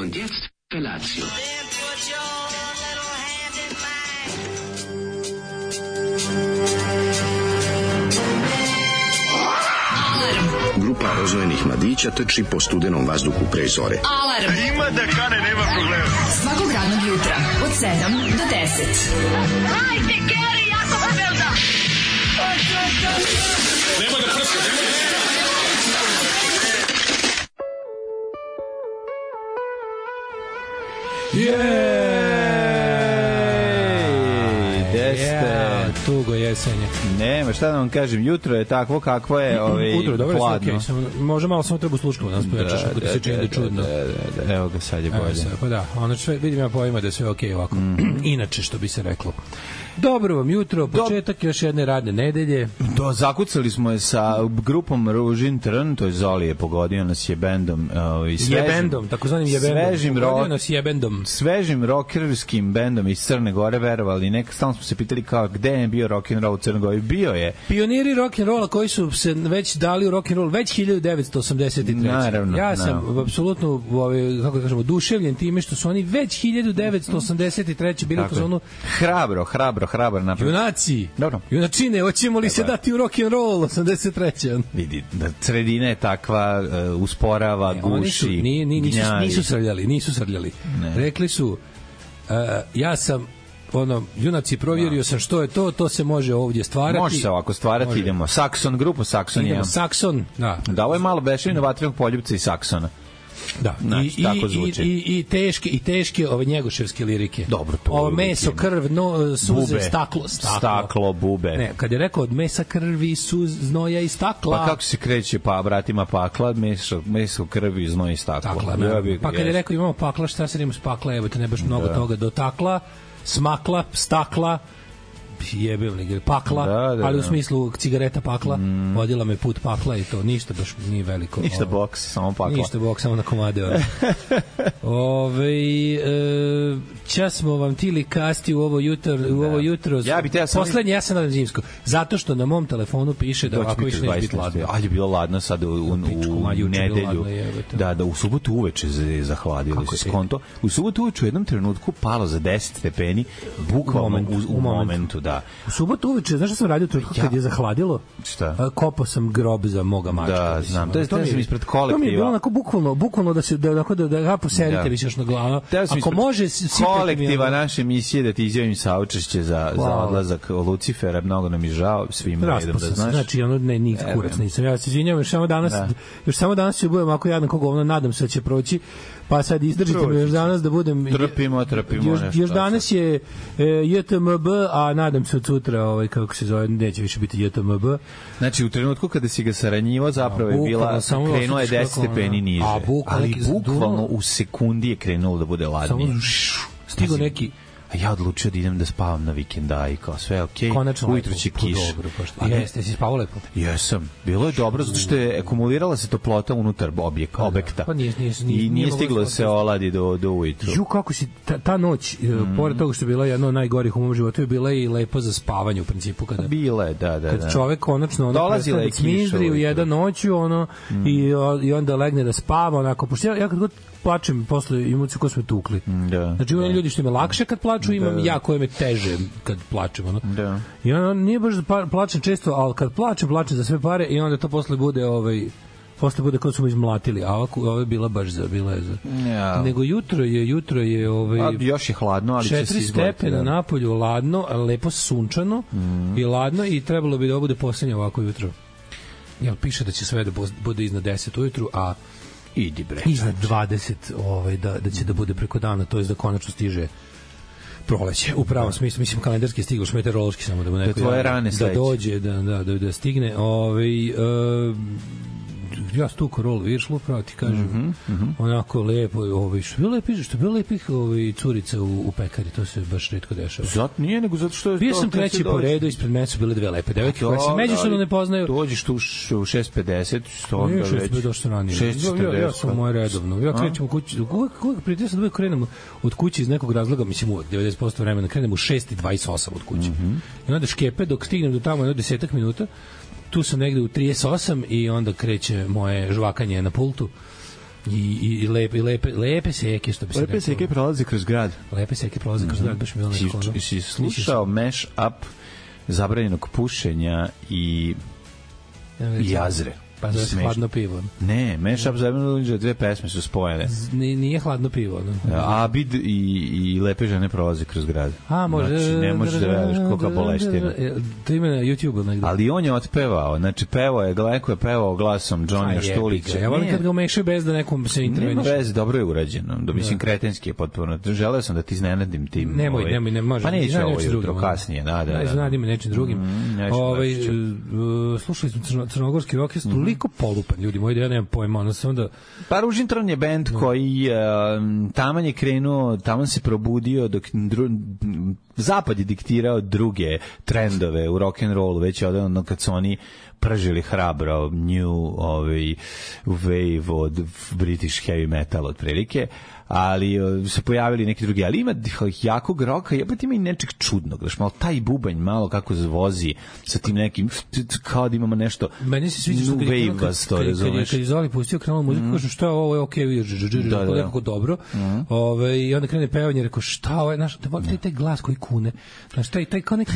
Und jetzt Felatio. Grupa rozvojenih mladića trči po studenom vazduhu pre zore. Alarm! Ima da kane, nema problema. Svakog radnog jutra, od 7 do 10. Hajde, Geri, jako se velda! Nema da prska, nema da prska! Tugo jesenje. Nema, šta da vam kažem, jutro je takvo kakvo je, Utro, dobro, hladno. Okay. Može malo samo treba sluškati, nas pojačaš ako ti se čini da čudno. Da. Evo ga, sad je bolje. Pa da, ono sve, vidim ja pojma da je sve okej ovako. Inače, što bi se reklo. Dobro vam jutro, početak još jedne radne nedelje. Zakucali smo je sa grupom Ružin Trn, to je Zoli je pogodio nas je bendom. Jebendom, takozvanim jebendom. Pogodio nas jebendom. Svežim rockerskim bendom iz Crne Gore, verovali. Neka stalno smo se pitali kao gde je bio rock'n'roll u Crnoj Gori. Bio je. Pioniri rock'n'rolla koji su se već dali u rock'n'roll već 1983. Naravno. Ja sam apsolutno, kako da kažemo, oduševljen time što su oni već 1983. bili u zonu Hrabar napravo. Junaci. Dobro. Junačine, hoćemo li se dati u rock'n'roll 83. Vidi, da sredina je takva, usporava, guši, nisu srljali. Rekli su, ja sam junaci, provjerio sam što je to se može ovdje stvarati. Može se ovako stvarati, može. Idemo. Saxon, grupu Saxon. Idemo, Saxon, da. Da, ovo je malo bešavina vatrenog poljupca i Saxona. Da, znači, tako zvuči. I teške ove njegoševske lirike. Dobro, to ovo meso, krv, suze, bube. Staklo, bube. Ne, kad je rekao od mesa, krvi, znoja i stakla. Pa kako se kreće vratima pakla, meso, krvi, znoj i stakla. Pa kad je rekao imamo pakla, šta se ima s pakla, evo te ne baš mnogo toga dotakla, smakla, stakla, jebevni pakla, ali u smislu cigareta pakla, vodila me put pakla i to, ništa baš nije veliko. Ništa boks, samo pakla. Ništa boks, samo na komade. Čas smo vam tili kasti u ovo jutro. Poslednje, ja sam nadam zimsko. Zato što na mom telefonu piše da ovako više neće biti ladno. Ali je bilo ladno sad u nedelju. Da, u subotu uveče zahladilo se skonto. U subotu uveče u jednom trenutku palo za 10 stepeni, bukvalno u momentu, da. U subotu uveče, znaš šta sam radio kad je zahladilo? Šta? Kopao sam grob za moga mačka. Da, znam. To sam ispred kolektiva. To mi je bilo onako bukvalno da ga poserite više još na glavu. Ako može... Kolektiva naše emisije da ti izjavim saučešće za odlazak Lucifera, mnogo nam je žao, svima redom da znaš. Znači, nikak kurac nisam. Ja se izvinjam, još samo danas ću budem ako jadan koga nadam se da će proći. Pa sad izdržite me još danas da budem... Trpimo. Još danas je JTMB, a nadam se od sutra, kako se zove, neće više biti JTMB. Znači, u trenutku kada si ga saranjivo, zapravo je bila, krenula je 10 stepeni niže. Ali bukvalno u sekundi je krenulo da bude ladnije. Stigo neki... Ja odlučio da idem da spavam na vikenda i kao sve okej. Ujutro će kiš. Jeste, si spavao lepo? Jesam. Bilo je dobro zato što je akumulirala se toplota unutar objekta. Pa nije stiglo da se oladi do ujutru. Ju, kako si ta noć, pored toga što je bila jedna od najgorih u mom životu, je bila i lepo za spavanje u principu. Bila je, da. Kad čovek konačno prestane da cmizdri u jedan noću, i onda legne da spava, onako, pošto ja kad god plačem posle imuci ko smo tukli. Znači imam ljudi što ima lakše kad plaču, imam ja koje me teže kad plačem. I onda nije baš da plačem često, ali kad plačem za sve pare i onda to posle bude kao smo izmlatili, a ovo je bila baš bila je za. Nego jutro je još je hladno, ali će se 4 stepena napolju, ladno, lepo sunčano i ladno i trebalo bi da bude poslednje ovako jutro. Jel piše da će sve da bude iznad 10 ujutru, a idi bre. Iznad 20 da će da bude preko dana, to je da konačno stiže proleće. U pravom smislu, mislim kalendarski je stiglo, meteorološki samo da mu neko da dođe, da stigne. Ja stuko rol viršlu, pravo ti kažem. Onako lepo, što je bilo lepih curica u pekari, to se baš retko dešava. Zato nije, nego zato što je... Bio sam treći po redu, ispred mene su bile 2 lepe devojke koje se međusobno ne poznaju. Dođeš tu u 6:50, što onda već... Nije 6:50, došto ranije. 6:40. Ja sam moje redovno. Ja krećem u kući, uvek prijatelj sam da uvek krenem od kuće iz nekog razloga, mislim uvek 90% vremena krenem u 6:28 od kuće. I onda škepe dok stignem do tamo jedno 10 minuta, tu sam negde u 38 i onda kreće moje žvakanje na pultu. I lepe seke, što bi se lepe seke prolaze kroz grad. Lepe seke prolaze kroz grad, baš mi je ono neko. Si slušao mash up zabranjenog pušenja i Jazre? Pa da je hladno pivo. Ne, Mashup zajedno, dve pesme su spojene. Nije hladno pivo. No. Abid i lepe žene prolaze kroz grad. Može. Znači, ne možeš da veruješ koliko boleština. To ima na YouTube-u negdje. Ali on je otpevao, znači Gleko je pevao glasom Johnny Štulića. Ja volim kad ga umešaju bez da nekom se interveniše. Nema veze, dobro je urađeno. Mislim, kretenski je potpuno. Želeo sam da ti iznenadim tim. Nemoj, može. Pa neće ovo jutro, kasnije. Iznenadim me nečim drugim. Slušali smo crnogorski rock, toliko polupan, ljudi moji, da ja nemam pojma, ono se onda... Pa Ružintron je bend koji taman je krenuo, taman se probudio dok Zapad je diktirao druge trendove u rock'n'rollu, već je odavno kad su oni pržili hrabro new wave od British heavy metal otprilike, ali se pojavili neki drugi, ali ima jakog roka, jebate ima i nečeg čudnog, znaš, malo taj bubanj, malo kako vozi sa tim nekim, kao da imamo nešto meni se sviđa što kad je Zoli pustio krenuo muziku, kažu šta je ovo, je okej, nekako dobro, i onda krene pevanje, rekao šta ovo je, znaš, da volite taj glas koji kune, znaš, taj kao neki,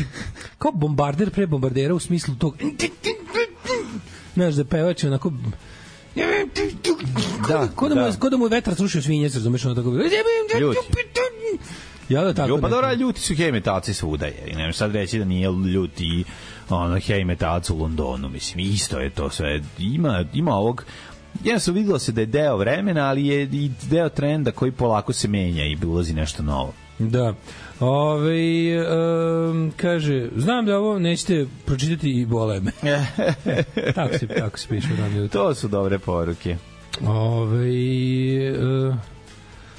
kao bombarder pre bombardera u smislu tog, znaš, da pevač je onako ko da mu je vetar srušio svinjec, razumeš, ono tako ljuti. Ja da tako. Pa dobro, ljuti su heavy metalci svuda, je. Ne sad reći da nije ljuti heavy metalci u Londonu, mislim, isto je to sve. Ima ovog, jednostavno vidjelo se da je deo vremena, ali je i deo trenda koji polako se menja i ulazi nešto novo. Da. Kaže, znam da ovo nećete pročitati i bole me. tako se piše. To su dobre poruke.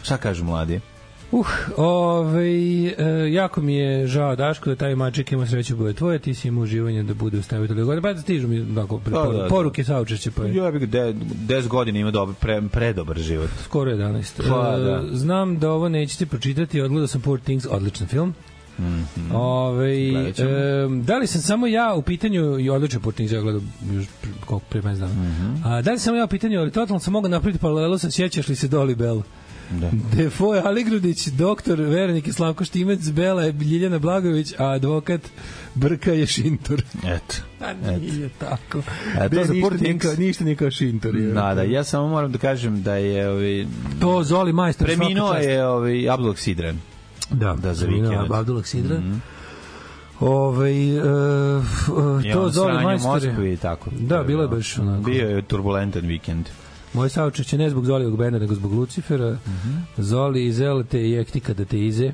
Šta kažu mladi? Jako mi je žao, Daško, da taj maček ima sreće bude tvoje, ti si ima uživanje da bude u stavitelju godine, pa da stižu mi poruke saučešće. Ja bih 10 godina ima predobar život. Skoro 11. Znam da ovo nećete pročitati, odgledao sam Poor Things, odličan film. Da li sam samo ja u pitanju, i odličan Poor Things, ja gledam još koliko prije meni znam. Da li sam ja u pitanju, ali totalno sam mogao napraviti paralelu sa sjećaš li se Dolly Bell? Defoe Aligrudić, doktor Veronik i Slavko Štimec, Bela je Ljiljana Blagović, a advokat Brka je Šintor. Eto. Nije tako. Ništa nije kao Šintor. Ja samo moram da kažem da je to Zoli majstor. Preminuo je Abdullah Sidran. Da, za vikend. Abdullah Sidran. To Zoli majstor. Da, bilo je baš onako. Bio je turbulentan vikend. Moje saučešće ne zbog Zolijog benda, nego zbog Lucifera. Zoli iz Elete i Ektika da te ize.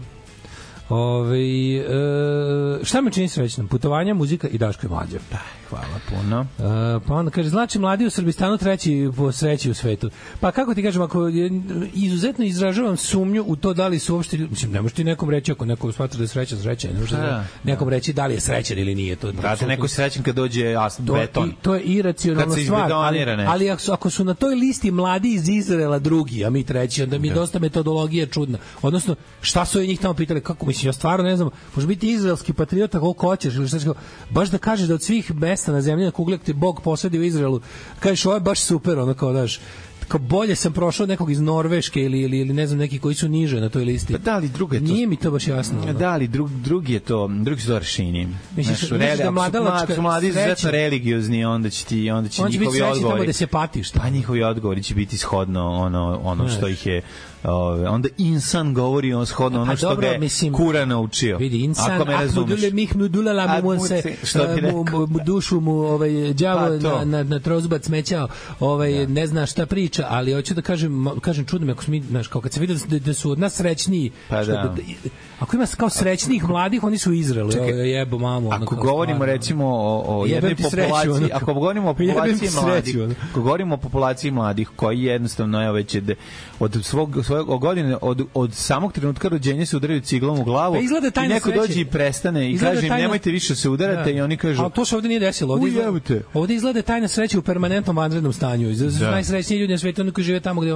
Šta me čini srećnom? Putovanja, muzika i Daško je mlađe. Hvala puno. Pa onda kaže, znači mladi u Srbistanu treći po sreći u svetu. Pa kako ti kažem, ako izuzetno izražavam sumnju u to da li su uopšte, mislim, ne možeš ti nekom reći ako neko smatra da je srećan, ne možeš nekom reći da li je srećan ili nije. Brate, neko srećan kad dođe beton. To je iracionalna stvar, ali ako su na toj listi mladi iz Izraela drugi, a mi treći, onda mi dosta metodologija čudna. Odnosno, šta su njih tamo pitali, kako mislim, ja stvarno ne znam, može biti izraelski patriota koliko hoćeš ili šta, baš da kažeš da od svih mesta na zemlji na kugli ti Bog posadi u Izraelu, kažeš ovo je baš super, ono kao daš, kao bolje sam prošao od nekog iz Norveške ili ne znam neki koji su niže na toj listi. Pa da li drugo je to? Nije mi to baš jasno. Da li drugi su to rešenje. Misliš da mladalačka mladi izuzetno religiozni, onda će njihovi odgovori. Da se patiš. Pa njihovi odgovori će biti shodno ono što ih je onda insan govori on shodno ono što ga je Kuran naučio. Vidi, insan, ako mih nudulala mu se dušu mu đavo na trozbac smećao, ne zna šta priča, ali hoću da kažem čudno mi, ako mi, znaš, kao kad se vidi da su od nas srećniji, ako ima kao srećnijih mladih, oni su u Izraelu, jebo mamu. Ako govorimo recimo o jednoj populaciji, ako govorimo o populaciji mladih, ako govorimo o populaciji mladih koji jednostavno već od svoje godine, od samog trenutka rođenja se udaraju ciglom u glavu i neko dođe i prestane i kaže im nemojte više se udarate i oni kažu... Ali to se ovdje nije desilo. Ovdje izgleda tajna sreća u permanentnom vanrednom stanju. Najsrećniji ljudi na svijetu oni koji žive tamo gde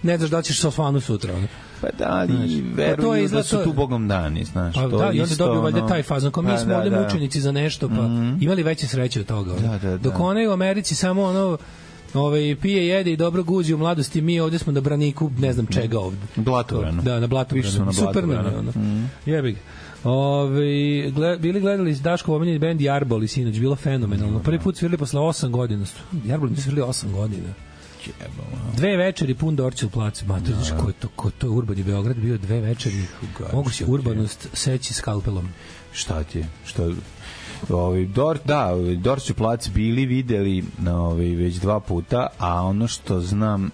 ne znaš da ćeš sa osvanu sutra. Pa da, ali veruju da su tu Bogom dani, znaš. Pa da, i onda dobiju valjda taj fazon. Kao mi smo ovdje mučenici za nešto, pa imali veće sreće od toga. Dok onaj u Americi samo pije, jede i dobro guzi u mladosti, mi ovde smo na braniku, ne znam čega ovde. Blatovranu. Da, na Blatovranu. Super nam je ono. Jebi ga. Bili gledali Daško omiljeni bend Jarbol i sinoć, bilo fenomenalno. Prvi put svirali posle 8 godina. Jarbol nisu svirali 8 godina. 2 večeri pun Dorćel plac. Ma, to znaš ko to je urbani Beograd bio 2 večeri. Mogu se urbanost seći skalpelom. Šta ti je? Dorćel plac bili videli već 2 puta, a ono što znam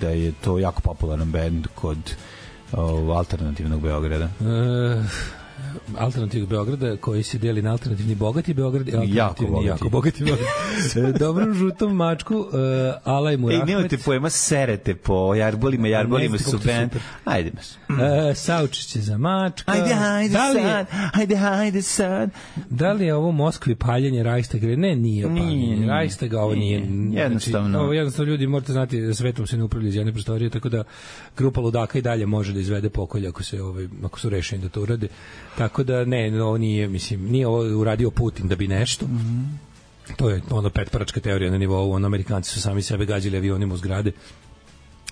da je to jako popularan bend kod alternativnog Beograda. Alternativnog Beograda koji se deli na alternativni bogati Beograd i alternativni jako bogati Beograd. Dobrom žutom mačku, Alaj Murahmet. Nemojte pojma, serete po jarbolima su band. Ajde. Saučiće za mačka. Ajde sad. Da li je ovo u Moskvi paljenje Reichstaga? Ne, nije paljenje Reichstaga, ovo nije. Jednostavno. Ovo jednostavno ljudi, morate znati da svetom se ne upravlja iz jedne prostorije, tako da grupa ludaka i dalje može da izvede pokolj ako su rešeni da to urade. Tako da ne, ovo nije ovo uradio Putin da bi nešto. To je ono petparačka teorija na nivou, Amerikanci su sami sebe gađali avionima u zgrade.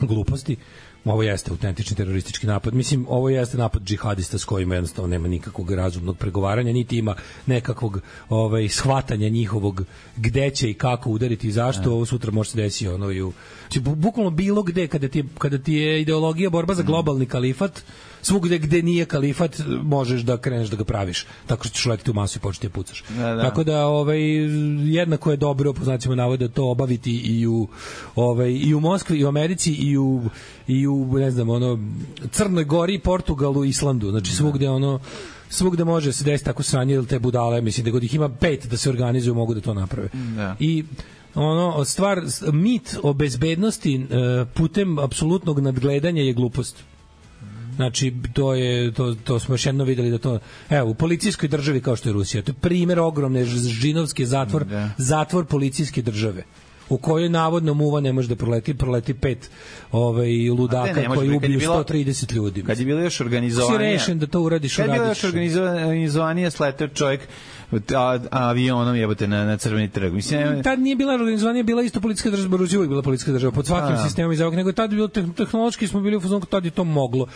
Gluposti. Ovo jeste autentični teroristički napad. Mislim, ovo jeste napad džihadista s kojima jednostavno nema nikakvog razumnog pregovaranja, niti ima nekakvog shvatanja njihovog gde će i kako udariti i zašto. Ovo sutra može se desiti bukvalno bilo gde kada ti je ideologija borba za globalni kalifat, svugde gde nije kalifat možeš da kreneš da ga praviš tako što ćeš letiti u masu i početi da pucaš. Tako da jednako je dobro po znacima navoda to obaviti i u Moskvi i u Americi i u ne znam Crnoj Gori, Portugalu, Islandu, znači svugde može se desiti tako sranje ili te budale, mislim da god ih ima 5 da se organizuju mogu da to naprave. I mit o bezbednosti putem apsolutnog nadgledanja je glupost. Znači, to smo još jedno videli da to... Evo, u policijskoj državi kao što je Rusija, to je primjer ogromne žinovske zatvor policijske države u kojoj navodno muva ne može da proleti 5 ludaka koji ubiju 130 ljudi. Kad je bilo još organizovanije... Si rešen da to uradiš, uradiš. Kad je bilo još organizovanije, sletao čovjek avionom jebote na Crveni trg. Mislim, tad nije bila organizovanija, bila isto policijska država, Rusija uvijek bila policijska država, pod svakim sistemom iz ovog, nego tad bilo tehnološki smo bili u fazonu, tad je to moglo.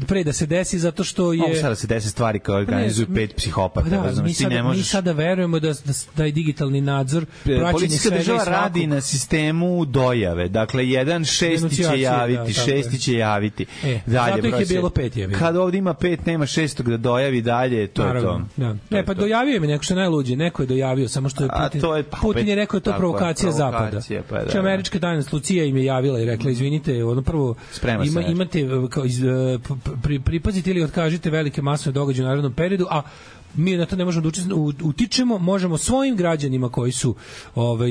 Pre da se desi, zato što je... Mogu sada se desi stvari kao organizuju 5 psihopata. Mi sada verujemo da je digitalni nadzor policijska država radi na sistemu dojave. Dakle, 1/6 će javiti, 6 će javiti. Zato ih je bilo 5 jevi. Kad ovdje ima 5, nema 6 da dojavi dalje, to je to. Pa dojavio mi neko što je najluđi, neko je dojavio, samo što je Putin je rekao da je to provokacija Zapada. Znači, američka tajnost Lucija im je javila i rekla, izvinite, prvo imate, pripazite ili otkažite velike masovne događaje u narednom periodu, a mi na to ne možemo da utičemo, možemo svojim građanima koji su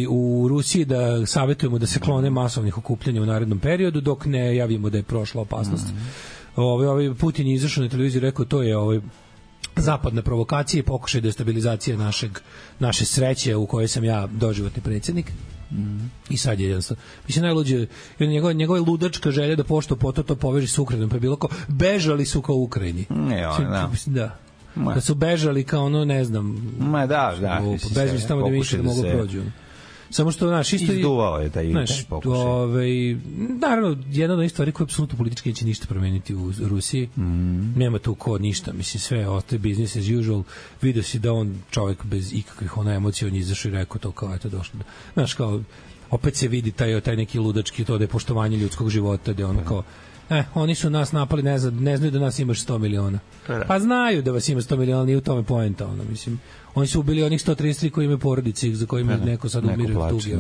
u Rusiji da savjetujemo da se klone masovnih okupljanja u narednom periodu, dok ne javimo da je prošla opasnost. Putin je izašao na televiziju i rekao, to je zapadne provokacije, pokušaj destabilizacije naše sreće u kojoj sam ja doživotni predsjednik. I sad je jednostavno. Mislim, najluđe, njegova ludačka želja da pošto poto to poveži s Ukrajinom, pa je bilo kao, bežali su kao u Ukrajini. Da su bežali kao ne znam. Bežali su tamo da više da mogu prođu. Samo što, znaš, isto izduvao je taj pokušaj. Naravno, jedna od onih stvari koja apsolutno politički neće ništa promeniti u Rusiji. Nema tu ništa. Mislim, sve ostaje business as usual. Vidio si da on čovjek bez ikakvih emocija, on je izašao i rekao to kao, eto, došlo. Znaš, kao, opet se vidi taj neki ludački, to da je poštovanje ljudskog života, da je ono kao, oni su nas napali, ne znaju da nas imaš 100 miliona. Pa znaju da vas ima 100 miliona, nije u tome poenta, mislim. Oni su ubili onih 133 koji imaju porodice, za kojima neko sad umire u tugi.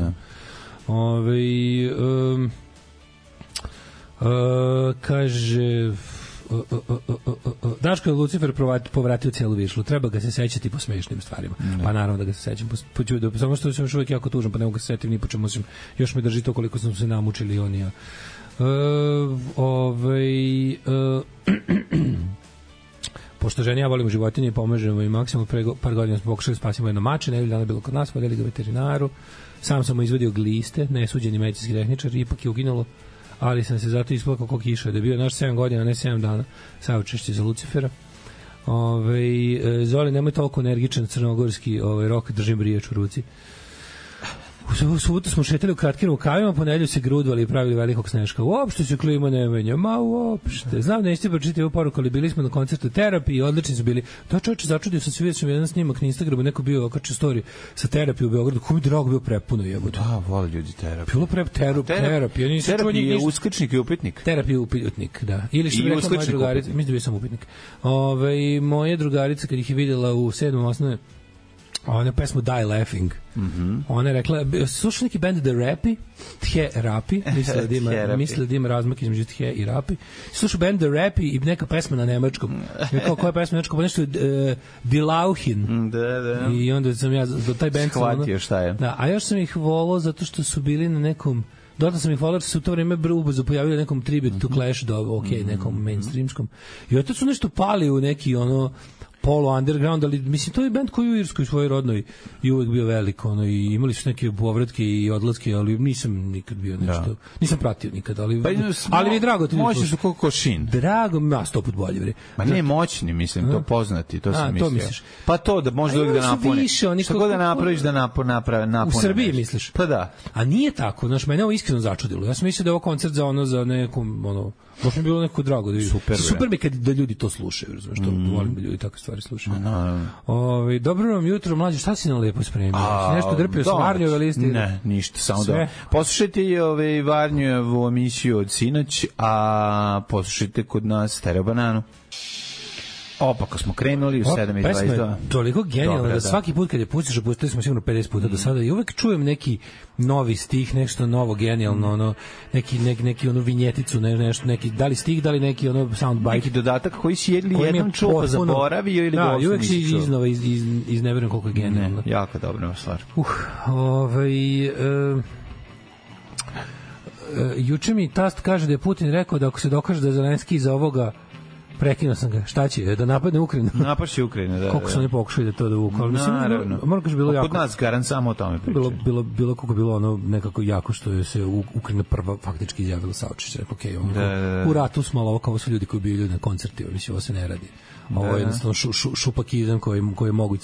Kaže... Daško je Lucifer povratio cijelu višlu. Treba ga se sećati po smešnim stvarima. Pa naravno da ga se sećam. Samo što sam još uvijek jako tužan, pa ne mogu ga se setim ni po čemu. Još me drži to koliko smo se namučili oni ja. Pošto ženi ja volimo životinje i pomažemo i maksimalno pre par godina smo pokušali spasimo jedno mače, nedelju dana bilo kod nas, podeli ga veterinaru, sam sam mu izvadio gliste, nesuđeni medicinski tehničar, ipak je uginulo, ali sam se zato isplakao kao kiša, da je bio naš 7 godina, ne 7 dana, saučešće za Lucifera. Zoli, nemoj toliko energičan crnogorski rok, držim riječ u ruci. U subotu smo šetali u kratkim rukavima, po nedelju se grudvali i pravili velikog sneška. Uopšte se klima ne menja, ma uopšte. Znam, nećete pročitati ovu poruku, ali bili smo na koncertu Terapiji i odlični su bili. Da, čovječe, začudio sam se, vidio sam jedan snimak na Instagramu, neko bio okačio story sa Terapiji u Beogradu, ko mi drago bio prepuno jebote. Da, vole ljudi Terapiju. Bilo Terapija. Terapija je uskličnik i upitnik. Terapija je upitnik, da. Ili što bi rekla moja drugarica, mislim da bio sam upitnik. Moja drugarica kad ih je vidjela u 7. osnovne, ona pesmu Die Laughing. Ona je rekla, slušao neki band The Rapi, Tje Rapi, misle da ima razmak između Tje i Rapi. Slušao band The Rapi i neka pesma na nemačkom. Kao koja je pesma na nemačkom? Pa nešto Die Lauchen. Da. I onda sam ja do taj band shvatio šta je. Da, a još sam ih volao zato što su bili na nekom dodatno sam ih volao jer su u to vreme ubrzo pojavili nekom tribute to Clash, nekom mainstreamskom. I oto su nešto pali u neki polo underground, ali mislim to je bend koji u Irskoj svojoj rodnoj i uvek bio velik, i imali su neke povratke i odlaske, ali nisam nikad bio nešto, nisam pratio nikad, ali mi je drago ti. Moćni su kao Košin. Drago mi, 100 put bolje bre. Ma ne moćni, mislim, to poznati, to sam mislio. To misliš. Pa to da može uvek da napune. Šta god da napraviš da napune. U Srbiji misliš? Pa da. A nije tako, znaš, mene ovo iskreno začudilo. Ja sam mislio da je ovo koncert za nekom, baš mi bilo neko drago da vidim. Super mi kad da ljudi to slušaju, razumeš, to volim da ljudi takve stvari slušaju. Dobro vam jutro, mlađe, šta si nam lepo spremio? Si nešto drpio sa Varnjove liste? Ne, ništa, samo da. Poslušajte i Varnjovu emisiju od sinoć, a poslušajte kod nas Stereo Bananu. Opako smo krenuli u 7:22. Pesma je toliko genijalna da svaki put kad je pustiš, pustili smo sigurno 50 puta do sada i uvek čujem neki novi stih, nešto novo genijalno, neki vinjeticu, nešto, neki, da li stih, da li neki soundbite. Neki dodatak koji si jednom čuo, zaboravio ili da, uvek si iznova iz ne verujem koliko je genijalno. Jako dobra stvar. Juče mi tast kaže da je Putin rekao da ako se dokaže da je Zelenski iza ovoga, prekinuo sam ga. Šta će? Da napadne Ukrajinu? Napašće Ukrajinu, da. Koliko su oni pokušali da to dovuku? Naravno. Moram kaži bilo jako. Kod nas garant samo o tome pričaju. Bilo koliko bilo nekako jako što je se Ukrajina prva faktički izjavila saučešće. U ratu smo, ali ovo kao su ljudi koji bili na koncertima. Mislim, ovo se ne radi. Ovo je jednostavno šupakizam koji je moguć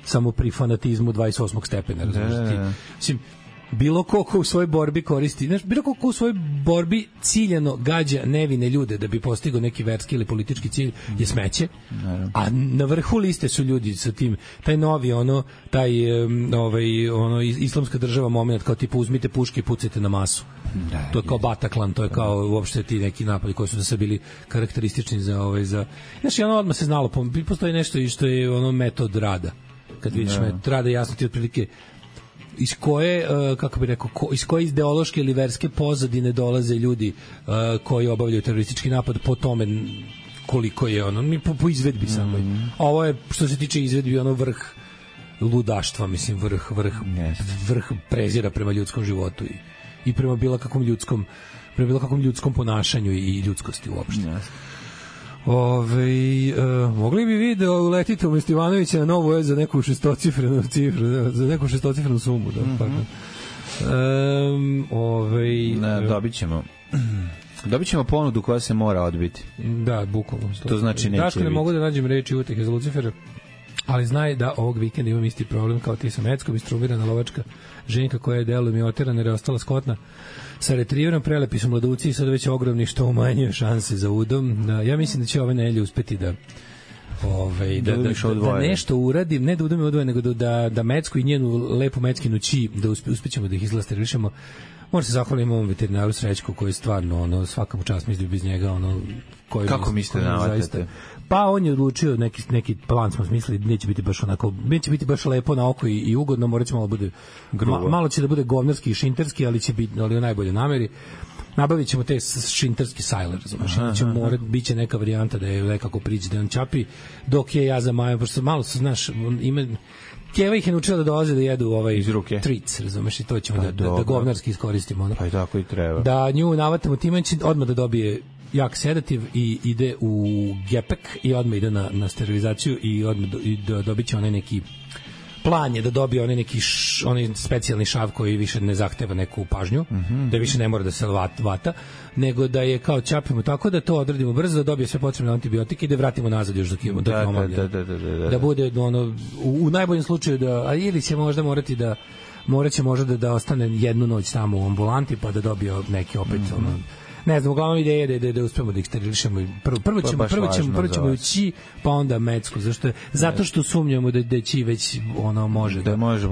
samo pri fanatizmu 28. stepena. Mislim, bilo ko u svojoj borbi koristi, bilo ko u svojoj borbi ciljano gađa nevine ljude da bi postigao neki verski ili politički cilj je smeće, a na vrhu liste su ljudi sa tim, taj novi islamska država moment, kao tipa uzmite puške i pucajte na masu. To je kao Bataclan, to je kao uopšte ti neki napadi koji su da se bili karakteristični za znači odmah se znalo, postoji nešto i što je metod rada. Kad vidiš metod rada, jasno ti otprilike iz koje, kako bih rekao, iz koje ideološke ili verske pozadine dolaze ljudi koji obavljaju teroristički napad po tome koliko je po izvedbi samo. Ovo je, što se tiče izvedbi, vrh ludaštva, mislim, vrh prezira prema ljudskom životu i prema bilo kakvom ljudskom ponašanju i ljudskosti uopšte. Mogli bi video uletiti u Ivanovića na Novu za neku šestocifrenu cifru, za neku šestocifrenu sumu. Dobit ćemo ponudu koja se mora odbiti. Da, bukvalno. To znači neće Daško, ne mogu da nađem reči utehe za Lucifera, ali znaj da ovog vikenda imam isti problem kao ti sa Meckom, istrumirana lovačka ženka koja je delom i oterana jer je ostala skotna sa retriverom, prelepi su mladuci i sad već ogromni što umanjuje šanse za udom. Ja mislim da će ove nedelje uspeti da nešto uradim, ne da udom je odvoje, nego da Mecku i njenu lepu Meckinu ći, da uspećemo da ih izlasterilišemo. Možda se zahvalim ovom veterinaru Srećku koji je stvarno, svaka mu čast, mislim bez njega, kako mislite da navatate? Pa on je odlučio, neki plan smo smislili, neće biti baš lepo na oko i ugodno, morat će malo bude malo će da bude govnarski i šinterski, ali će biti u najbolje nameri. Nabavit ćemo te šinterski sajler, biće neka varijanta da je nekako priđe, da on čapi, dok je ja za Maja, pošto malo se, znaš, Keva ih je naučila da dolaze da jedu tric, razumeš, i to ćemo da govnarski iskoristimo. Pa i tako i treba. Da nju navatamo time, će odmah da dobije jak sedativ i ide u gepek i odmah ide na sterilizaciju i odmah dobit će onaj neki plan je da dobije onaj neki onaj specijalni šav koji više ne zahteva neku pažnju, da više ne mora da se vata, nego da je kao čapimo tako da to odradimo brzo, da dobije sve potrebne antibiotike i da vratimo nazad još da bude u najboljem slučaju ili će možda morati da moraće možda da ostane jednu noć tamo u ambulanti pa da dobije neki opet ne znam, uglavnom ideja je da uspemo da ih sterilišemo. Prvo ćemo ući, pa onda mecku. Zato što sumnjamo da će već ono može. Da može.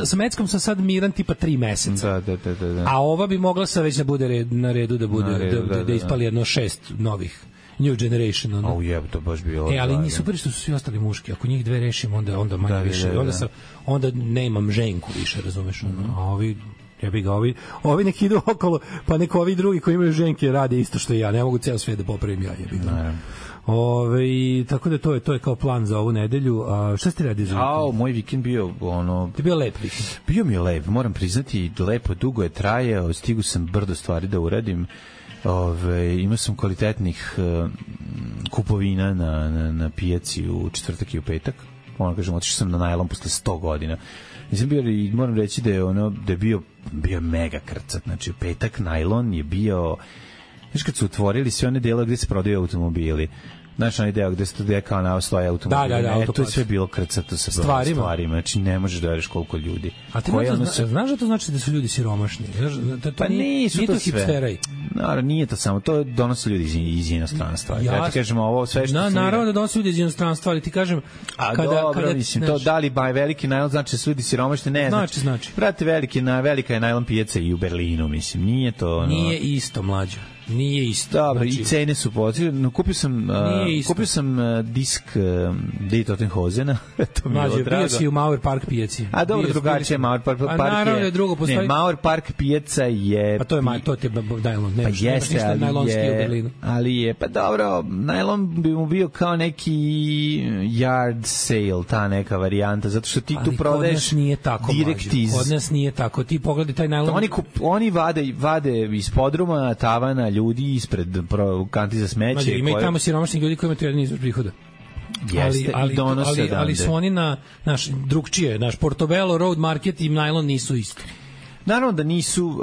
Sa meckom sam sad miran tipa 3 meseca. Da. A ova bi mogla sa već da bude na redu da ispali jedno 6 novih. New generation, ono. To baš bilo. Ali nisu super što su svi ostali muški. Ako njih dve rešimo, onda manje više. Onda ne imam ženku više, razumeš? A ovi neki idu okolo, pa neko ovi drugi koji imaju ženke rade isto što i ja. Ne mogu ceo svijet da popravim ja, jebi ga. Tako da to je kao plan za ovu nedelju. A šta ste radi za vikend? Moj vikend bio Ti bio lep vikend? Bio mi je lep, moram priznati, lepo, dugo je trajao, stigu sam brdo stvari da uradim. Imao sam kvalitetnih kupovina na pijaci u četvrtak i u petak. Otišao sam na najlon posle 100 godina. Nisam bio, i moram reći da je bio mega krcat. Znači, u petak najlon je bio, znaš, kad su otvorili sve one dele gde se prodaju automobili, znaš, onaj deo gde kao na stoje automobili, to je sve bilo krcato sa stvarima. Znači, ne možeš da veriš koliko ljudi. A ti znaš da to znači da su ljudi siromašni? Pa nisu to sve. Naravno, nije to samo, to donose ljudi iz inostranstva. Ja ti kažem, ovo sve što... Naravno da donose ljudi iz inostranstva, ali ti kažem... Dobro, mislim, to da li veliki najlon znači da su ljudi siromašni? Ne, znači. Brate, velika je najlon pijaca i u Berlinu, mislim, nije to... Nije isto, mlađo. Nije isto. Dobro, i cene su pozitivne. Kupio sam disk Die Tottenhozena. Mlađe, bio si u Mauer Park pijaci. A dobro, drugačije je Mauer Park. Naravno je drugo postoji. Ne, Mauer Park pijaca je... Pa to je najlon. Pa jeste, ali je... Pa dobro, najlon bi mu bio kao neki yard sale, ta neka varijanta, zato što ti tu prodaješ direkt iz... Kod nas nije tako. Ti pogledaj taj najlon... Oni vade iz podruma, tavana, ljudi ispred kanti za smeće. Ima i tamo siromašnih ljudi koji imaju jedan izvor prihoda. Jeste, ali su oni na drugčije, naš Portobello Road Market i najlon nisu isti. Naravno da nisu,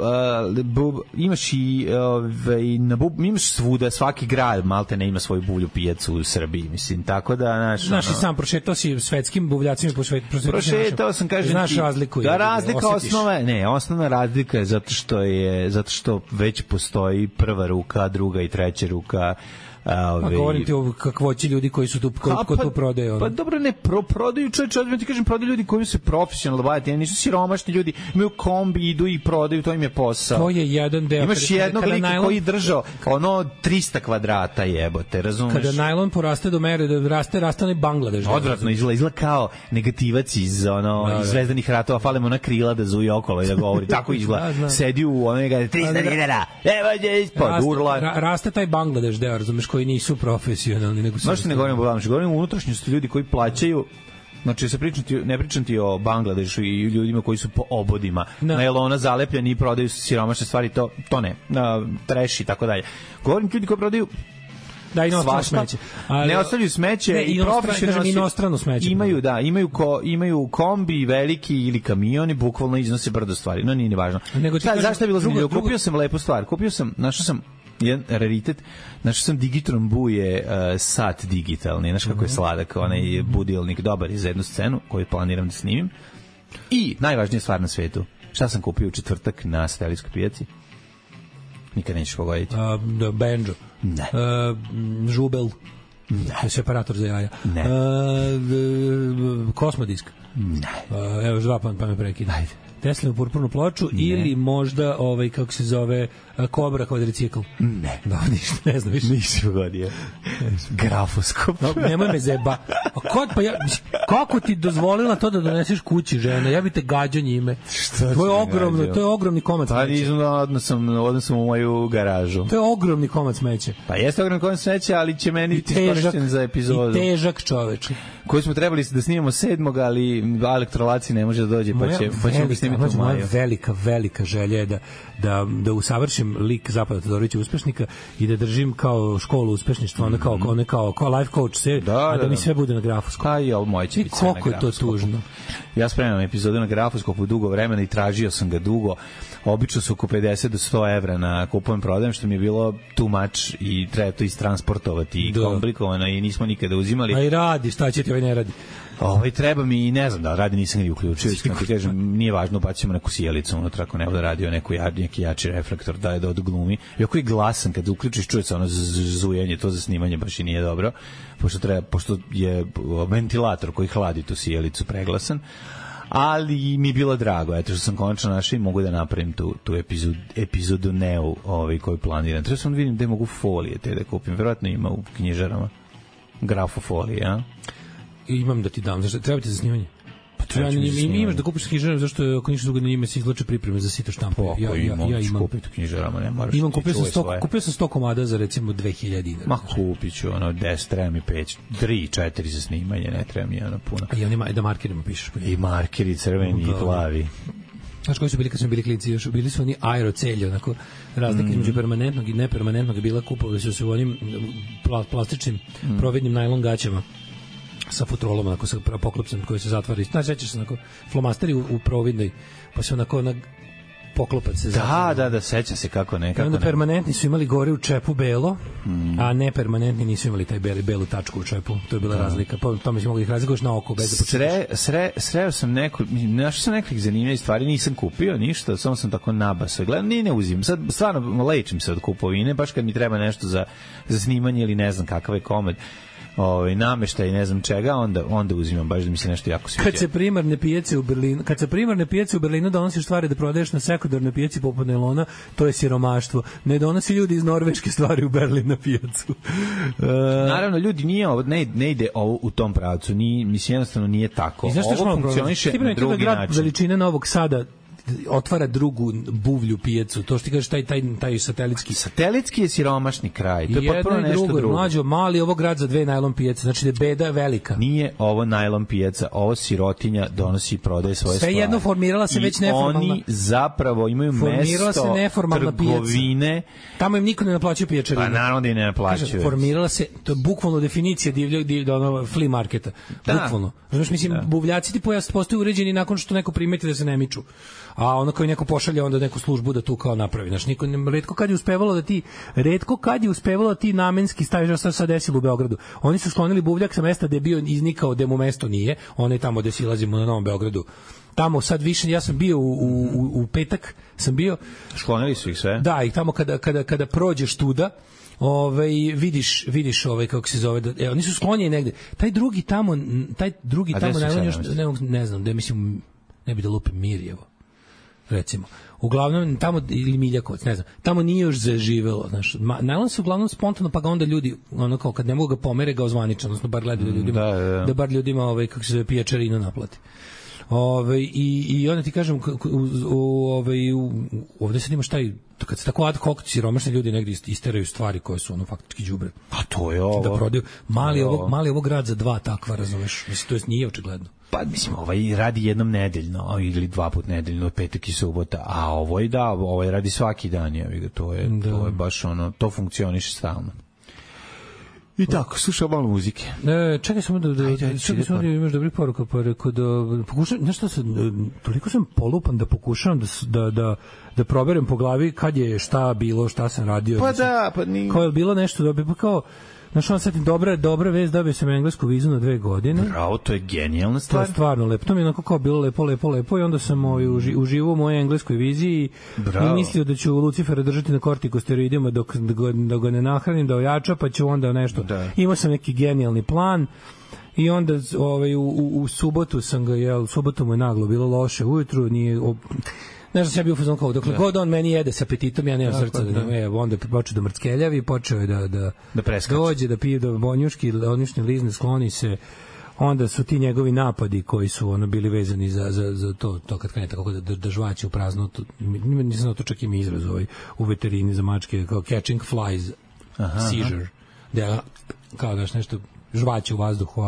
imaš i imaš svuda, svaki grad malte ne ima svoju buvlju pijacu u Srbiji, mislim, tako da znaš i sam prošetao si svetskim buvljacima prošetao sam, kažem znaš razliku. Da, razlika osnovna razlika je zato što već postoji prva ruka, druga i treća ruka. Govorim ti o kakvoći ljudi koji su tu ko tu prodaju. Pa dobro, ne prodaju, čovječe, ti kažem, prodaju ljudi koji se profesionalno bavaju, nisu siromašni ljudi, imaju kombi, idu i prodaju, to im je posao. To je jedan deo. Imaš jednog lika koji držao 300 kvadrata, jebote, razumeš? Kada najlon poraste do mere da raste onaj Bangladeš. Odvratno izgleda kao negativac iz Zvezdanih ratova, fale mu na krila da zuje okolo i da govori, tako izgleda. Sedi u onega 300 dinara, evo je ispod urla. Raste taj Bangladeš deo, razumeš, koji nisu profesionalni, nego su... Možete ne govorimo o Bangladešu, govorimo o unutrašnjosti ljudi koji plaćaju, znači ne pričam ti o Bangladešu i ljudima koji su po obodima, nailona zalepljeni i prodaju siromašne stvari, to ne, treši i tako dalje. Govorim ljudi koji prodaju smeće. Ne ostavljaju smeće i profesionalno inostrano smeće. Imaju kombi veliki ili kamioni, bukvalno iznose brdo stvari. No, nije ni važno. Zašto je bilo zanimljivo? Kupio sam lepu stvar. Našao sam jedan raritet, našao sam Digitron Buje sat digitalni, znaš kako je sladak, onaj budilnik, dobar je za jednu scenu koju planiram da snimim. I najvažnija stvar na svetu, šta sam kupio u četvrtak na Stelijskoj pijaci? Nikad nećeš pogoditi. Banjo. Ne. Žubel. Ne. Separator za jaja. Ne. Kosmodisk. Ne. Evo, dva pa me prekida. Ajde. Teslinu purpurnu ploču ili možda kako se zove Kobra kvadricikl. Ne. Da, ništa, ne znam više. Nisi pogodio. Grafoskop. Nemoj me zeba. Kako ti dozvolila to da doneseš kući, žena? Ja bi te gađao njime. To je ogromni komad smeća. Pa nisam odno sam u moju garažu. To je ogromni komad smeća. Pa jeste ogromni komad smeća, ali će meni biti iskorišćen za epizodu. I težak, čoveče. Koji smo trebali da snimamo 7. ali elektrolaci ne može da dođe, pa ćemo snimiti u maju. Moja velika želja je da usavršim lik Zapada Todorovića uspešnika i da držim kao školu uspešništva, ona kao life coach, da mi sve bude na grafoskopu. Pa i ovo moje će biti sve na grafoskopu. Koliko je to tužno. Ja spremam epizodu na grafoskopu dugo vremena i tražio sam ga dugo. Obično su oko 50 do 100 evra na kupujem prodajem, što mi je bilo too much i treba to istransportovati i komplikovano i nismo nikada uzimali. A i radi, šta će ti ovaj ne radi? Treba mi, ne znam da radi, nisam ga uključio, ti kažem, nije važno, bacimo neku sjelicu unutra, ako ne bude radio neki jači reflektor, da odglumi. I ako je glasan, kad uključiš, čuje se ono zujenje, to za snimanje baš i nije dobro, pošto je ventilator koji hladi tu sjelicu preglasan, ali mi je bilo drago, eto što sam konačno našao i mogu da napravim tu epizodu Neu koju planiram. Treba sam da vidim gde mogu folije te da kupim, verovatno ima u knjižarama grafofolije, a? Imam da ti dam, zašto treba ti za snimanje? Ja imaš da kupiš knjižarama, zašto ako ništa drugo na njima se izvlače pripreme za sito štampu. Ja imam kupiti knjižarama, ne moraš. Kupio sam 100 komada za recimo 2000 dinara. Ma kupit ću 10, treba mi 5, 3, 4 za snimanje, ne treba mi puno. I onima da markerima pišeš. I markeri crveni i plavi. Znaš koji su bili kad smo bili klinci, još bili su oni aerocelji, onako razlika između permanentnog i nepermanentnog je bila, kupovali su se u onim plastičnim providnim najlon gaćama sa futrolom, onako sa poklopcem koji se zatvara. Znaš, sećaš se, onako flomasteri u providnoj, pa se onako poklopac se zatvara. Da, seća se kako ne. Onda permanentni su imali gore u čepu belo, a nepermanentni nisu imali taj belu tačku u čepu. To je bila razlika. To mi se mogu ih razlikoš na oko. Sreo sam našao sam nekih zanimljivih stvari, nisam kupio ništa, samo sam tako nabasao. Gledam, ne uzimam. Sad stvarno lečim se od kupovine, baš kad mi treba nešto za snimanje ili ne znam kakav je komad. Nameštaj ne znam čega, onda uzimam baš da mi se nešto jako sviđa. Kad se primarne pijace u Berlinu donosiš stvari da prodaješ na sekundarnoj pijaci poput nailona, to je siromaštvo. Ne donosi ljudi iz Norveške stvari u Berlin na pijacu. Naravno, ljudi ne ide ovo u tom pravcu, mislim jednostavno nije tako. Ovo funkcioniše na drugi način. Veličine Novog Sada otvara drugu buvlju pijacu. To što ti kažeš, taj satelitski. Satelitski je siromašni kraj. To je potpuno nešto drugo. Mlađo, mali ovo grad za 2 najlon pijace. Znači da je beda velika. Nije ovo najlon pijaca, ovo sirotinja donosi i prodaje svoje stvari. Sve jedno formirala se već neformalna. Oni zapravo imaju mesto trgovine. Tamo im niko ne naplaćuje pijačarinu. Pa naravno da im ne naplaćuje. Formirala se, to je bukvalno definicija divljeg flea marketa. Bukvalno. Znaš, mislim, buvljaci ti postaju uređeni nakon što neko primeti da se ne miču. A ono koji neko pošalje onda neku službu da tu kao napravi. Znaš, retko kad je uspevalo da ti namenski staviš, što se desilo u Beogradu. Oni su sklonili buvljak sa mesta gde je bio iznikao, gde mu mesto nije. On je tamo gde silazimo na Novom Beogradu. Tamo sad više, ja sam bio u petak, sklonili su ih sve. Da, i tamo kada prođeš tuda, vidiš kako se zove, oni su sklonjeni negde. Taj drugi tamo ne znam, da mislim, ne bi da lupim Mirjevo. Recimo. Uglavnom, tamo, ili Miljakovac, ne znam, tamo nije još zaživelo, znaš, najlon se uglavnom spontano, pa ga onda ljudi, ono kao, kad ne mogu ga pomere, ga ozvaničan, odnosno bar gledaju ljudima, da bar ljudima, kako se zove, pijačarinu naplati. I onda ti kažem, ovde sad imaš taj, kad se tako ad hoc siromašni ljudi negdje isteraju stvari koje su ono faktički đubre. A to je ovo. Da prodaju. Mali ovo grad za 2 takva, razumeš? Mislim, to je nije očigledno. Pa mislim, radi jednom nedeljno ili 2 puta nedeljno, petak i subota, a ovaj radi svaki dan, to je baš ono, to funkcioniše stalno. I tako, slušao malo muzike. Čekaj samo da imaš dobri poruka, pa rekao da pokušam, nešto toliko sam polupan da pokušavam da proberem po glavi kad je šta bilo, šta sam radio. Pa da, pa nije. Kao je bilo nešto da pa kao znaš, on sad dobra vest, dobio sam englesku vizu na 2 godine. Bravo, to je genijalna stvar. To je stvarno lepo. To mi je onako kao bilo lepo i onda sam uživao u mojoj engleskoj viziji i mislio da ću Lucifera držati na kortikosteroidima dok ga ne nahranim, da ojača, pa ću onda nešto. Da. Imao sam neki genijalni plan i onda u subotu sam ga, subotu mu je naglo bilo loše ujutru, nije... Ne znam, ja bio fazon kao, dokle god on meni jede sa apetitom, ja nemam srca. Onda počeo da mrckeljavi, počeo je da dođe, da pije do bonjuški, odnišne lizne, skloni se. Onda su ti njegovi napadi koji su bili vezani za to kad krene tako da žvaće u prazno. Nisam znao to, čak ima izraz u veterini za mačke, kao catching flies, seizure. Da kao daš nešto žvaće u vazduhu,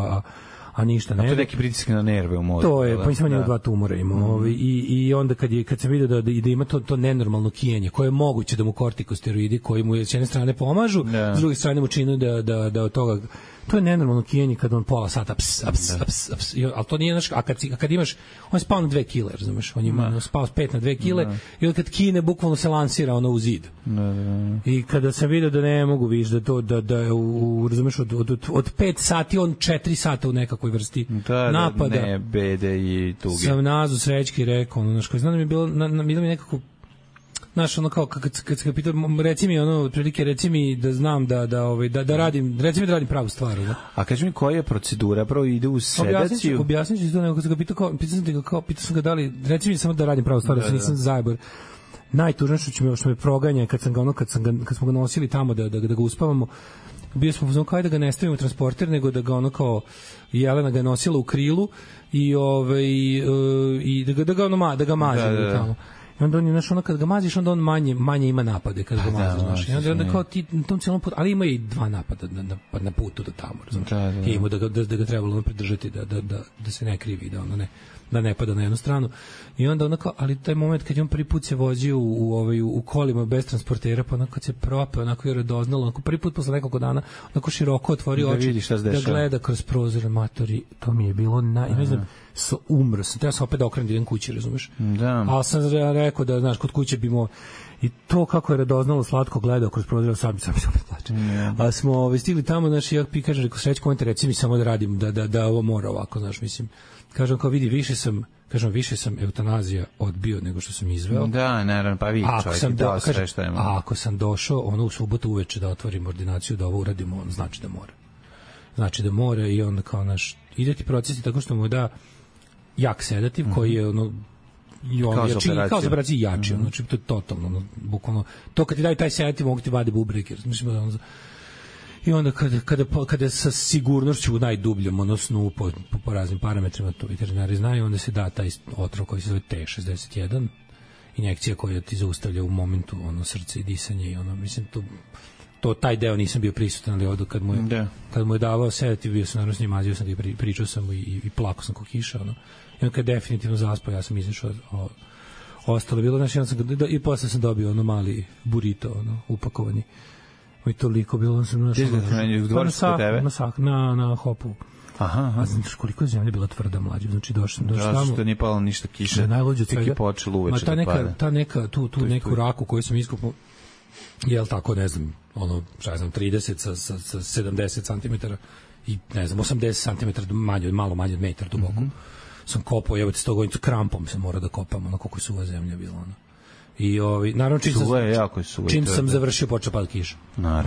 a ništa ne. To je neki pritisak na nerve u mozgu. To je, pa nisam njega 2 tumora imao. I onda kad sam vidio da ima to nenormalno kijenje, koje je moguće da mu kortikosteroidi, koji mu s jedne strane pomažu, s druge strane mu činu da od toga To je nenormalno kijenje kad on pola sata ps, ali to nije naš, a kad imaš, on je spao na 2 kile, razumeš, on ima spao s 5 na 2 kile i onda kad kine bukvalno se lansira ono u zid. I kada sam vidio da ne mogu više da to da razumeš od 5 sati on 4 sata u nekakvoj vrsti napada. Ne, bede i tuge. Sam nazu srećki rekao, ono, znaš, koji znam da mi je bilo mi nekako, znaš, ono kao, kad se ga pitao, reci mi, ono, prilike, reci mi da znam da radim, reci mi da radim pravu stvar, da. A kaži mi koja je procedura, prvo ide u sedaciju? Objasnit ću to, nego kad sam ga pitao sam ga da li, reci mi samo da radim pravu stvar, da se nisam zajebor. Najtužnije što me proganja, kad smo ga nosili tamo da ga uspavamo, bio smo uzmano kao da ga ne stavimo u transporter, nego da ga ono kao Jelena ga je nosila u krilu i da ga maže tamo. I onda on je, znaš, ono kad ga maziš, onda on manje ima napade kada ga maziš, znaš. I onda kao ti na tom cijelom putu, ali ima i 2 napada na putu do tamo, znaš. I ima da ga trebalo pridržati, da se ne krivi, da ne pada na jednu stranu. I onda onako, ali taj moment kad je on prvi put se vozio u kolima bez transportera, pa onako kad se propeo, onako je radoznalo, onako prvi put posle nekoliko dana, onako široko otvorio oči, da gleda kroz prozor, matori, to mi je bilo ne znam, umro sam, treba sam opet da okrenem da idem kući, razumeš? Da. Ali sam rekao da, znaš, kod kuće bi i to kako je radoznalo slatko gledao kroz prozor, sam se opet plače. A smo stigli tamo, znaš, ja kažem, rekao, Srećko, reci mi samo da radim, da ovo mora ovako, znaš, mislim. Kažem, kao vidi, više sam eutanazija odbio nego što sam izveo. Da, naravno, pa vidi čovjek i dao sve što je. A ako sam došao u subotu uveče da otvorim ordinaciju, da ovo uradimo, on znači da mora. Znači da mora i onda kao naš, ide ti procesi tako što mu da jak sedativ koji je kao za operaciju jači, znači to je totalno, bukvalno, to kad ti daju taj sedativ mogu ti vade bubreke, mislim da i onda kada sa sigurnošću najdubljom snu po raznim parametrima, to veterinari znaju, onda se da taj otrov koji se zove T61, injekcija koja ti zaustavlja u momentu srce i disanje i mislim to taj deo nisam bio prisutan, ali ovdje kad mu je davao sedativ, bio sam naravno s njim, mazio sam ga i pričao sam mu i plako sam ko kiša, i on kad je definitivno zaspao, ja sam izašao, ostalo bilo, znači, i posle sam dobio mali burrito, upakovani. I toliko bilo, sam na Hopu. Aha. Znaš koliko je zemlja bila tvrda, mlađe, znači došao tamo. Što nije palo ništa kiše, tek je počelo uveče da pada. Ta neka, tu neku raku koju sam iskupao, jel tako, ne znam, 30 sa 70 cm i ne znam, 80 cm malo manje od metar duboko. Sam kopao, evo te 100 godina, krampom sam morao da kopam, koliko je suva zemlja bila, I naravno čim sam završio počeo pada kiša.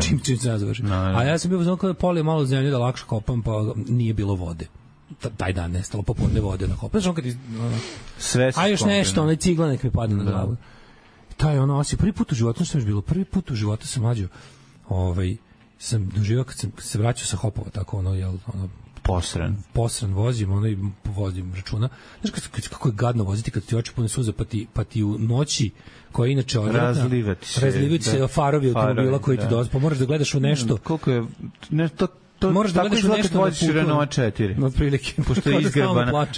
Čim sam završio. A ja sam bio uzmano kada polio malo zemlje da lakše kopam, pa nije bilo vode. Taj dan nestalo popodne vode na kopu. A još nešto, cigla nek mi padne na glavu. Taj osjećaj, prvi put u životu što je bilo, prvi put u životu sam mlađo, sam doživao kad sam se vraćao sa Hopova, tako posran vozim računa. Znaš kako je gadno voziti kad ti oči pune suza, pa ti u noći koja je inače odvratna, razlivati se farovi automobila koji ti dolaze, pa moraš da gledaš u nešto. Koliko je moraš da gledaš u nešto na putu. Renault 4. Otprilike.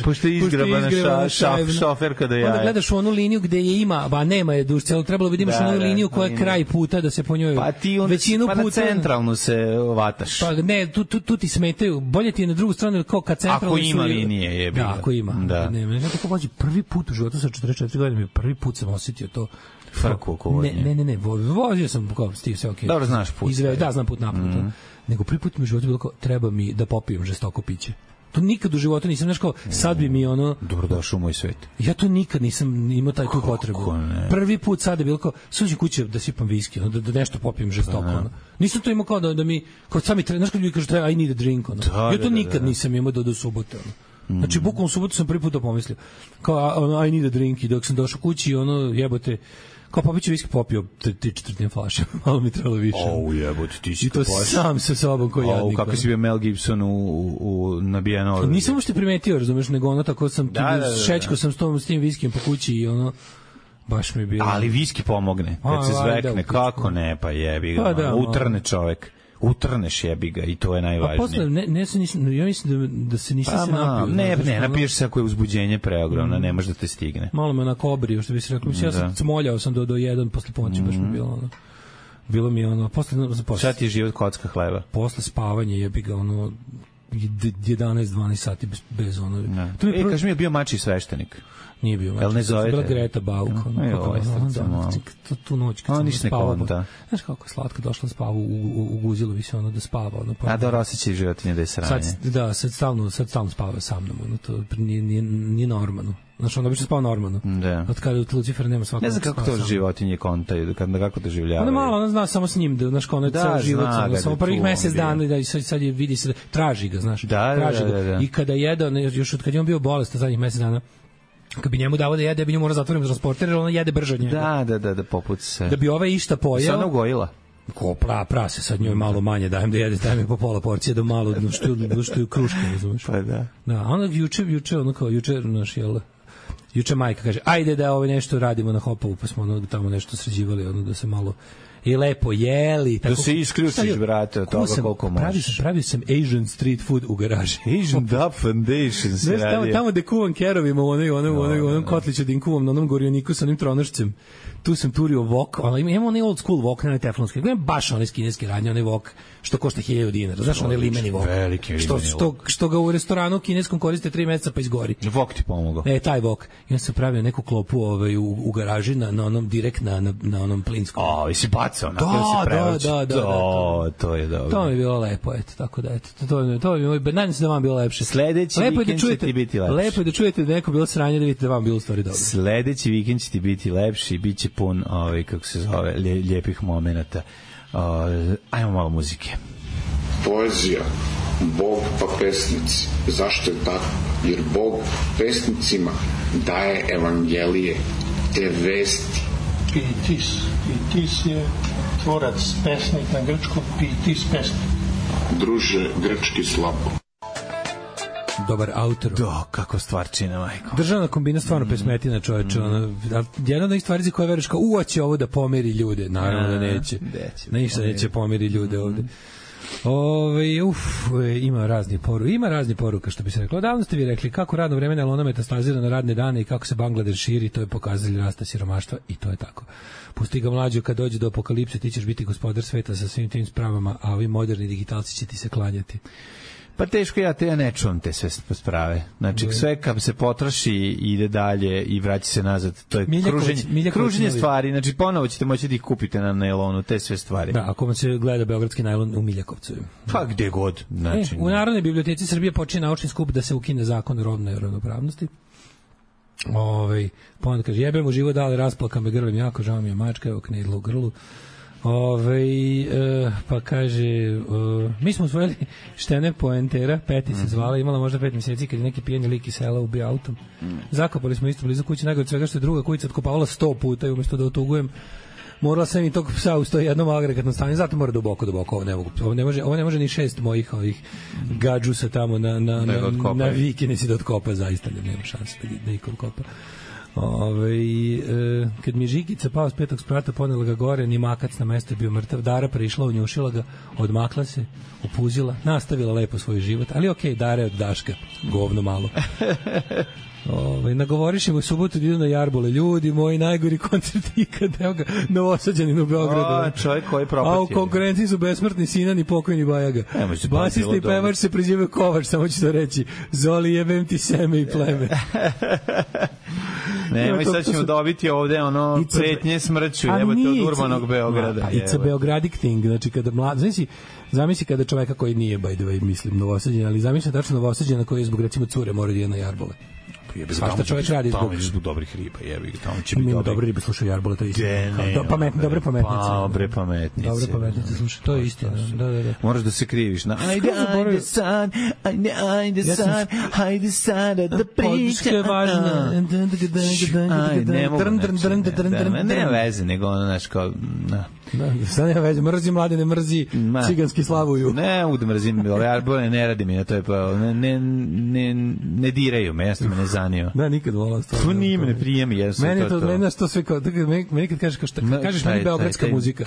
Pošto je izgrabana šofer kada jaje. Onda gledaš u onu liniju gde je ima, ba nema je duž, trebalo bi da imaš onu liniju koja je kraj puta da se po njoj većinu puta. Pa na centralnu se vataš. Pa ne, tu ti smetaju. Bolje ti je na drugu stranu kao kad centralno. Ako ima linije je bilo. Da, ako ima. Ne, tako vozi prvi put u životu sa 44 godine, prvi put sam osjetio to. Frku oko vožnje. Ne, vozio sam kao stiv sve okej. Dobro znaš put. Da, znam put napad. Nego prvi put mi u životu bilo kao, treba mi da popijem žestoko piće. To nikad u životu nisam, znaš kao, sad bi mi Dobrodošao u moj svet. Ja to nikad nisam imao tu potrebu. Prvi put sad je bilo kao, suđi kuće da sipam viski, da nešto popijem žestoko. Nisam to imao kao da mi, kao sami, znaš kad ljudi kažu, I need a drink. Ja to nikad nisam imao do subote. Znači, bukvalno u subotu sam prvi put to pomislio. Kao, I need a drink, i dok sam došao kući, jebote, kao popiću viski, popio 3/4 flaše, malo mi trebalo više. Jebote, ti si i to sam sa sobom koji jadnik. Kako si bio Mel Gibson u nabijeno. Nisam uopšte primetio, razumeš, nego tako sam, šećko sam s tim viskijem po kući i baš mi je bilo. Ali viski pomogne, kad se zvekne, kako ne, pa jebi ga, utrne čovek. Utrneš jebi ga i to je najvažnije. Pa posle, ja mislim da se nisam se napio. Ne, napiješ se ako je uzbuđenje preogromno, ne može da te stigne. Malo me onako obrio, što bi se rekao. Ja sam smoljao sam do 1 posle ponoći, baš mi bilo bilo mi ono, posle šta ti je život kocka hleba? Posle spavanja jebi ga ono 11-12 sati bez ono. Kaži mi, je bio mači sveštenik? Nije bio. Jel ne zovete? Bila Greta Bauk. Tu noć kad sam spavao. Znaš kako je slatko, došla spava u guzilu, više ono da spava. A dobro osjećaj životinje da je sranje. Sad stalno spava sa mnom. To nije normalno. Znaš, on obično spava normalno. Da. Od kada Lucifer nema svakog. Ne znam kako to životinje kontaju, kako doživljavaju. Ona malo, ona zna samo s njim, znaš, kao ono je ceo život. Samo prvih mesec dana da sad je vidi se, traži ga, znaš. Traži ga. I kada jede, još od kad je on bio bolestan zadnjih mesec dana, kad bi njemu davo da jede, bi njemu mora zatvorim transporter, jer ona jede brže od njega. Da, poput se. Da bi ova išta pojeo. Sad ona ugojila. Ko prase, sad njoj malo manje dajem da jede, dajem po pola porcije, da malo, što je kruške, razumeš? Pa da. Da, ona juče, naš, jel, juče majka kaže, ajde da nešto radimo na Hopovu, pa smo ono tamo nešto sređivali, da se malo i lepo jeli. Tako, da se isključiš, brate, od toga koliko možeš. Pravio sam Asian street food u garaži. Asian Dub Foundation se radi. Tamo gde kuvam kerovima, u onom kotliću da im kuvam na onom gorioniku sa onim tronošcem. Tu sam turio wok, imamo onaj old school wok, ne teflonski, baš onaj kineski radnje, onaj wok što košta 1000 dinara, znaš, onaj limeni wok, što ga u restoranu kineskom koriste 3 meseca pa izgori. Wok ti pomogao. Taj wok. I on sam pravio neku klopu u garaži na onom direkt na onom plinskom. I si bacao, da, to je dobro. To mi je bilo lepo, eto, tako da, eto, to mi je, nadam se da vam bilo lepše. Sledeći vikend će ti biti lepši. Lepo je da čujete da neko bilo sranje, da vidite da vam bilo u stvari dobro. Sledeći vikend će ti biti lepši, bit će pun, kako se zove, lijepih momenata. Ajmo malo muzike. Poezija, Bog pa pesnici. Zašto je tako? Jer Bog pesnicima daje evangelije, te vesti. Pitis je tvorac, pesnik na grčkom, pitis pesnik. Druže, grčki slabo. Dobar autor. Da, kako stvarčina, majko. Državna kombina stvarno pesmetina, čoveče. Jedna od njih stvari za koje veruješ kao, će ovo da pomeri ljude. Naravno da neće. Ništa neće pomeri ljude ovde. Ima razni poruka, što bi se reklo. Davno ste vi rekli kako radno vreme Elona metastazira na radne dane i kako se Bangladeš širi, to je pokazatelj rasta siromaštva i to je tako. Pusti ga mlađo, kad dođe do apokalipse ti ćeš biti gospodar sveta sa svim tim spravama, a ovi moderni digitalci će ti se klanjati. Pa teško, ja ne čuvam te sve sprave. Znači, sve kad se potroši ide dalje i vraća se nazad. To je kruženje stvari. Znači, ponovo ćete moći da ih kupite na nailonu, te sve stvari. Da, ako vam se gleda beogradski nailon u Miljakovcu. Pa gde god. Znači, u Narodnoj biblioteci Srbije počinje naučni skup da se ukine zakon o rodnoj ravnopravnosti. Pa onda kaže, jebemo život, dale, rasplaka me grlim jako, žao mi je mačka, evo knedla u grlu. Pa kaže, mi smo usvojili Štene Poentera, Peti se zvala, imala možda 5 mjeseci kad je neki pijeni lik iz sela ubio autom. Zakopali smo isto blizu kuće, najgore od svega što je druga kujica otkopavala 100 puta i umjesto da otugujem, morala sam i tog psa u 101 agregatnom stanju, zato mora duboko, ovo ne može ni 6 mojih gađusa tamo na vikinici da otkopa, zaista nema šanse da iko otkopa. Kad mi je Žigica pao s 5. sprata, ponela ga gore, ni makac na mesto je bio mrtav, Dara prišla, unjušila ga, odmakla se, upuzila, nastavila lepo svoj život, ali okej, Dara je od Daška, govno malo. Nagovoriš im u subotu da idu na Jarbole, ljudi moji, najgori koncert ikad, evo ga, Novosađanin u Beogradu. Čovjek koji propatio. A u konkurenciji su besmrtni Sinan i pokojni Bajaga. Basista i pevač se prezivaju Kovač, samo ću to reći. Zoli, jebem ti seme i pleme. Nemoj, sad ćemo dobiti ovde pretnje smrću, evo te od urbanog Beograda. It's a Beogradic thing, znači kada zamisli kada čoveka koji nije, by the way, mislim, Novosađen, ali zamisli tačno Novosađena koji je zbog, recimo, cure mora da je na Jarbole. Svašta čovjek radi zbog dobrih riba, tamo će biti dobre ribe, slušaju Jarbole, to je istina. Dobre pametnice. Dobre pametnice, slušaj, to je istina. Da. Moraš da se kriviš na ajde sad da priča. Važno. Ne veze, nego ono, znaš, kao, sad nema veze, mrzi mladine, mrzi ciganski slavuju. Ne mogu da mrzim, ove Jarbole ne radi mi, to je pa, ne diraju me, jasno me ne zanima. branio. Da, nikad volao stvarno. To nije me prijemi, jesu meni to. Meni to sve kao, meni kad kažeš kažeš meni beogradska muzika.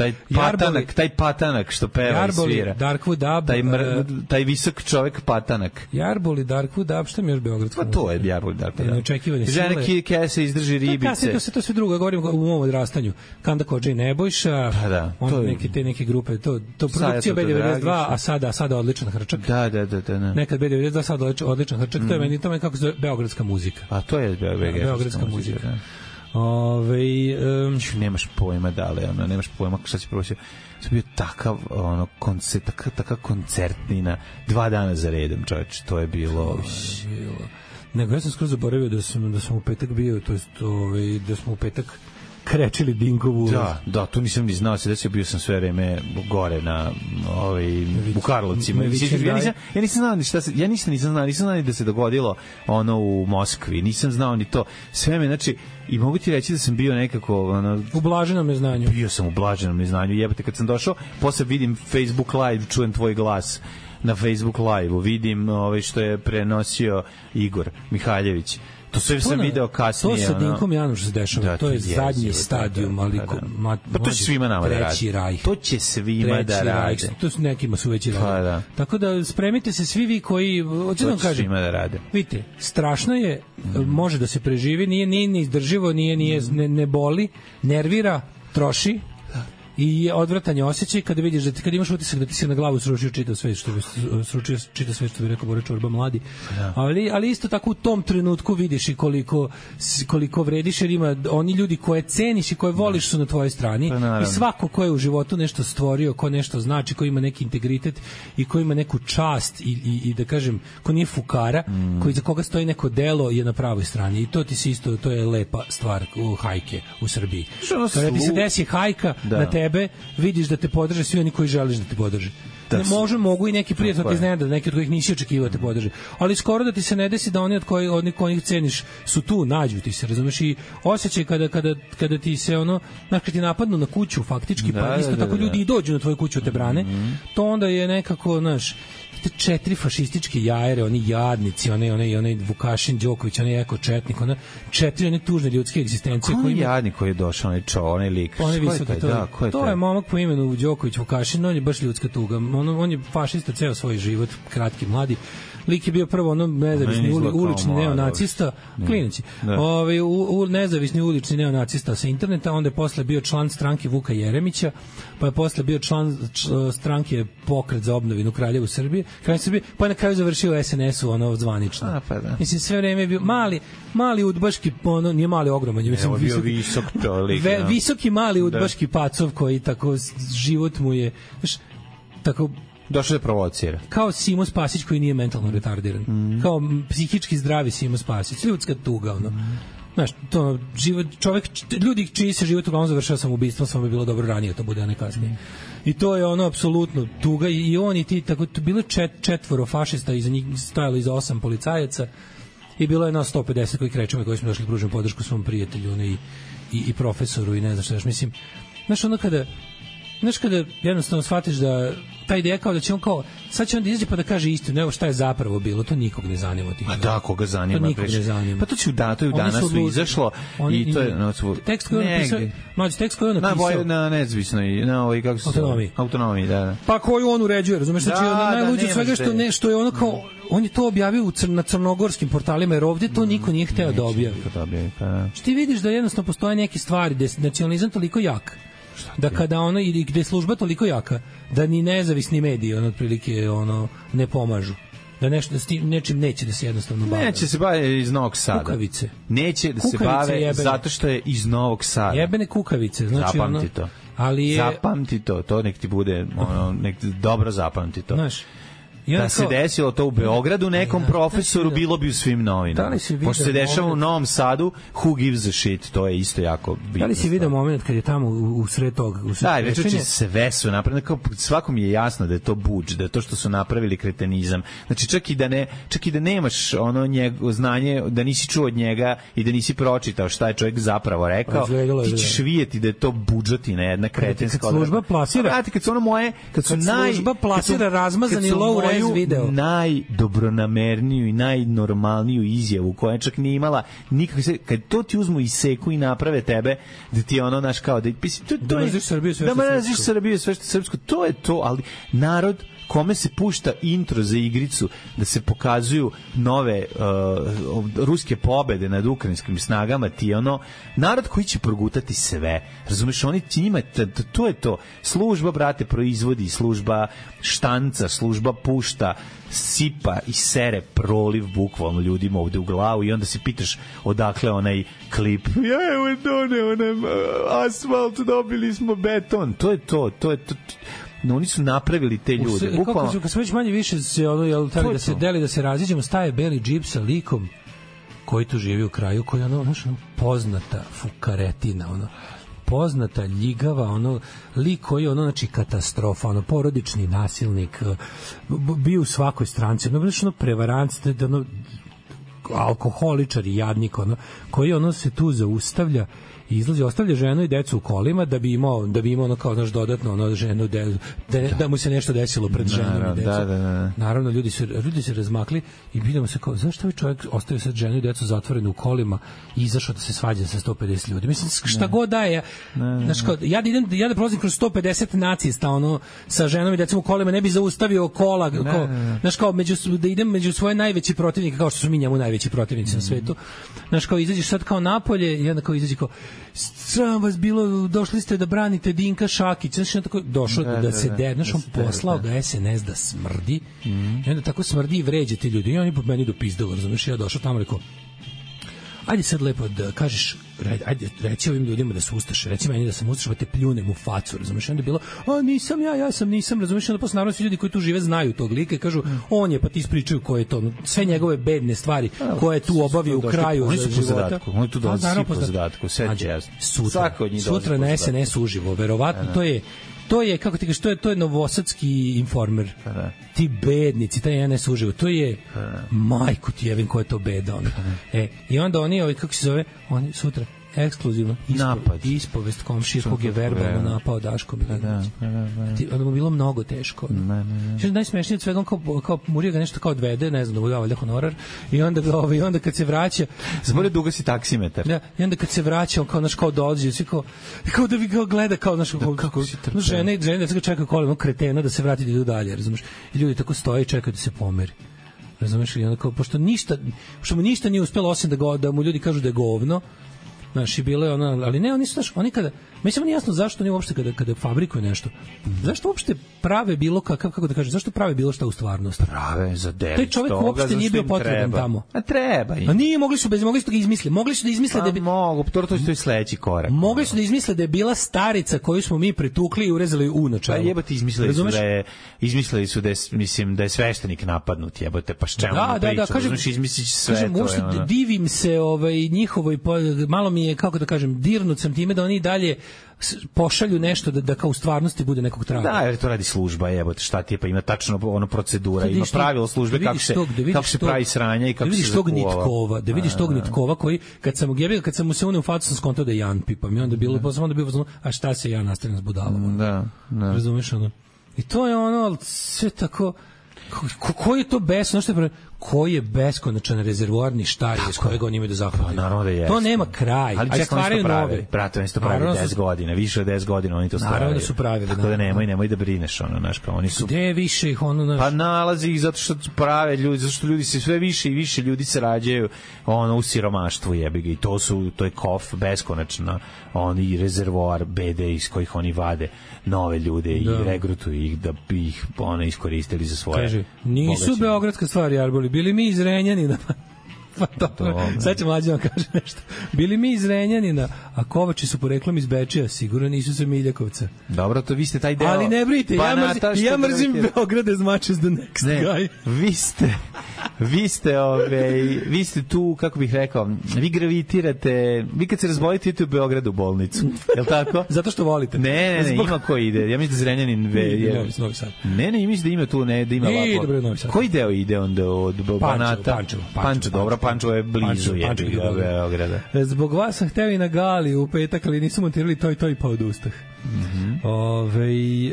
Taj patanak što peva i svira. Darkwood Dub. Taj visok čovek patanak. Jarboli, Darkwood Dub, šta mi još beogradska muzika? Pa to je Jarboli, Darkwood Dub. Neočekivane sile. Žene kese izdrži ribice. To sve drugo, govorim u mom odrastanju. Kanda Kodža i Nebojša, neke grupe, to produkcija B92, a sada odličan hrčak. Da. Nekad B92, sada odličan hrčak, to je meni kako se zove beogradska muzika. A to je beogradska muzika. Nemaš pojma nemaš pojma šta će proći. To bio takav taka koncertnina 2 dana za redom, čoveče, to je bilo. Nego ja sam skoro zaboravio da sam u petak bio, to jest da smo u petak krečili Dinkovu. Da, tu nisam ni znao se desio, bio sam sve vreme gore na u Karlovcima. Ja nisam znao ni šta se, nisam znao ni da se dogodilo ono u Moskvi, nisam znao ni to. Sve me, znači, i mogu ti reći da sam bio nekako u blaženom neznanju. Bio sam u blaženom neznanju, jebote, kad sam došao, posle vidim Facebook live, čujem tvoj glas na Facebook live-u, vidim što je prenosio Igor Mihaljević. To sve sam video kasnije. To sa Dinkom Januš se dešava. To je zadnji stadijum, ali pa to će svima nama da radi. To će svima da radi. To su nekima su već i radi. Tako da spremite se svi vi koji, hoću da vam kažem, svima da rade. Vidite, strašno je, može da se preživi, nije neizdrživo, ne boli, nervira, troši. I odvratan je osjećaj kada vidiš da kad imaš utisak da ti se na glavu sručio čita sve što bi rekao Bora Čorba mladi. Ali isto tako u tom trenutku vidiš i koliko vrediš, jer ima oni ljudi koje ceniš i koje voliš su na tvojoj strani. I svako ko je u životu nešto stvorio, ko nešto znači, ko ima neki integritet i ko ima neku čast i da kažem, ko nije fukara, koji za koga stoji neko delo, je na pravoj strani. I to ti se isto, to je lepa stvar u hajke u Srbiji. Kada ti se desi hajka na tebe, vidiš da te podrže svi oni koji želiš da te podrže. Mogu i neki prijatelj ti iznenada, neki od kojih nisi očekivao da te podrže. Ali skoro da ti se ne desi da oni od kojih ceniš su tu, nađu ti se, razumeš, i osjećaj kada ti se kad ti napadnu na kuću faktički, pa isto tako ljudi i dođu na tvoju kuću te brane, to onda je nekako, znaš, 4 fašističke jajere, oni jadnici, onaj Vukašin Đoković, onaj Eko Četnik, 4 one tužne ljudske egzistencije. Ko je jadnik koji je došao, onaj lik? To je momak po imenu Đoković Vukašin, on je baš ljudska tuga. On je fašista ceo svoj život, kratki, mladi. Lik je bio prvo nezavisni ulični neonacista, klinici. Nezavisni ulični neonacista sa interneta, onda je posle bio član stranke Vuka Jeremića, pa je posle bio član stranke Pokret za obnovinu Kraljevu Srbije, pa je na kraju završio SNS-u zvanično. Mislim, sve vreme je bio mali udbaški, nije mali, ogroman, mislim, visoki mali udbaški pacov koji tako život mu je, tako došao da provocira. Kao Simo Spasić koji nije mentalno retardiran. Kao psihički zdravi Simo Spasić. Ljudska tuga, Znaš, to život, ljudi čiji se život uglavnom završava samoubistvom, samo bi bilo dobro ranije to bude, a ne kasnije. I to je apsolutno tuga i oni ti, tako, bilo 4 fašista, iza njih stajalo iza 8 policajaca i bilo je nas 150 koji krećemo, koji smo došli da pružimo podršku svom prijatelju i profesoru i ne znam šta, mislim, znaš kada jednostavno shvatiš da ta ideja kao da će on kao, sad će on da izađe pa da kaže istinu, nego šta je zapravo bilo, to nikog ne zanima. A da, koga zanima? To nikog ne zanima. Pa to će u danas su izašlo i to je... Tekst koji on napisao, tekst koji on napisao... Na nezavisnoj, kako se zove? Autonomiji, da. Pa koju on uređuje, razumeš, znači najluđe od svega što je ono kao, on je to objavio na crnogorskim portalima, jer ovdje to niko nije hteo da objavi. Što ti vidiš da jednostavno postoje neke stvari, da je nacionalizam toliko jak, da kada ili gde je služba toliko jaka, da ni nezavisni mediji otprilike ne pomažu, da nešto s tim nečim neće da se jednostavno bave. Neće se bave iz Novog Sada. Kukavice. Neće da se bave jebene. Zato što je iz Novog Sada. Jebene kukavice, znači zapamti to. Zapamti to nek ti bude nek dobro zapamti to. Znaš, da se desilo to u Beogradu nekom profesoru, bilo bi u svim novinama. Pošto se dešava u Novom Sadu, who gives a shit, to je isto jako bitno. Da li si vidio moment kad je tamo u sred toga? Da, već sve su napravili, svakom je jasno da je to budž, da je to što su napravili kretenizam. Znači čak i da nemaš znanje, da nisi čuo od njega i da nisi pročitao šta je čovjek zapravo rekao, ti ćeš vidjeti da je to budžetina, jedna kretenska odredba. Kad služba plasira razmazani low najdobronamerniju i najnormalniju izjavu koja čak nije imala nikakve, kad to ti uzmu i seku i naprave tebe da ti ono naš kao da mrziš Srbiju sve što je srpsko, to je to, ali narod kome se pušta intro za igricu da se pokazuju nove ruske pobede nad ukrajinskim snagama, ti ono narod koji će progutati sve, razumeš, oni ti njima, to je to, služba brate proizvodi, služba štanca, služba pušta, sipa i sere proliv bukvalno ljudima ovde u glavu i onda se pitaš odakle onaj klip evo done onaj asfalt, dobili smo beton, to je to. No, oni su napravili te ljude. Bukvalno. Kad smo već manje više se ono da se deli, da se raziđemo, staje beli džip sa likom koji tu živi u kraju, koji je ono poznata fukaretina, ono poznata ljigava, lik koji je znači katastrofa, porodični nasilnik, bio u svakoj stranci, prevarant, alkoholičar i jadnik, koji se tu zaustavlja i izlazi, ostavlja ženu i decu u kolima da bi imao kao dodatno ženu da mu se nešto desilo pred ženom i decom. Naravno ljudi se razmakli i pitamo se kao zašto ovaj čovjek ostavio sad ženu i decu zatvorenu u kolima i izašao da se svađa sa 150 ljudi. Mislim šta god da je. Ja da prolazim kroz 150 nacista sa ženom i decom u kolima, ne bi zaustavio kola da idem među svoje najveće protivnike, kao što su mi njemu najveći protivnici na svetu. Kao izađeš sad kao napolje i onda kao izađi kao sram vas bilo, došli ste da branite Dinka Šakić, znači tako došao da se on poslao ga SNS da smrdi i onda tako smrdi i vređa ti ljudi i oni po meni dopizdalo, razumiješ, ja došao tamo rekao ajde sad lepo da kažeš, ajde reci ovim ljudima da su ustaše, reci meni da sam ustaša, pa te pljunem u facu, razumiješ, onda je bilo nisam nisam, razumiješ, onda posle naravno svi ljudi koji tu žive znaju tog lika i kažu on je, pa ti ispričaju ko je to, sve njegove bedne stvari koje tu obavio u kraju oni su po zadatku, oni tu dolazi po zadatku, sve je jasno, sutra na SNS uživo, verovatno to je, kako ti kažeš, to je novosadski Informer. Ti bednici, taj NS uživo, to je majku ti jevim ko je to beda. I onda oni, kako se zove, oni sutra ekskluzivno ispovest komšije kog je verbalno napao Daško Milinović. Onda mu bilo mnogo teško. Najsmešnije od svega, kao Murija ga nešto kao odvede, ne znam, da mu dava honorar, i onda kad se vraća zbore duga si taksimetar. I onda kad se vraća, on kao dođe, svi kao da vi ga gleda kao žene da čekaju kolima kretena da se vrati da idu dalje, razumiješ? I ljudi tako stoje i čekaju da se pomeri. Razumiješ? I onda kao, pošto mu ništa nije uspelo osim da mu ljudi kažu da je govno, znaš, i bilo je ali ne, oni su, znaš, oni kada, mislim, nije jasno zašto oni uopšte kada fabrikuju nešto, zašto uopšte prave bilo kako da kažem, zašto prave bilo šta u stvarnosti? Prave za delić. Taj čovjek uopšte nije bio potreban tamo. A treba. A nije, mogli su da ga izmisle. Mogli su da izmisle da bi... Mogu, to je sledeći korak. Mogli su da izmisle da je bila starica koju smo mi pretukli i urezali u načelu. Pa jebote, izmislili su da je, mislim, da je sveštenik napadnut, jebote, pa s čemu priču? Kažem, izmisliš sve to. Divim se njihovoj, malo mi je, kako da kažem, dirnut sam time da oni dalje pošalju nešto da kao u stvarnosti bude nekog traga. Da, jer to radi služba, jebote, šta ti je, pa ima tačno procedura, ima pravilo službe kako se pravi sranja i kako se zakuva. Da vidiš tog Nitkova koji, kad sam mu se unio u facu, sam skontao da je Jan Pipa, mi onda bilo, a šta se ja nastavljam s budalom? Da. Razumiješ ono? I to je sve tako, koji je to koji je beskonačan rezervoarni štaj iz kojeg oni imaju da zahvataju. Naravno da je. To nema kraj. Ali stvaraju nove. Brate, oni su to pravili 10 godina, više od 10 godina oni to stvaraju. Naravno da su pravili. Tako da nemoj da brineš, znaš, kao oni su... Gde više ih Pa nalazi ih zato što prave ljudi, zato što ljudi se sve više i više ljudi se rađaju u siromaštvu, jebi ga, i to je kof beskonačno, oni rezervoar BD iz kojih oni vade nove ljude i regrutuju ih da bi ih iskoristili za svoje. Kaže, nisu beogradska stvari, Arboli, bili mi iz Renjanina. Pa dobro, sad će mlađe vam kaže nešto. Bili mi iz Renjanina, a Kovači su poreklom iz Bečija, sigurno nisu sa Miljakovca. Dobro, to vi ste taj deo... Ali ne brinite, ja mrzim Beograd as much as the next guy. Vi ste vi ste tu, kako bih rekao, vi gravitirate, vi kad se razbolite idete u Beogradu u bolnicu, je li tako? Zato što volite. Ne, ima ko ide, ja mislim da Zrenjanin Novi Sad. Ne, mislim da ima tu, da ima lako. Koji deo ide onda od Banata? Pančevo, dobro, Pančevo je blizu Beograda. Zbog vas sam hteo i na gali u petak, ali nisu montirali to i pa odustah.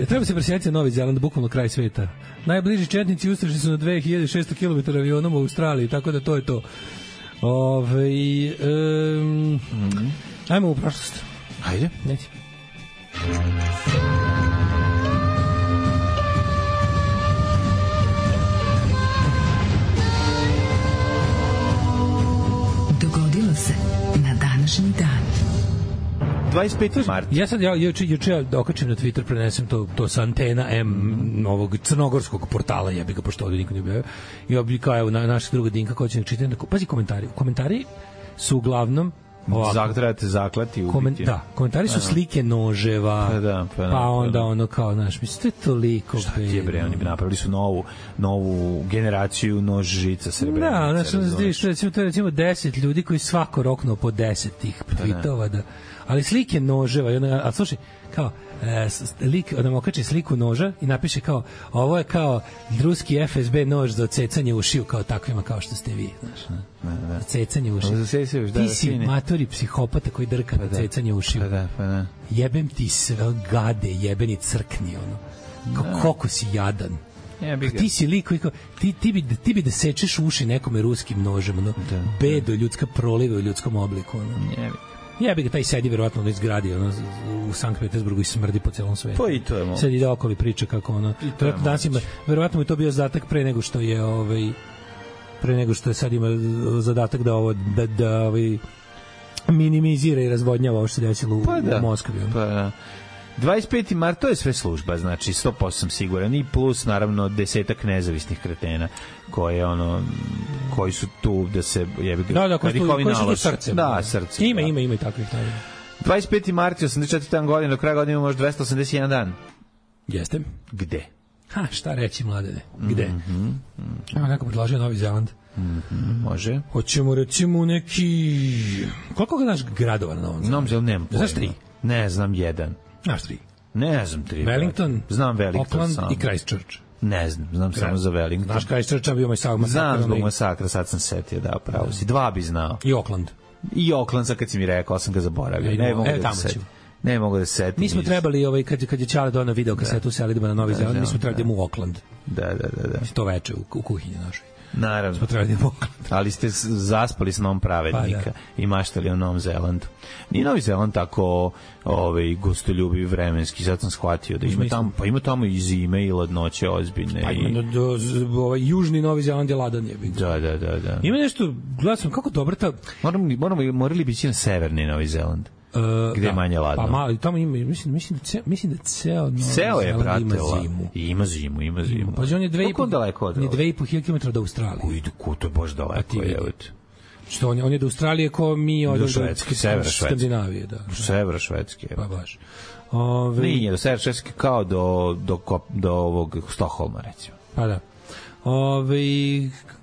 Treba se presjetiti Novi Zeland, bukvalno kraj sveta. Najbliži četnici ustrešni su na 2600 km avionom u Australiji, tako da to je to. Ajmo u prošlost. Ajde. Neći. Dogodilo se na današnji dan. 25. marta. Ja sad juče okačim na Twitter, prenesem to sa antena M ovog crnogorskog portala, jebi ga, pošto ovdje niko ne objavio. I oblikao, evo, naša druga Dinka, ko će nek čitati. Pazi komentari. Komentari su uglavnom trebate zaklati ubiti. Da, komentari su slike noževa, pa onda ono kao, znaš, mislim, to je toliko. Šta ti je, bre, oni bi napravili su novu generaciju nož žica srebrenice. Da, znači, to je recimo 10 ljudi koji svako roknuo po 10 tih tweetova, da. Ali slike noževa, a slušaj, kao, lik nam okači sliku noža i napiše kao, ovo je kao ruski FSB nož za odsecanje ušiju, kao takvima kao što ste vi, znaš, za cecanje ušiju. Ti si matori psihopata koji drka na cecanje ušiju. Jebem ti sve, gade, jebeni crkni, ono. Koliko si jadan. Ti si lik koji kao, ti bi da sečeš uši nekome ruskim nožem, ono, bedo ljudska proliva u ljudskom obliku, ono. Jebi ga, taj sedi verovatno ono izgradi u Sankt Petersburgu i smrdi po celom svetu. Pa i to je moguće. Sad ide okolo i priča kako ono. Verovatno mu je to bio zadatak pre nego što je sad ima zadatak da minimizira i razvodnjava ovo što se desilo u Moskvi. Pa da. 25. mart, to je sve služba, znači 100% sam siguran, i plus naravno 10 nezavisnih kretena koji su tu da se jebi ga, koji su tu srcem. Da, srcem. Ima i takvih naravno. 25. mart, 84. godina, do kraja godine ima možda 281 dan. Jeste. Gde? Šta reći, mladene? Gde? Evo, neko predlažio Novi Zeland. Može. Hoćemo recimo neki... Koliko ga naš gradova na Novom Zelandu? Nemam pojma. Znaš 3? Ne, znam 1. Znaš 3? Ne znam 3. Wellington, znam Wellington, Auckland i Christchurch. Ne znam samo za Wellington. Znaš Christchurch, a bio masakra. Znam zbog masakra, sad sam setio, da, pravo si. 2 bi znao. I Auckland, sad kad si mi rekao, sam ga zaboravio. Ne mogu da se setim. Mi smo trebali, kad je Čale donao video kasetu se idemo na Novi Zeland, mi smo trebali da idemo u Auckland. Da. To veče u kuhinji našoj. Naravno. Ali ste zaspali s Novom pravednika i maštali o Novom Zelandu. Nije Novi Zeland tako gostoljubiv vremenski, sad sam shvatio da ima tamo i zime i ladnoće ozbiljne. Južni Novi Zeland je ladan je. Da. Ima nešto, gledam sam kako dobro ta... Morali bi ići na severni Novi Zeland. Gde je manje ladno. Pa tamo ima, mislim da ceo Novi Zeland ima zimu. Ima zimu. Pa on je 2,5 km do Australije. Ujdu, to je baš daleko. Što on je do Australije ko mi od Skandinavije. Sever Švedske. Pa baš. Nije, do Sever Švedske kao do ovog Stokholma, recimo. Pa da.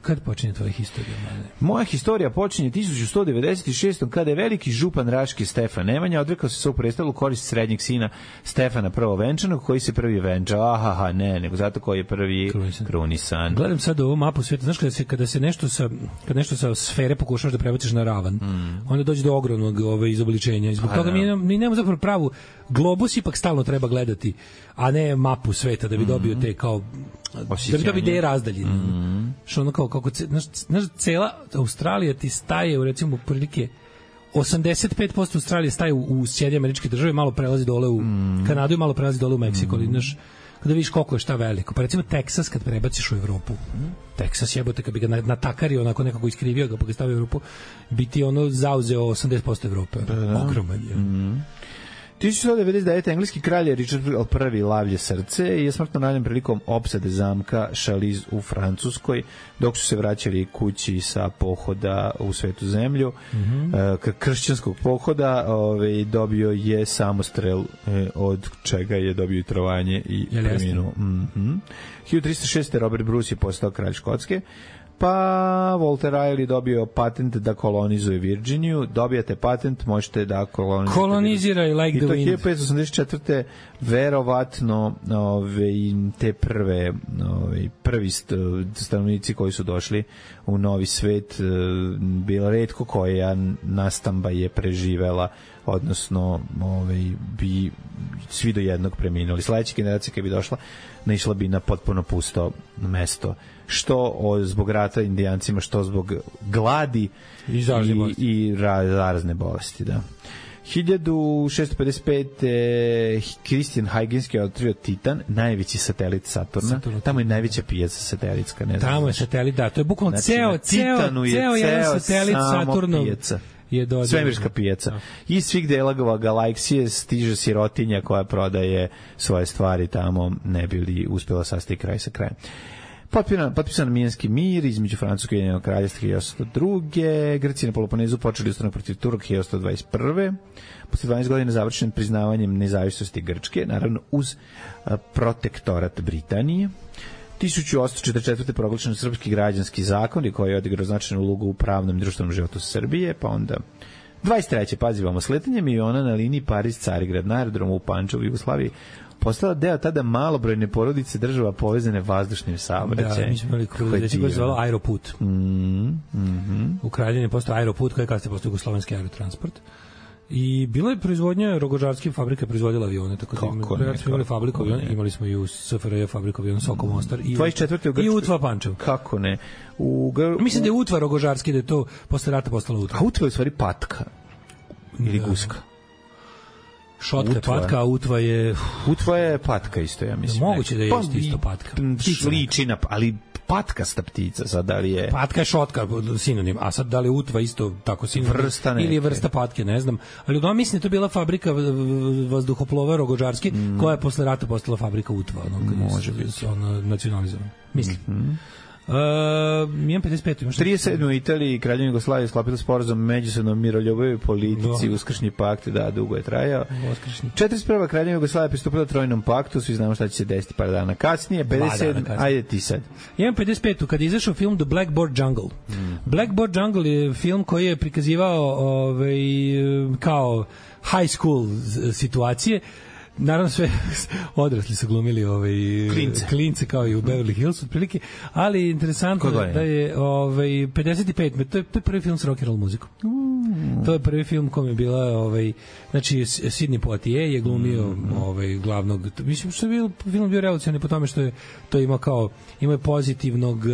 Kad počinje tvoja historija? Moja historija počinje 1196. kada je veliki župan Raške Stefan Nemanja odrekao se svog prestolu korist srednjeg sina Stefana I venčanog, koji se prvi venčao. Nego zato koji je prvi krunisan. Gledam sad ovu mapu sveta, znaš kada nešto sa sfere pokušaš da prebaciš na ravan, onda dođe do ogromnog izobličenja. Zbog toga mi nemamo zapravo pravu globus, ipak stalno treba gledati, a ne mapu sveta da bi dobio te kao da bi dobio ideje razdaljine. Što ono kao kako znaš, cela Australija ti staje u recimo prilike 85% Australije staje u Sjedinjene Američke Države, malo prelazi dole u Kanadu i malo prelazi dole u Meksiko, ali znaš, kada vidiš koliko je šta veliko. Pa recimo Teksas kad prebaciš u Evropu, Teksas jebote, kad bi ga natakario, onako nekako iskrivio ga pa ga stavio u Evropu, bi ti ono zauzeo 80% Evrope. Ogroman je. 1199. engleski kralj Richard I lavlje srce i je smrtno ranjen prilikom opsade zamka Chalice u Francuskoj, dok su se vraćali kući sa pohoda u Svetu zemlju. Kršćanskog pohoda dobio je samostrel, od čega je dobio trovanje i preminuo. 1306. Robert Bruce je postao kralj Škotske. Pa Walter Riley dobio patent da kolonizuje Virginiju. Dobijate patent, možete da koloniziraj like the wind. I to 1584. verovatno te prvi stanovnici koji su došli u novi svet, bilo retko koja nastamba je preživela, odnosno bi svi do jednog preminuli. Sledeća generacija kada bi došla, naišla bi na potpuno pusto mesto, što zbog rata indijancima, što zbog gladi i zarazne bolesti. Da. 1655. Christian Huygens je otkrio Titan, najveći satelit Saturna. Tamo je najveća pijaca satelitska. Ne znam. Tamo je satelit, da. To je bukvalno ceo jedan satelit Saturnov. Svemirska pijaca. Iz svih delova galaksije stiže sirotinja koja prodaje svoje stvari tamo, ne bi li uspela sastati kraj sa krajem. Potpisan Mijenski mir između Francuske i Ujedinjenog kraljevstva 1802. Grci na Peloponezu počeli ustanak protiv Turaka 1821. Posle 12 godina završen priznavanjem nezavisnosti Grčke, naravno uz protektorat Britanije. 1844. proglašen srpski građanski zakon koji je odigrao značajnu ulogu u pravnom i društvenom životu Srbije, pa onda 23. pazivamo sletanje miliona na liniji Pariz-Carigrad na aerodromu u Pančevu, Jugoslaviji, postala deo tada malobrojne porodice država povezane vazdušnim saobraćajem. Da, mi smo imali koji se zvalo Aeroput. U Kraljevini je postao Aeroput, koji je kasnije postao Jugoslovenski aerotransport. I bila je proizvodnja, Rogožarski fabrika proizvodila avione, tako da imali fabriku aviona, imali smo i u SFRJ fabriku aviona Soko Mostar i Utva Pančev. Kako ne? Mislim da je Utva Rogožarski, da je to posle rata postala Utva. A Utva je u stvari patka ili guska. Šotka je patka, a Utva je... Utva je patka isto, ja mislim. Moguće da je isto patka. Ličina, ali patkasta ptica, sad da li je... Patka je šotka, sinonim, a sad da li je Utva isto tako sinonim? Vrsta neke. Ili je vrsta patke, ne znam. Ali u mislim da to bila fabrika vazduhoplova Rogožarski, koja je posle rata postala fabrika Utva. Može biti. Nacionalizovana. Mislim. 55. 37. u Italiji Kraljevina Jugoslavije sklopila sporazum međusobnom miroljubivoj politici, uskršnji pakt, da, dugo je trajao. 41. Kraljevina Jugoslavije pristupila Trojnom paktu, svi znamo šta će se desiti par dana kasnije. 57. Ajde ti sad. 55. kad je izašao film The Blackboard Jungle. Blackboard Jungle je film koji je prikazivao kao high school situacije. Naravno sve odrasli su glumili klince kao i u Beverly Hills otprilike, ali interesantno da je 55. To je prvi film s rock and roll muzikom. To je prvi film kom je bila znači Sidney Poitier je glumio glavnog, mislim što je film bio revolucionarni po tome što je to imao pozitivnog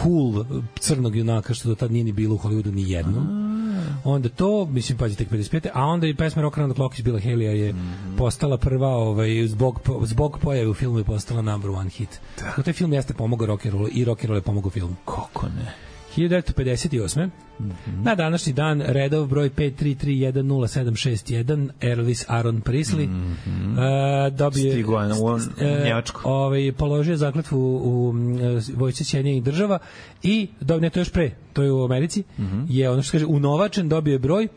cool crnog junaka što do tad nije ni bilo u Hollywoodu ni jednom. Onda to, mislim, pazi, tek 55. A onda i pesma Rock Around the Clock iz Billa Haleya je postala prva, zbog pojave u filmu je postala number one hit. Tako taj film jeste pomogao rock and rollu i rock and roll je pomogao filmu. Kako ne? 1958. Na današnji dan redov broj 533107661 Elvis Aaron Presley dobije položio zakletvu u vojsci Sjedinjenih Država i to je još pre, to je u Americi, je ono što kaže unovačen, dobio je broj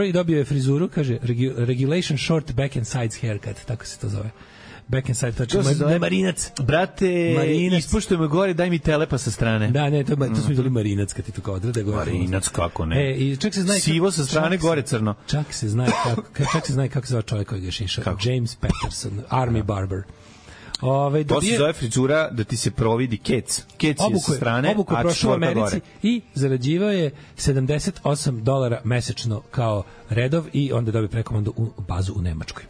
i dobio je frizuru, kaže regulation short back and sides haircut, tako se to zove. Back and side, to je marinac. Brate, ispuštujemo gore, daj mi telepa sa strane. Da, ne, to smo izvoli marinac, kad ti to kao odrede gore. Marinac, kako ne? I čak se zna sivo sa strane, gore crno. Čak se zna kako se zove čovjek koji ga šiša. James Patterson, Army Barber. To se zove frizura da ti se providi kec. Kec je sa strane, obuku je prošao u Americi i zarađivao je $78 mesečno kao redov i onda dobije prekomandu u bazu u Nemačkoj.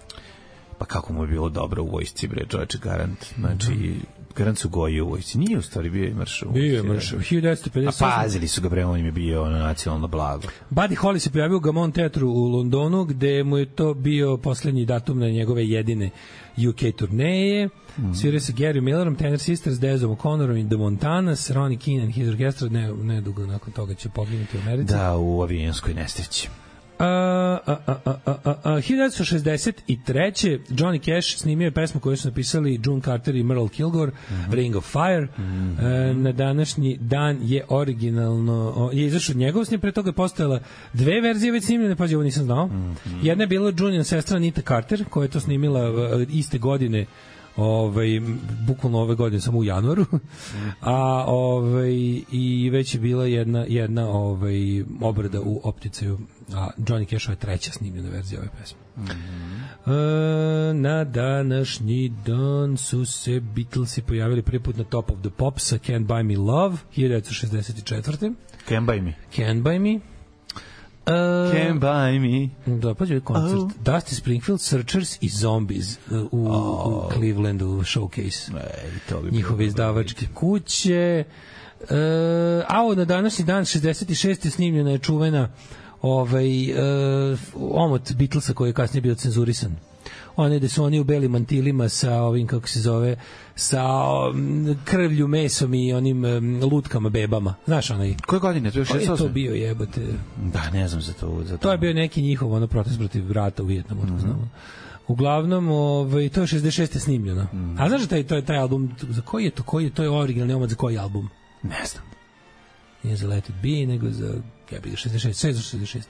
Pa kako mu je bilo dobro u vojsci, bre, čovječe, garant. Znači, garant su goji u vojsci. Nije u stvari bio i mršao. Bio je mršao. 1958. A pazili su ga, bre, on im je bio nacionalno blago. Buddy Holly se pojavio u Gaumont teatru u Londonu, gde mu je to bio poslednji datum na njegove jedine UK turneje. Svirao se Gary Millerom, Tenor Sisters, Dezom O'Connorom i The Montanas, Ronnie Keane and his orchestra, ne dugo nakon toga će poginuti u Americi. Da, u avijanskoj nesreći. 1963. Johnny Cash snimio je pesmu koju su napisali June Carter i Merle Kilgore, Ring of Fire. Na današnji dan je originalno je izašao njegov snim, pre toga je postojala dve verzije već snimljene, pazi, ovo nisam znao. Jedna je bila Junior sestra Anita Carter, koja je to snimila iste godine bukvalno ove godine samo u januaru. A i već je bila jedna obrada u opticaju, a Johnny Cashova je treća snimljena verzija ove pesme. Na današnji dan su se Beatlesi pojavili prvi put na Top of the Pops sa Can't Buy Me Love 1964. Can't Buy Me. Can't Buy Me. Can't Buy Me. Da, pa je koncert. Dusty Springfield, Searchers i Zombies u Clevelandu showcase. Njihove izdavačke kuće. Na današnji dan 66. snimljena je čuvena omot Beatlesa koji je kasnije bio cenzurisan. Gde su oni u belim mantilima sa ovim, kako se zove, sa krvlju, mesom i onim lutkama, bebama. Znaš onaj? Koje godine? To je 68? Je to bio, jebote? Da, ne znam za to. To je bio neki njihov protest protiv rata u Vijetnamu. Uglavnom, to je 66. snimljeno. A znaš da taj album, za koji je to? To je originalni omot za koji album? Ne znam. Nije za Let It Be, nego za 66.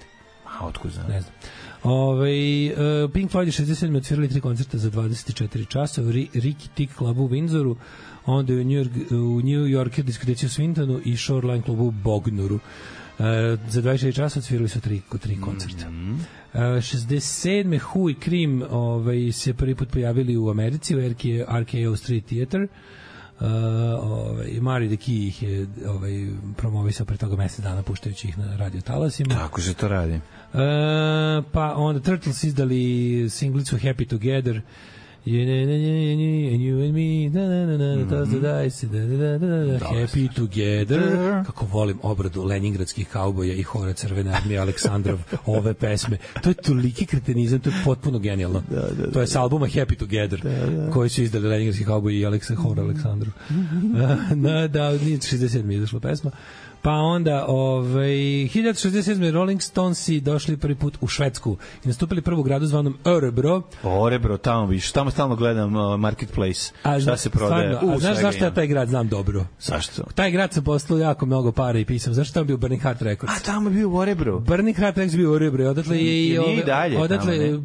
A otkud znam? Ne znam. Pink Floyd je 67. odsvirali 3 koncerta za 24 časa u Ricky Tick klubu u Windsoru, onda u New Yorker diskoteci u Swintonu i Shoreline klubu u Bognuru. Za 24 časa odsvirali su 3 koncerta. 67. Who i Cream se prvi put pojavili u Americi u RKO Street Theater. Mari the Key ih je promovisao pre toga mesec dana puštajući ih na radio talasima. Tako se to radi. Pa onda Turtles izdali singlicu Happy Together, and you and me, toss the dice, Happy Together. Kako volim obradu leningradskih kauboja i hora Crvene armije Aleksandrov ove pesme. To je toliki kretenizam, to je potpuno genijalno. To je s albuma Happy Together koji su izdali leningradski kauboji i hora Aleksandrov. Da, 67. izašla pesma. Pa onda 1967. Rolling Stonesi došli prvi put u Švedsku i nastupili prvu gradu zvanom Örebro. Örebro, tamo stalno gledam Marketplace. Šta se prodaje? A znaš zašto ja taj grad znam dobro? Zašto? Taj grad sam poslao jako mnogo para i pisam. Zašto tamo bio Burning Heart Records? A tamo je bio u Örebro. Burning Heart Records bio u Örebro. Odatle i dalje.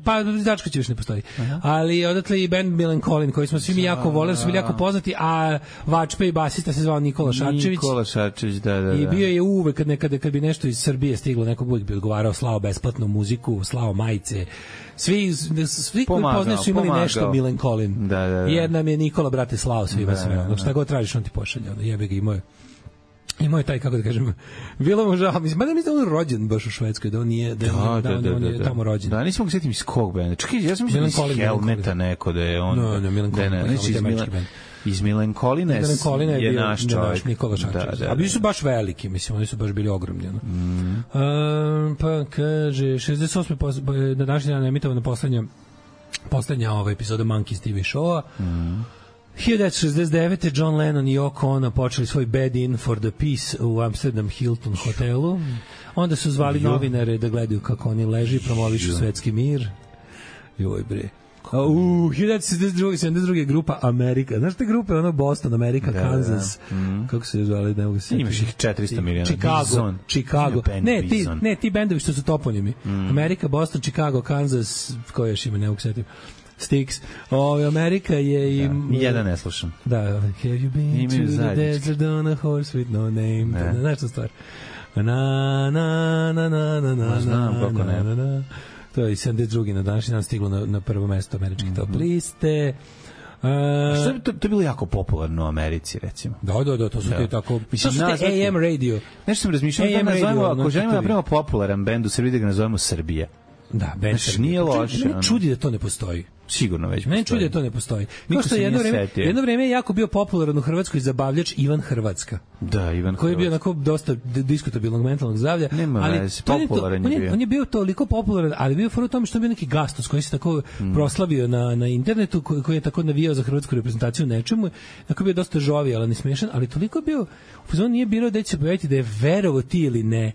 Pa Dačko će još ne postoji. Ali odatle i band Millencolin koji smo svi mi jako voleli, su bili jako poznati, a vačpe i basista se zvao Nikola Šarčević. Da. I bio je uvek kad bi nešto iz Srbije stiglo, neko uvek bi odgovarao, slao besplatnu muziku, slao majice. Svi koji poznaju su imali nešto Millencolin. Da. Jedna mi je Nikola, brate, slao svima sve. Znači, šta god tražiš, on ti pošalje. Jebe ga, imao je taj, kako da kažem, bilo mu žao. Mislim da on rođen baš u Švedskoj, da on nije tamo rođen. Da, nisam mogu sjetiti iz kog benda. Čekaj, ja sam mislio iz Helmeta neko da je on. No, Millencolin. Iz Millencolina je naš čovjek. Nikola Šarčević. A bili su baš veliki, mislim, oni su baš bili ogromni. Pa kaže, 68. na današnji dan emitovana poslednja epizoda Monkeys TV showa. 1969. John Lennon i Yoko Ono počeli svoj Bed In for the Peace u Amsterdam Hilton hotelu. Onda su zvali novinare da gledaju kako oni leži, promovišu svetski mir. Joj bre. 1972. grupa Amerika. Znaš te grupe, Boston, Amerika, Kansas. Kako se zvali, ne mogu se... Imaš ih 400 miliona. Chicago. Ne, ti bendovi što su toponimi. Amerika, Boston, Chicago, Kansas, koje još ima, ne mogu se... Styx. Amerika je i... Jedan ne slušam. Da, have you been to the desert on a horse with no name? Znaš to stvar? Znam kako ne. To je i 72. na današnji dan stiglo na prvo mesto američke top liste. To je bilo jako popularno u Americi, recimo. Da, to su ti tako... To su te AM radio. Nešto sam razmišljao, ako želimo da napravimo popularan bend u Srbiji, da ga nazovemo Srbija. Da, bend Srbija. Nije loše. Mene čudi da to ne postoji. Sigurno već postoji. Mene čudi da to ne postoji. Kao što jedno vreme je jako bio popularan u Hrvatskoj zabavljač Ivan Hrvatska. Da, Ivan Hrvatska. Koji je bio onako dosta diskutabilnog mentalnog zdravlja. Nema veze, popularan je bio. On je bio toliko popularan, ali bio u tome što je bio neki gastos koji se tako proslavio na internetu, koji je tako navijao za hrvatsku reprezentaciju nečemu. Tako bio dosta žovijalan, ali smešan, ali toliko bio... On nije birao da će se pojaviti da je verovo ti ili ne.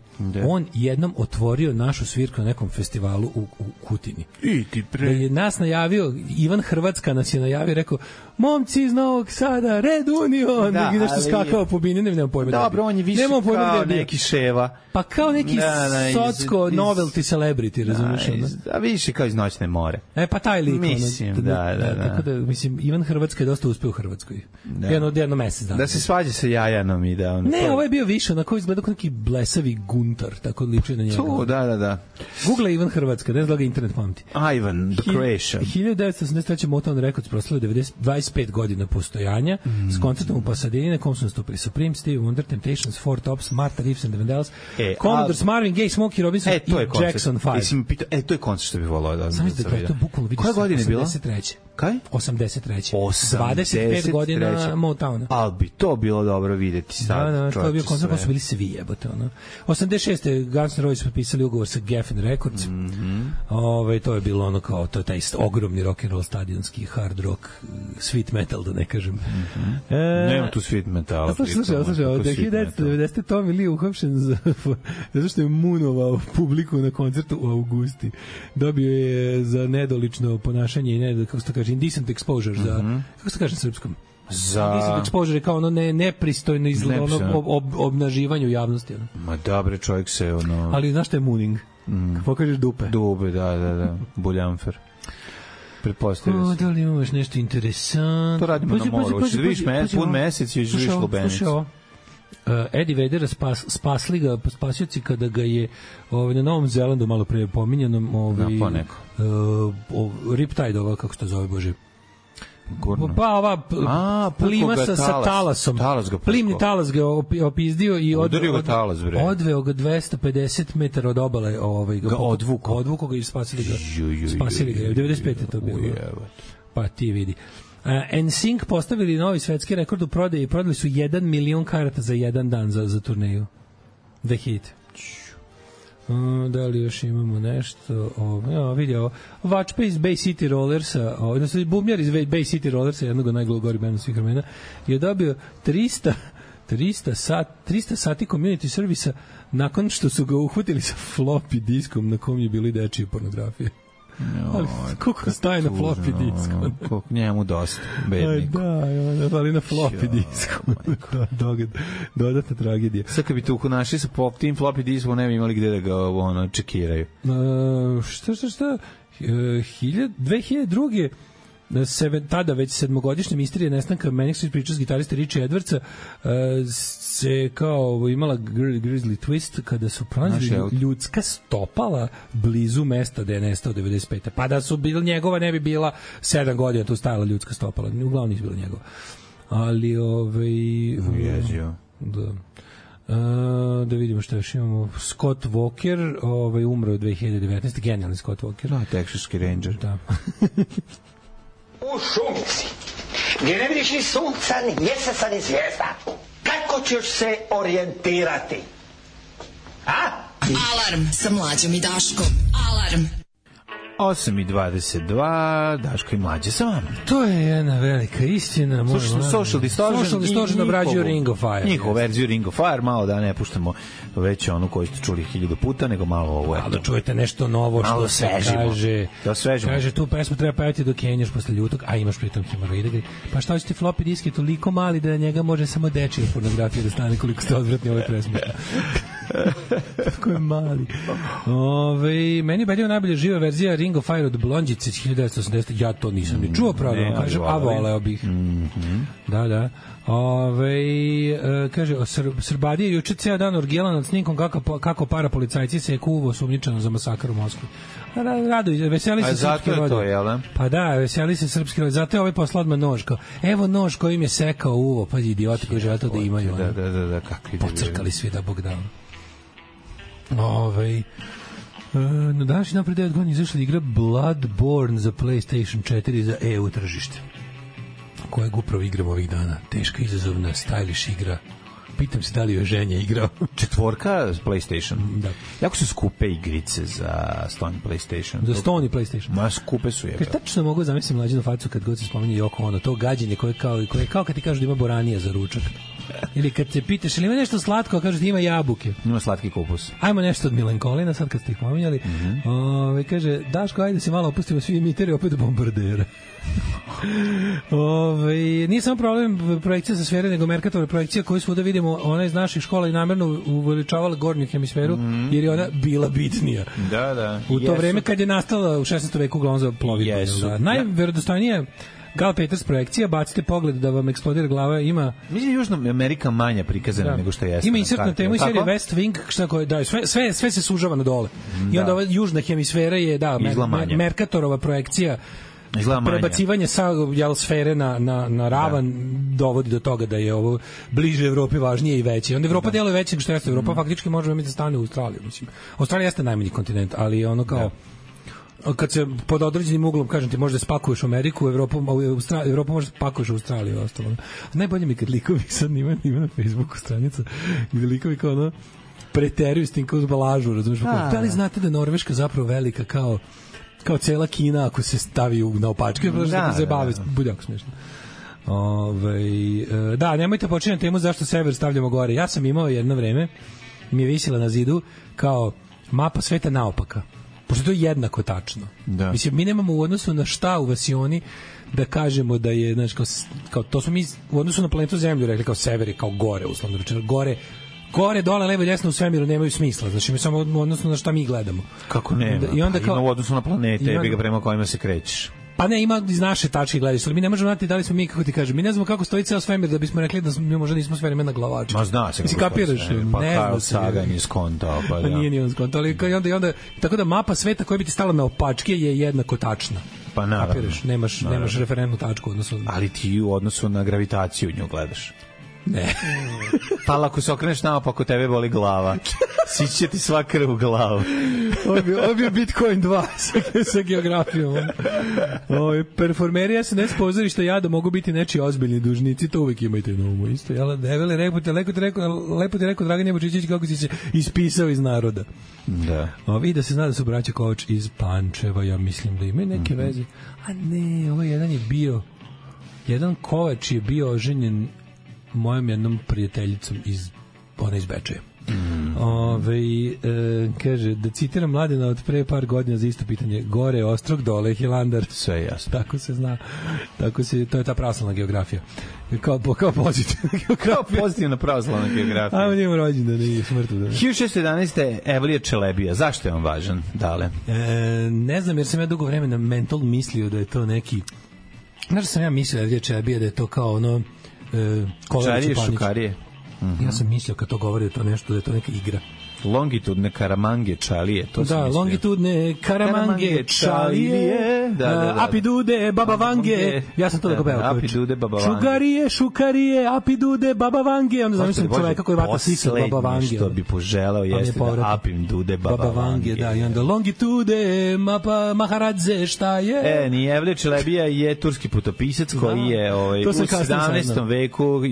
On jednom otvorio našu svirku na nekom festivalu u Kutini. Da je nas najavio bio Ivan Hrvatska nas je najavio, rekao, momci iz Novog Sada, Red Union, i nešto skakao po bini, nemam pojma. Dobro, on je više kao neki Ševa. Pa kao neki socko novelty celebrity, razumiješ? A više kao iz Noćne more. Pa taj lik. Mislim, da. Tako da, mislim, Ivan Hrvatska je dosta uspeo u Hrvatskoj. Jedno mesec dana. Da se svađa sa Jajanom i da on... Ne, ovo je bio više, onako izgleda kao neki blesavi guntar, tako liči na njega. Da. Google Ivan Hrvatska, ne znam da ga internet pamti. Ivan, The Creation. 1983. Motown Records proslavio 25 godina postojanja s koncertom u Pasadena, na kom su nastupili Supreme, Stevie Wonder, Temptations, Four Tops, Martha Reeves and the Vandellas, Commodores, Marvin Gaye, Smokey Robinson i Jackson 5. To je koncert što bi volao da sam vidio. To je bukvalno vidiš. Koje godine je bilo? 83. Kaj? 83. 25 godina Motowna. Ali bi to bilo dobro videti sad. Da, to je bio koncert, pa su bili svi jebote. 86. Guns N' Roses potpisali ugovor sa Geffen Records. To je bilo ono kao, to je taj ogromni rock and roll stadionski hard rock, sweet metal, da ne kažem. Nema tu sweet metala. Slušaj, od 1990. Tommy Lee uhapšen zato što je munovao publiku na koncertu u Augusti. Dobio je za nedolično ponašanje i kako se to kaže, indecent exposure, za, kako se kaže na srpskom? Indecent exposure je kao ono nepristojno obnaživanje u javnosti. Ma dobre, čovjek se ono... Ali znaš što je mooning? Pokažeš dupe. Dupe, da. Buljanfer. Pretpostavio se. Da li imaš nešto interesantno? To radimo na moru. Hoćeš da vidiš pun mesec i živiš lubenicu. Slušaj ovo. Eddie Vedera spasli ga spasioci kada ga je na Novom Zelandu malo pre pominjanom Riptide, ova kako se to zove, bože, pa ova plima sa talasom, plimni talas ga opizdio i odveo ga 250 metara od obale, ga odvuko ga i spasili ga 95 je to bilo, pa ti vidi. NSYNC postavili novi svetski rekord u prodaji i prodali su 1 milion karata za jedan dan za turneju. 2000. Da li još imamo nešto? Vidi ovo. Vačpe iz Bay City Rollersa, odnosno bubnjar iz Bay City Rollersa, jednog od najgorih benda svih vremena, je dobio 300 sati community servisa nakon što su ga uhvatili sa floppy diskom na kom je bili dečije pornografije. Ali koliko staje na floppy disku? Koliko njemu dosta, bedniku. Ali na floppy disku. Dodatna tragedija. Sad kad bi tu našli sa tim floppy diskom, ne bi imali gde da ga čekiraju. Šta? 2002. Tada već sedmogodišnja misterija nestanka Manic Street Preachers gitarista Richie Edwardsa se kao imala Grizzly Twist kada su pronašli ljudska stopala blizu mesta da je nestao 95. Pa da su bili njegova, ne bi bila 7 godina tu stajala ljudska stopala. Uglavnom nisu bila njegova. Ali ježio. Da vidimo što još imamo. Scott Walker umro u 2019. Genijalni Scott Walker. Texaski Ranger. Da. U šumici, gdje ne vidiš ni sunca, ni mjeseca, ni zvijezda. Kako ćeš se orijentirati? Alarm sa Mlađom i Daškom. Alarm. 8:22, Daško i Mlađe sa vama. To je jedna velika istina. Social Distortion obrađuju Ring of Fire. Njihovu verziju Ring of Fire, malo da ne puštamo već onu koju ste čuli 1000 puta, nego malo ovo. Da čujete nešto novo što se kaže. Da osvežimo. Kaže, tu pesmu treba pevati dok kenjaš posle ljutog, a imaš pritom hemoroide. Pa šta ćete, floppy disk je toliko mali da na njega može samo dečija pornografija da stane, koliko ste odvratni ove pesme. Tako je mali. Meni je belio najbolja živa verzija Ring of Fire od Blondjice 1980. Ja to nisam ni čuo, pravda, kažem, a voleo bih. Da. Kaže, Srbadija juče ceo dan orgijala nad snimkom kako parapolicajci se je kuvo sumnjičano za masakar u Moskvi. Veseli se srpski rod. Pa da, veseli se srpski rod. Zato je ovaj poslao odmah nož. Evo nož kojim je sekao uvo. Pa idioti koji žele to da imaju. Da, kakvi da pocrkali svi da Bog dao. Na današnji dan pre 9 godina izašla igra Bloodborne za PlayStation 4 za EU tržište, kojeg upravo igram ovih dana. Teška, izazovna, stylish igra. Pitam se da li je ženja igrao. 4 PlayStation. Da. Jako su skupe igrice za Sony PlayStation. Za Sony PlayStation. Ma skupe su je. Kaže, tačno mogu zamisliti Mlađinu facu kad god se spominje Yoko Ono, to gađenje koje kao kad ti kažu da ima boranija za ručak. Ili kad te pitaš, ili ima nešto slatko, a kažeš ima jabuke. Ima slatki kupus. Ajmo nešto od Milenkolina, sad kad ste ih pominjali. Kaže, Daško, ajde se malo opustimo svi imiteri opet bombardera. Nije samo problem projekcija sa sfere, nego Merkatorova projekcija koju svuda vidimo, ona iz naših škola i namerno uveličavala gornju hemisferu, jer je ona bila bitnija. Da. U to vreme kad je nastala u 16. veku uglavnom za plovidbu. Najverodostojnija Gal Peters projekcija, bacite pogled da vam eksplodira glava, ima... Mislim, Južna Amerika manja prikazana nego što jeste. Ima insert na temu i serije West Wing, sve se sužava na dole. I onda ova južna hemisfera je, Merkatorova projekcija, prebacivanje sa sfere na ravan dovodi do toga da je ovo bliže Evropi važnije i veće. Onda Evropa deluje veće nego što jeste. Evropa faktički možemo imati da stane u Australiju. Mislim. Australija jeste najmanji kontinent, ali ono kao... kad se pod određenim uglom, kažem ti, možda spakuješ u Ameriku, Evropu možda spakuješ u Australiju i ostalo. Najbolje mi kad likovi sad ima na Facebooku stranica gde likovi kao ono preteruju s tim kao zbalažu, razumiješ? Da li znate da je Norveška zapravo velika kao cela Kina ako se stavi na opačke, da se bave, bude jako smiješno. Da, nemojte počinjati temu zašto sever stavljamo gore. Ja sam imao jedno vreme, mi je visila na zidu kao mapa sveta naopaka. Pošto to je jednako tačno. Da. Mislim, mi nemamo u odnosu na šta u Vasioni da kažemo da je, znači, kao to smo mi u odnosu na planetu Zemlju rekli kao sever je kao gore, uslovno rečeno. Gore, dole, levo i desno u svemiru nemaju smisla. Znači, mi samo u odnosu na šta mi gledamo. Kako nema? I onda kao, ima u odnosu na planete, jebi ga prema kojima se krećeš. Pa ne, ima iz naše tačke gledaš, ali mi ne možemo znati da li smo mi, kako ti kažem, mi ne znamo kako stoji ceo svemir da bismo rekli da mi možda nismo svemir na glavaču. Ma zna se. Mislim, kapiraš? Pa kao Sagan je skontao, pa da. Nije ni on skontao, ali i onda, tako da mapa sveta koja bi ti stala na opačke je jednako tačna. Pa naravno. Kapiraš, nemaš referentnu tačku. Ali ti u odnosu na gravitaciju nju gledaš. Ne. Pa ako se okreneš naopako, tebe boli glava. Sići će ti sva krv u glavu. Ovo bi Bitcoin 2 sa geografijom. Performeri SNS pozorišta jada mogu biti nečiji ozbiljni dužnici, to uvek imajte na umu. Isto, jel? Devele, lepo ti rekao Dragan Jebučićić kako si se ispisao iz naroda. Da. I da se zna da su braća Kovač iz Pančeva, ja mislim da imaju neke veze. A ne, ovo jedan Kovač je bio oženjen mojom jednom prijateljicom iz Bečeja. Kaže, da citiram Mladena od pre par godina za isto pitanje, gore Ostrog, dole Hilandar. Sve je jasno. Tako se zna. To je ta pravoslavna geografija. Kao pozitivna geografija. Kao pozitivna pravoslavna geografija. Ajmo njemu rođendan, nije smrtu. 1611. Evlija Čelebija. Zašto je on važan, Dale? Ne znam, jer sam ja dugo vremena mental mislio da je to neki... Znaš sam ja mislio Evlija Čelebija da je to kao ono... Čarije, šukarije. Ja sam mislio kad to govori da to nešto, da je to neka igra. Longitudne karamange čalije, to sam mislio. Longitudne karamange čalije, apidude, baba vange. Ja sam to da pevao. Apidude, baba vange. Šukarije, apidude, baba vange. Onda zamislim čoveka koji vata sisa baba vange. Što bi poželao jeste da apim dude baba vange. Da, i onda longitude, maharadze, šta je? Ni Evlija Čelebija je turski putopisac koji je u 17. veku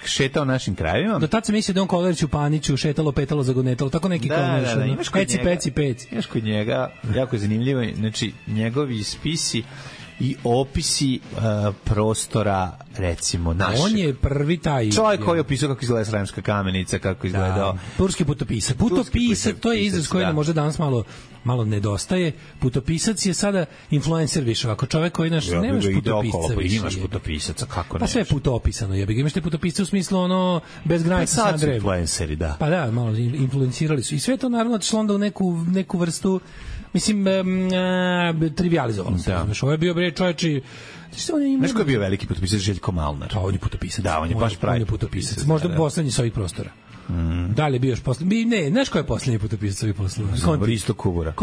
šetao našim krajevima. Do tad sam mislio da on Kolerić u Paniću šetalo, petalo, zagonetalo, tako neki imaš peci. Imaš kod njega, jako je zanimljivo, znači njegovi spisi i opisi prostora, recimo, našeg. On je prvi taj... Čovjek koji je opisao kako izgleda Sremska kamenica, kako izgledao... Turski putopisac. Putopisac, to je izraz koji nam možda danas malo nedostaje. Putopisac je sada influencer više. Ako čovjek koji nemaš putopisca više. Imaš putopisaca, kako pa sve je putopisano. Imaš te putopisce u smislu bez granica sa drevom. Influenceri, da. Pa da, malo influencirali su. I sve to naravno otišlo onda u neku vrstu, mislim, trivializovalo se. Ovo je bio čovječi... Znaš ko je bio veliki putopisac? Željko Malnar. On je putopisac. Da, on je baš pravi putopisac. Možda poslednji sa ovih prostora. Da li je bio još poslednji? Ne, znaš ko je poslednji putopisac sa ovih prostora? Risto Kubura.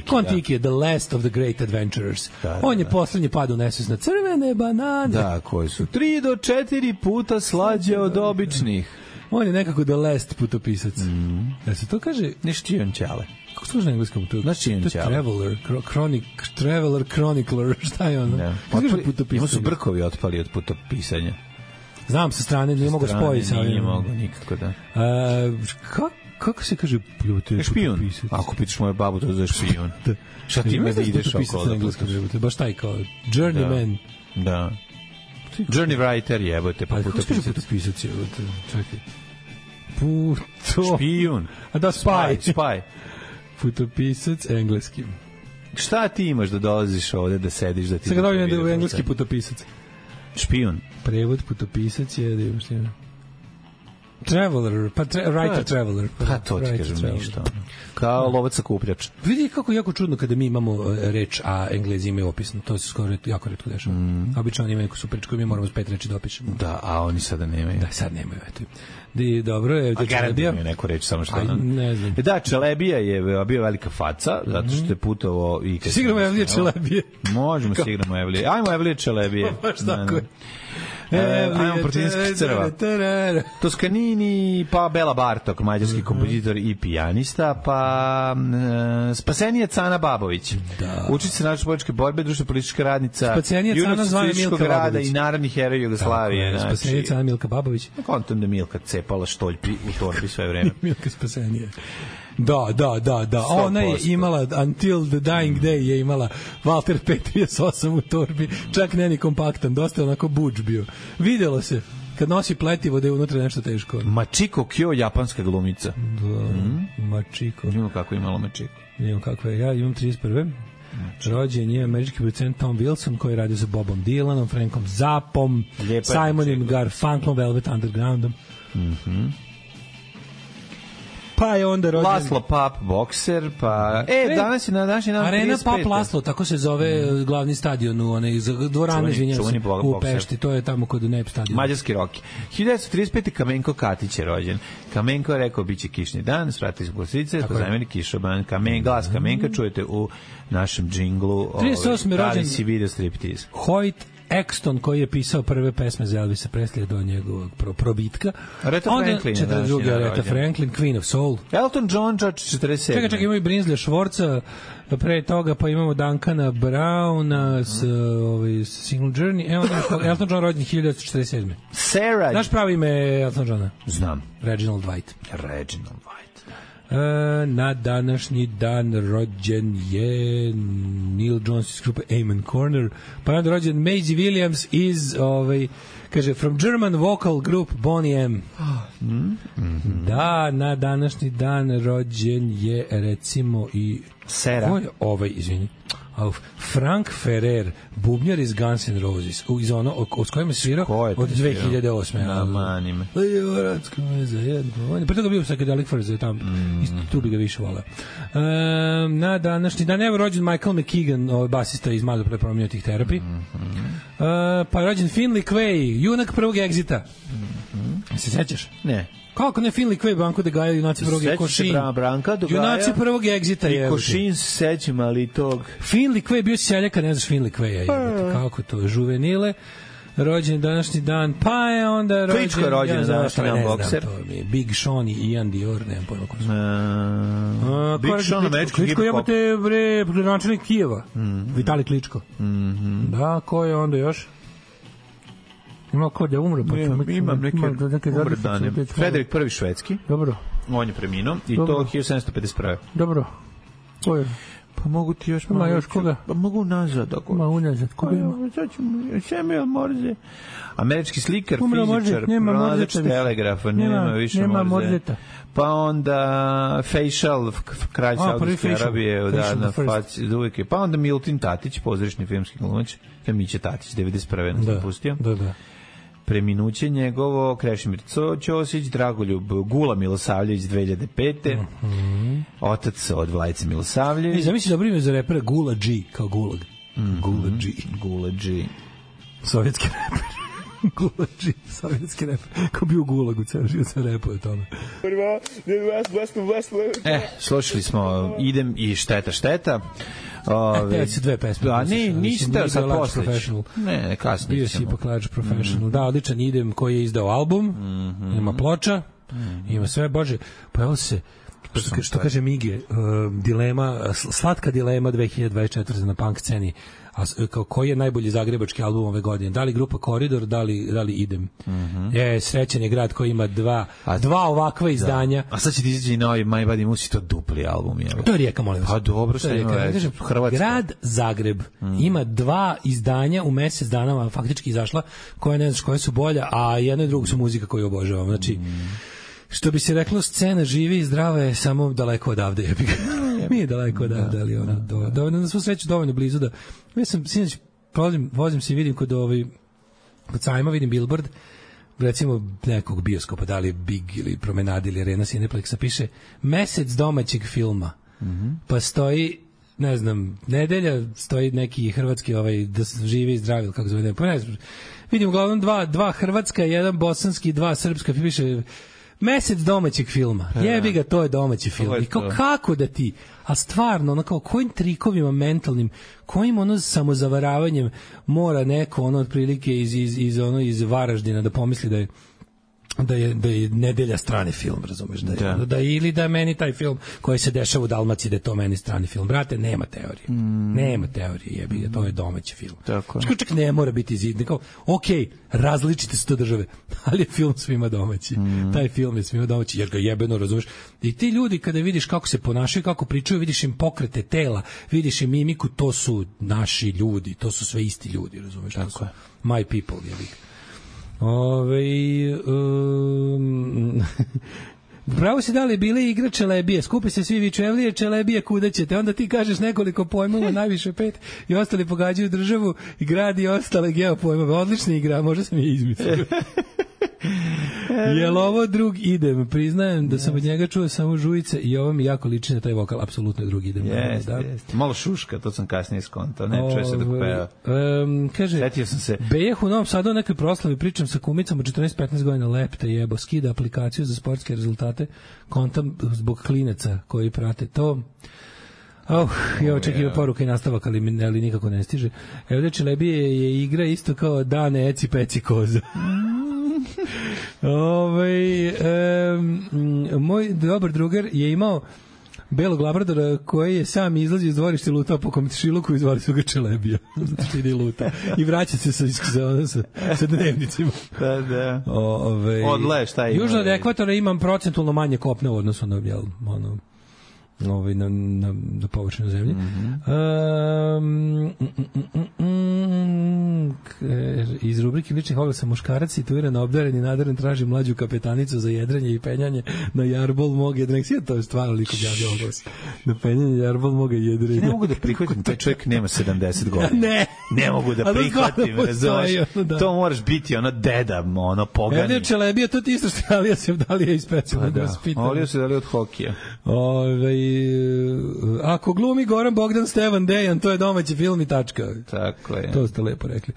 Kontiki je the last of the great adventurers. On je poslednji pad u nesvest na crvene banane. Da, koji su 3 do 4 puta slađe od običnih. On je nekako the last putopisac. Da se to kaže... Nešto je on Ćale. Kako služi na engleskom? To je Traveler, Chronicler, šta je ono? Ima su brkovi otpali od putopisanja. Znam sa strane, nije mogu spojiti. Nije mogu, nikako da. Kako se kaže? Špijun. Ako pitaš moju babu, to je špijun. Šta ti ime da ideš okolo? Baš taj kao Journeyman. Da. Journey Writer jebote, pa putopisac. Putopisac je, čekaj. Špijun. A da, spy. Putopisac engleski. Šta ti imaš da dolaziš ovde da sediš da ti... Sada ga dobijem da je engleski putopisac. Špijun. Prevod putopisac je da imaš ti... Traveler, writer traveler. Pa to ti kažem ništa. Kao lovac sakupljač. Vidi kako je jako čudno kada mi imamo reč, a Englezi imaju opisno. To se skoro jako retko dešava. Obično oni imaju neku super reč koju mi moramo s 5 reči da opišemo. Da, a oni sada nemaju. Da, sad nemaju. Eto. Dobro je. A garantujem je neku reč, samo što... Ne znam. Da, Čelebija je bio velika faca, zato što je putovao i... Sigramo Evlije Čelebije. Možemo sigramo Evlije. Ajmo Evlije Čelebije. Baš tako je. Ajmo Protinskih crva. Toskanini, pa Bela Bartok, mađarski kompozitor i pijanista, pa Spasenija Ana Babović. Učica naše političke borbe, društveno politička radnica, junak socijalističkog rada i narodni heroj Jugoslavije. Spasenija Ana Milka Babović. Kontam da Milka cepala štoljpi u torbi sve vreme. Milka Spasenija. Da. Ona je imala Until the Dying Day je imala Walter P38 u torbi, čak ne ni kompaktan, dosta onako budž bio. Videlo se kad nosi pletivo da je unutra nešto teško. Machiko Kyo, japanska glumica. Da, Machiko. Imamo kako je imalo Machiko. Imamo kako je, ja imam 31. Rođen je američki producent Tom Wilson koji radi sa Bobom Dylanom, Frankom Zappom, Simonom Garfunkelom, Velvet Undergroundom. Pa je onda rođen Laslo Pap, bokser, pa... danas je na današnji dan Arena Pap Laslo, tako se zove glavni stadion u onaj dvorane, u Pešti, to je tamo kod Nep stadion. Mađarski Roki. 1935. Kamenko Katić je rođen. Kamenko je rekao, biće kišni dan, svrati se glasice, pozajmeni kišoban, glas Kamenka, čujete u našem džinglu. 38. rođen si video striptiz. Hoyt Exton koji je pisao prve pesme za Elvisa Preslija do njegovog probitka. Aretha Franklin. 42. Aretha Franklin, Queen of Soul. Elton John, 47. Čekaj, imamo i Brinsley Schwarza, pre toga pa imamo Duncana Browna s Single Journey. Elton John rođen 1947. Sarah. Znaš pravi ime Elton Johna? Znam. Reginald White. Na današnji dan rođen je Neil Jones iz grupe Amen Corner, pa je rođen Maisie Williams iz kaže from German vocal group Boney M. Da, na današnji dan rođen je recimo i Sera. Ko je izvini? Frank Ferrer, bubnjar iz Guns N' Roses, iz ono s kojima se svirao od 2008. Na manime. Pre toga bio Psychedelic Furs, tam tu bi ga više volao. Na današnji dan je rođen Michael McKeegan, basista iz malo pre promenjatih Therapy. Pa je rođen Finley Quay, junak prvog Exita. Se sećaš? Ne. Kako ne Finley Quay, Branko de Gaja, junaci prvog Košin. Junaci prvog Exita je. I Košin se sećam, ali tog... Finley Quay bio seljaka, ne znaš Finley Quay. Kako to? Juvenile. Rođen današnji dan, pa je onda rođen... Kličko je rođen današnji dan, bokser. Big Sean i Ian Dior, nemam pojma ko su. Big Sean, američki hip-hop. Kličko jebate, načelnik Kijeva. Vitali Kličko. Da, ko je onda još? Ima ko da umre, pa imam neke umredane. Frederik I švedski. Dobro. On je preminuo i to 1751. Dobro. Ko je? Pa mogu ti još malo. Ima još koga? Pa mogu nazad. Ma unazad, koga ima? Samuel Morse. Američki slikar, fizičar, pronalazač telegrafa, nema više Morzeta. Pa onda Facial, kralj Saudijske Arabije, na faci, uvijek je. Pa onda Milton Tatić, pozorišni filmski glumac, Miće Tatić, 91. nas napustio. Da. Preminuće njegovo, Krešimir Ćosić, Dragoljub Gula Milosavljević 2005. Otac od Vlajice Milosavljević. Zamisli dobro ime za repera Gula G, kao Gulag. Gula G. Sovjetski reper. Gula G, sovjetski reper. Ko bio u Gulagu, ceo život se repuje o tome. Slušali smo Idem i Šteta. Te si dve pesme. Da, nisi teo sad posleć. Ne, kasnije. Bio si ipak Large Professional. Da, odličan Idem koji je izdao album, ima ploča, ima sve, bože, pojavilo se što kaže Mige, slatka dilema 2024 na punk sceni. Koji je najbolji zagrebački album ove godine? Da li grupa Koridor, da li Idem? Srećan je grad koji ima dva ovakva izdanja. A sad će ti izaći novi My Body Musi, to dupli album. Je. To je Rijeka, molim vas. Pa dobro, što ima reći. Grad Zagreb ima 2 izdanja u mesec dana, faktički izašla, koje ne znaš koje su bolja, a jedno i drugo su muzika koju obožavam. Znači, što bi se reklo, scena živi i zdrava je samo daleko odavde, jebi ga. Mi je daleko odavde, ali ono, dovoljno, na svu sreću dovoljno blizu da... Ja sam, sinoć, vozim se i vidim kod sajma, vidim billboard, recimo nekog bioskopa, da li Big ili Promenade ili Arena Cineplexa, piše mesec domaćeg filma. Pa stoji, ne znam, nedelja, stoji neki hrvatski, da živi i zdravi, kako zove, pa ne znam, vidim uglavnom dva hrvatska, jedan bosanski, 2 srpska, piše mesec domaćeg filma. Jebi ga, to je domaći film. I kako da ti, a stvarno, ono kao kojim trikovima mentalnim, kojim ono samozavaravanjem mora neko ono otprilike iz Varaždina da pomisli da je nedelja strani film, razumeš, da ili da meni taj film koji se dešava u Dalmaciji da je to meni strani film. Brate, nema teorije. Nema teorije, jebi ga, to je domaći film. Čak ne mora biti zidni, kao, okej, različite su to države, ali je film svima domaći. Taj film je svima domaći, jer ga jebeno, razumeš. I ti ljudi kada vidiš kako se ponašaju, kako pričaju, vidiš im pokrete tela, vidiš im mimiku, to su naši ljudi, to su sve isti ljudi, razumeš. To su my people, jebi ga. Pravo si dali bile igra Čelebije, skupi se svi vičevlije, Čelebije kuda ćete, onda ti kažeš nekoliko pojmova, najviše 5 i ostali pogađaju državu i grad i ostale geopojmove. Odlična igra, možda sam je izmislio. Jel ovo drug Idem? Priznajem da sam od njega čuo samo žujice i ovo mi jako liči na taj vokal, apsolutno je drug Idem. Jeste. Malo šuška, to sam kasnije skontao, ne čuje se dok peva. Kaže, setio sam se. Bejah u Novom Sadu o nekoj proslavi, pričam sa kumicom od 14-15 godina, lepte jebo, skida aplikaciju za sportske rezultate, kontam zbog klinaca koji prate to. Ja očekivao poruka i nastavak, ali nikako ne stiže. Evo da Čelebije je igra isto kao Dane, Eci, Peci, Koza. Moj dobar drugar je imao belog labradora koji je sam izlazio iz dvorišta i lutao po komšiluku i zvali su ga Čelebija. Zato što ide i luta. I vraća se sa dnevnicima. Da. Odle, šta ima? Južno od ekvatora imam procentualno manje kopne u odnosu na na površinu zemlje. Iz rubrike ličnih oglasa muškarac situiran, obdaren i nadaren traži mlađu kapetanicu za jedrenje i penjanje na jarbol mog jedrenja. Sve to je stvarno liko javio oglas. Na penjanje jarbol moga jedrenja. Ne mogu da prihvatim, taj čovjek nema 70 godina. Ne mogu da prihvatim, razumeš? To moraš biti ono deda, ono pogani. Evdje Čelebija, to ti isto što Alija Sevdalija iz specijalnog vaspitanja. Alija Sevdalija od hokija. Ako glumi Goran Bogdan Stevan Dejan, to je domaći film i tačka. Tako je. To ste lepo rekli.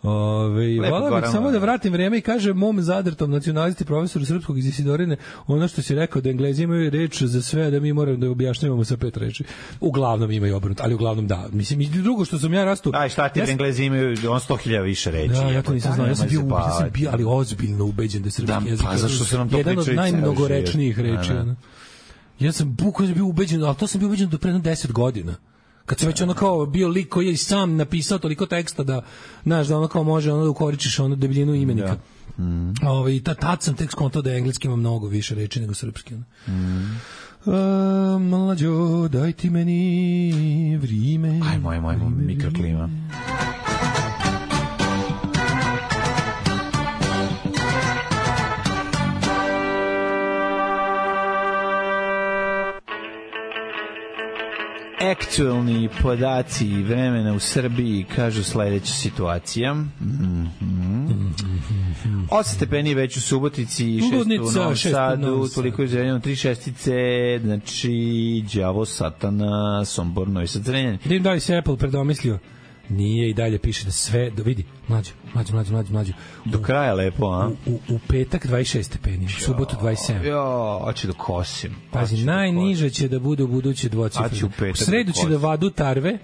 Vola bih samo da vratim vrijeme i kažem mom zadrtom nacionalisti profesoru srpskog iz Isidorine ono što si rekao da Englezi imaju reč za sve, da mi moramo da objašnjavamo sa 5 reči. Uglavnom imaju obrnuto, ali uglavnom da. Mislim, i drugo što sam ja rastu... Aj, šta ti Englezi imaju 100.000 više reči. Da, ja to nisam znao. Ja sam bio ali ozbiljno ubeđen da srpski jezik je jedan od najmnogorečnijih reči. Ja sam bukvalno bio ubeđen, ali to sam bio ubeđen do pre 10 godina. Kad sam već ono kao bio lik koji je sam napisao toliko teksta da, znaš, da ono kao može ono da ukoričiš ono debljinu imenika. Tad sam tek skontao da engleski ima mnogo više reči nego srpski. Mlađo, daj ti meni vrime. Aj, moj mikroklima. Aktualni podaci vremena u Srbiji kažu sledeća situacija. 8 stepeni već u Subotici, 6 u Novom Sadu, toliko je Zrenjanin, 3 šestice, znači Đavo, Satana, Sombor, Novi Sad, Zrenjanin. Da im da li se Apple predomislio Nije, i dalje piše da sve, da vidi, mlađe. Do kraja lepo, a? U petak 26 stepeni, u subotu 27. Jo, hoće da kosim. Pazi, najniže će da bude u buduće dvocifreno. U sredu će da vadu tarve,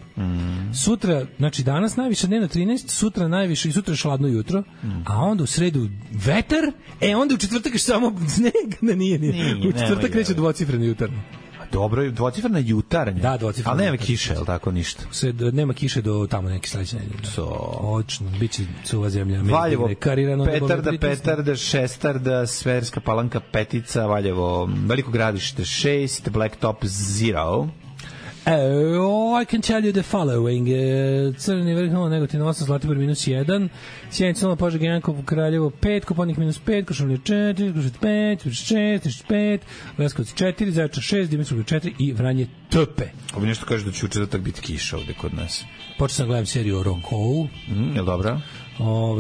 sutra, znači danas najviše dnevno 13, sutra najviše i sutra je šladno jutro, a onda u sredu vetar, onda u četvrtak je samo sneg, nije. U četvrtak kreće dvocifreno jutarno. Dobro, dvocifrena jutarnja. Da, dvocifrena. Ali nema kiše, je li tako, ništa? Nema kiše do tamo neke sledeće nedelje. Očno, biće suva zemlja. Valjevo, Petarda, Šestarda, Sverska Palanka, Petica, Valjevo, Veliko Gradište 6, Blacktop 0. I can tell you the following. Crni vrh, Negotin 8, Zlatibor -1, Sjenica 0, Požega 1, Kraljevo 5, Koponik -5, Košumlje 4, Kruševac 5, 6, 5, Leskovac 4, Zaječar 6, Dimitrovgrad 4 i Vranje Töpe. Ovo nešto kaže da će u četvrtak biti kiša ovde kod nas. Počeo sam gledam seriju o Rokovu. Je li dobra?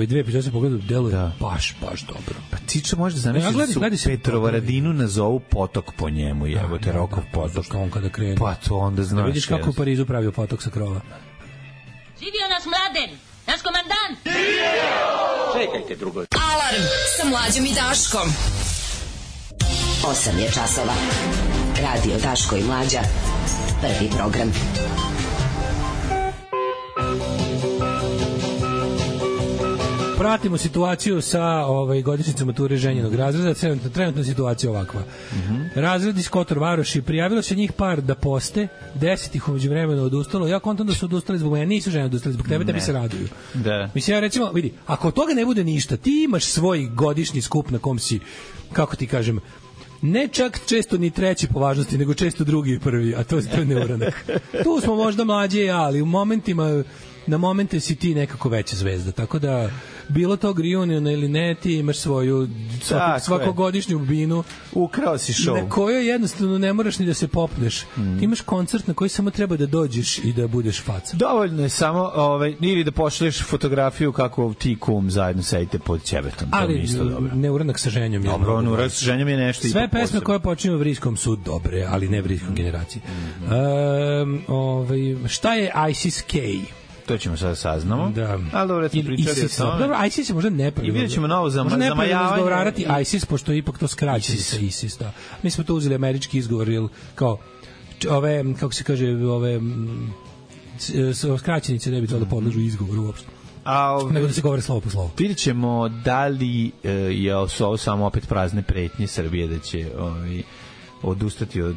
Dve epizode se pogledaju, deluje baš dobro. Pa Tiča može da zamisli da su Petrovaradinu nazovu potok po njemu, jebote, Rokov potok. Što on kada krene. Pa to onda znaš. Da vidiš kako u Parizu pravio potok sa krova. Živio naš Mladen, naš komandant! Čekajte drugo. Alarm sa Mlađom i Daškom. 8 je časova. Radio Daško i Mlađa. Prvi program. Pratimo situaciju sa godišnjicom mature ženjenog razreda. Trenutna situacija ovakva. Razred iz Kotor Varoši, prijavilo se njih par da poste, 10 ih umeđu vremena odustalo. Ja kontam da su odustali zbog mene, nisu žene odustali zbog tebe, tebi se raduju. Da. Mislim, ja recimo, vidi, ako od toga ne bude ništa, ti imaš svoj godišnji skup na kom si, kako ti kažem, ne čak često ni treći po važnosti, nego često drugi i prvi, a to je neuranak. Tu smo možda mlađe i ja, ali u momentima, na momente si ti nekako veća zvezda, tako da bilo to reunion ili ne, ti imaš svoju svakogodišnju binu. Ukrao si show. Na kojoj jednostavno ne moraš ni da se popneš. Ti imaš koncert na koji samo treba da dođeš i da budeš faca. Dovoljno je samo, ili da pošalješ fotografiju kako ti kum zajedno sedite pod ćebetom. Ali neuranak sa ženjom je. Dobro, neuranak sa ženjom je nešto. Sve pesme koje počinju vriskom su dobre, ali ne vriskom generaciji. Šta je ISIS-K? To ćemo sada saznamo. Da. Ali dobro, smo pričali o tome. Dobro, ISIS je možda nepravilno. I vidjet ćemo novo zamajavanje. Možda nepravilno izgovarati ISIS, pošto je ipak to skraćeni sa ISIS. Da. Mi smo to uzeli američki izgovor, kao kako se kaže, skraćenice ne bi trebalo da podležu izgovoru uopšte. Nego da se govore slovo po slovo. Vidjet ćemo da li je ovo samo opet prazne pretnje Srbije, da će odustati od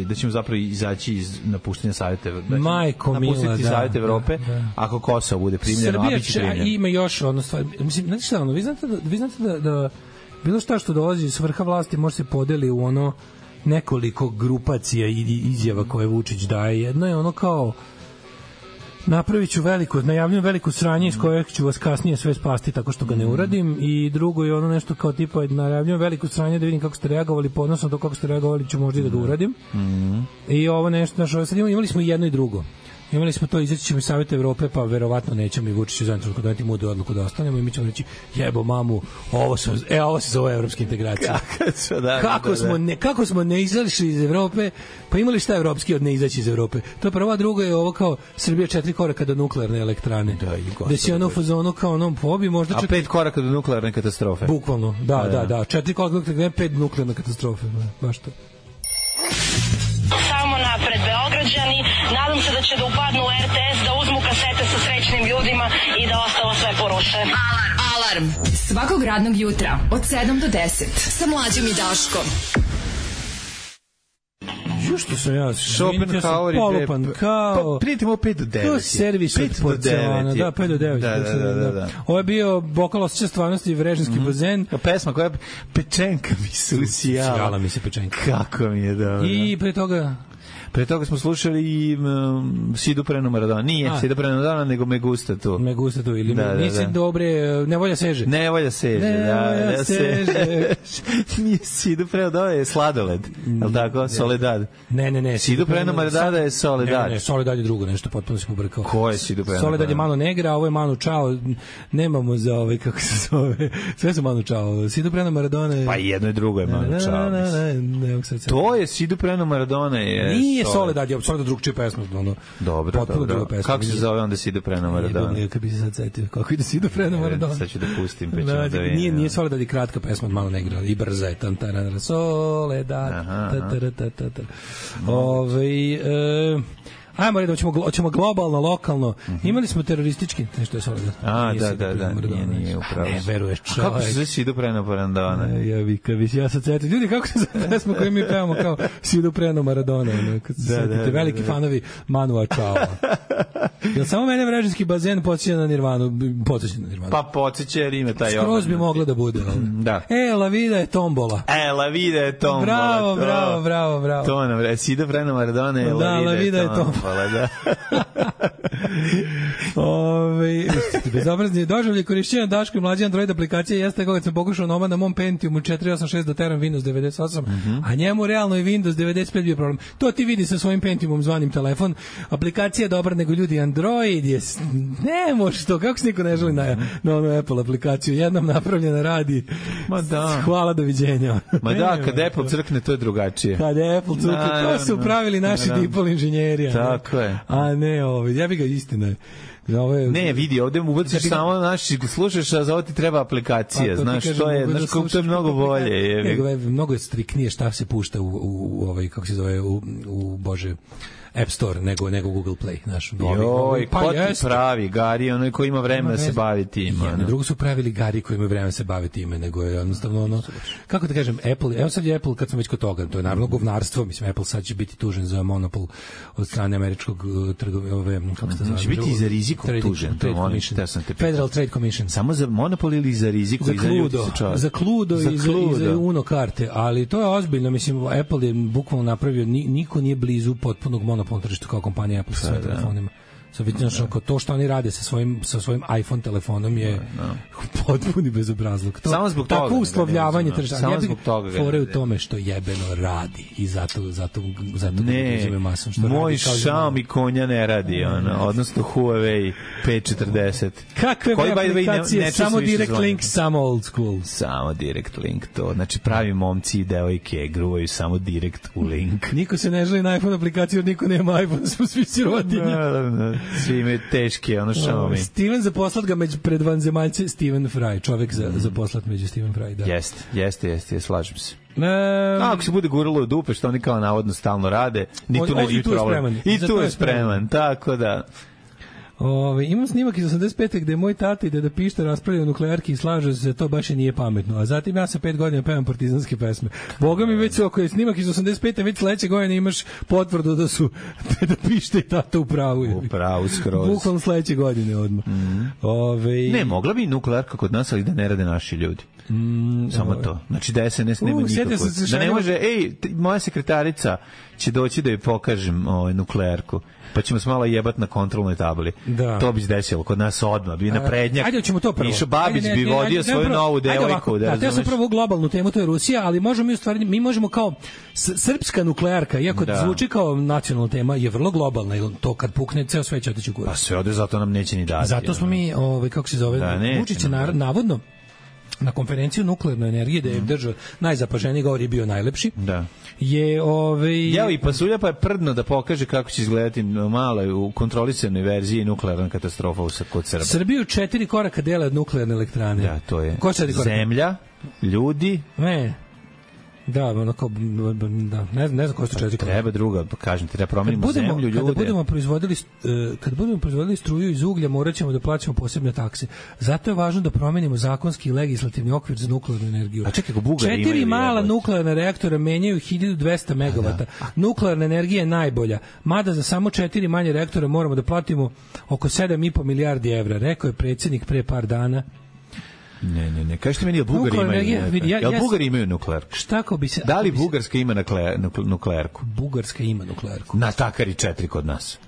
da ćemo zapravo izaći iz napuštenja Saveta Evrope. Majko mila, da. Savjet Evrope, ako Kosovo bude primljeno, a biće primljeno. Ima još ono stvar. Mislim, znate šta, vi znate da bilo šta što dolazi iz vrha vlasti može se podeli u ono nekoliko grupacija i izjava koje Vučić daje. Jedno je ono kao najavljujem veliku sranje iz kojeg ću vas kasnije sve spasti tako što ga ne uradim, i drugo je ono nešto kao tipa najavljujem veliku sranje da vidim kako ste reagovali, podnosno to kako ste reagovali ću možda i da ga uradim. I ovo nešto, sad imali smo i jedno i drugo. Imali smo to, izaći ćemo iz Savjeta Evrope, pa verovatno nećemo i Vučić za trenutku doneti mudru odluku da ostanemo i mi ćemo reći, jebo mamu, ovo se zove evropska integracija. Kako smo ne izašli iz Evrope, pa imali šta evropski od ne izaći iz Evrope. To je prva, druga je ovo kao Srbija 4 koraka do nuklearne elektrane. Da će ono u fazonu kao onom pobi možda... A 5 koraka do nuklearne katastrofe. Bukvalno, da. 4 koraka do nuklearne, 5 nuklearne katastrofe. Baš to. Samo napred Beograđani, nadam se da će da upadnu u RTS, da uzmu kasete sa srećnim ljudima i da ostalo sve poruše. Alarm svakog radnog jutra od 7 do 10 sa Mlađom i Daškom. Što sam ja Schopenhauer polupan kao... Prijetimo 5 do 9. To je servis od porcelana. Da, 5 do 9. Da. Ovo je bio bokal osjeća stvarnosti i vrežinski bazen. Pesma koja je Pečenka mi se usijala. Sjala mi se Pečenka. Kako mi je dobro. I pre toga smo slušali i Sidu Prenu Maradona. Nije Sidu Prenu Maradona, nego Me gusta tu. Me gusta tu, ili nisi dobre, Nevolja seže. Nevolja seže. Nije Sidu Prenu Maradona, je Sladoled. Je li tako? Soledad. Ne. Sidu Prenu Maradona je Soledad. Ne, Soledad je drugo nešto, potpuno si pobrkao. Ko je Sidu Prenu Maradona? Soledad je Manu Negra, a ovo je Manu Čao. Nemamo za kako se zove. Sve su Manu Čao. Sidu Prenu Maradona je... Pa jedno i drugo je Manu Čao. Ne, to je Sidu Prenu Maradona. Nije nije Soledad, je Soledad drugčija pesma, ono. Dobro. Kako se zove onda Sido Preno Maradona? Kad bi se sad setio, kako ide Sido Preno Maradona? Sad ću da pustim, pa ćemo da vidim. Nije Soledad i kratka pesma, malo ne igra, i brza je, Soledad, ajmo reći, hoćemo globalno, lokalno. Imali smo teroristički, nešto je Soledad. Nije upravo. Ne veruješ, čovjek. Kako se zove Sido Preno Maradona? Ja sad setim. Ljudi, kako se zove pesma koju mi pevamo kao Sido Preno Maradona? Veliki fanovi Manua Čao. Jel samo mene Vrežinski bazen podsjeća na Nirvanu? Pa podsjeća jer ima taj obraz. Skroz bi moglo da bude. Da. La vida je tombola. La vida je tombola. Bravo. To nam Sido Preno Maradona je La vida je tombola. Da. Bezobrazni doživljaj korišćenja Daško i mlađe Android aplikacije jeste kako sam pokušao na mom Pentiumu 486 da teram Windows 98, a njemu realno i Windows 95 bio problem. To ti vidi sa svojim Pentiumom zvanim telefon. Aplikacija je dobra, nego ljudi Android je... Ne može to, kako se niko ne želi na onu Apple aplikaciju. Jednom napravljena radi. Ma da. Hvala, doviđenja. Ma da, kad Apple crkne, to je drugačije. Kad Apple crkne, to su upravili naši dipol inženjeri. Tako je. A ne, ja bih ga istina. Ne, vidi, ovde mu ubaciš samo naši, slušaš, a za ovo ti treba aplikacija, znaš, to je mnogo bolje. Mnogo je striknije šta se pušta u kako se zove, u Bože, App Store nego Google Play, znaš. Joj, ko ti pravi Gari, onaj ko ima vremena da se bavi time. Drugo su pravili Gari koji ima vremena da se bavi time, nego je jednostavno ono, kako da kažem, Apple, evo sad je Apple, kad smo već kod toga, to je naravno govnarstvo, mislim, Apple sad će biti tužen za monopol od strane američkog kako se zove? Će biti i za riziku tužen, Federal Trade Commission. Samo za monopol ili za riziku? Za Cluedo i za Uno karte, ali to je ozbiljno, mislim, Apple je bukvalno napravio, niko nije blizu potpunog monopolnog tržištu kao kompanija Apple sa svojim telefonima. To što oni rade sa svojim iPhone telefonom je potpuni bezobrazluk. Samo zbog toga. Tako uslovljavanje tržišta. Samo zbog toga. Fore u tome što jebeno radi i zato ne, moj Xiaomi konja ne radi, odnosno Huawei P40. Kakve aplikacije, samo Direct Link, samo Old School. Samo Direct Link, to. Znači pravi momci i devojke gruvaju samo Direct u link. Niko se ne želi na iPhone aplikaciju, jer niko nema iPhone, smo svi sirotinje. Svi imaju teške, Xiaomi. Steven zaposlat ga pred vanzemaljce, Steven Fry, čovek zaposlat među Steven Fry, da. Jeste, slažem se. Ako se bude guralo u dupe, što oni kao navodno stalno rade, ni tu neće biti problem. I tu je spreman, tako da... Imam snimak iz 85. gde moj tata i deda Pišta raspravljaju o nuklearki i slaže se, to baš i nije pametno. A zatim ja sa 5 godina pevam partizanske pesme. Boga mi već ako je snimak iz 85. već sledeće godine imaš potvrdu da su deda Pišta i tata u pravu. U pravu skroz. Bukvalno sledeće godine odmah. Ne, mogla bi nuklearka kod nas, ali da ne rade naši ljudi. Samo to. Znači da SNS nema nikako. Da ne može, moja sekretarica će doći da joj pokažem nuklearku. Pa ćemo se malo jebati na kontrolnoj tabli. Da. To bi se desilo kod nas odmah. Bi naprednjak. Ajde, ćemo to prvo. Mišo Babić bi vodio svoju novu devojku. Da, sam prvo globalnu temu, to je Rusija, ali mi možemo kao srpska nuklearka, iako zvuči kao nacionalna tema, je vrlo globalna. To kad pukne, ceo sve će otići u kurac. Pa sve ode, zato nam neće ni dati. Zato smo mi, kako se zove, Vučić je navodno na konferenciju nuklearne energije, da je držao najzapaženiji govor, je bio najlepši. Da. Jeo i pasulja, pa je prdno da pokaže kako će izgledati malo u kontrolisanoj verziji nuklearna katastrofa kod Srba. Srbiju 4 koraka dele od nuklearne elektrane. Da, to je zemlja, ljudi. Da, onako, ne znam koje su 4 koraka. Treba druga, kažem ti, da promenimo zemlju, ljude. Kad budemo proizvodili struju iz uglja, morat ćemo da plaćamo posebne takse. Zato je važno da promenimo zakonski i legislativni okvir za nuklearnu energiju. A čekaj, Bugari imaju 4 mala nuklearna reaktora menjaju 1200 megavata. Nuklearna energija je najbolja. Mada za samo 4 manje reaktora moramo da platimo oko 7,5 milijardi evra, rekao je predsjednik pre par dana. Ne. Kažete meni, jel Bugari imaju nuklearku? Da li Bugarska ima nuklearku? Bugarska ima nuklearku. Na Takari 4 kod nas.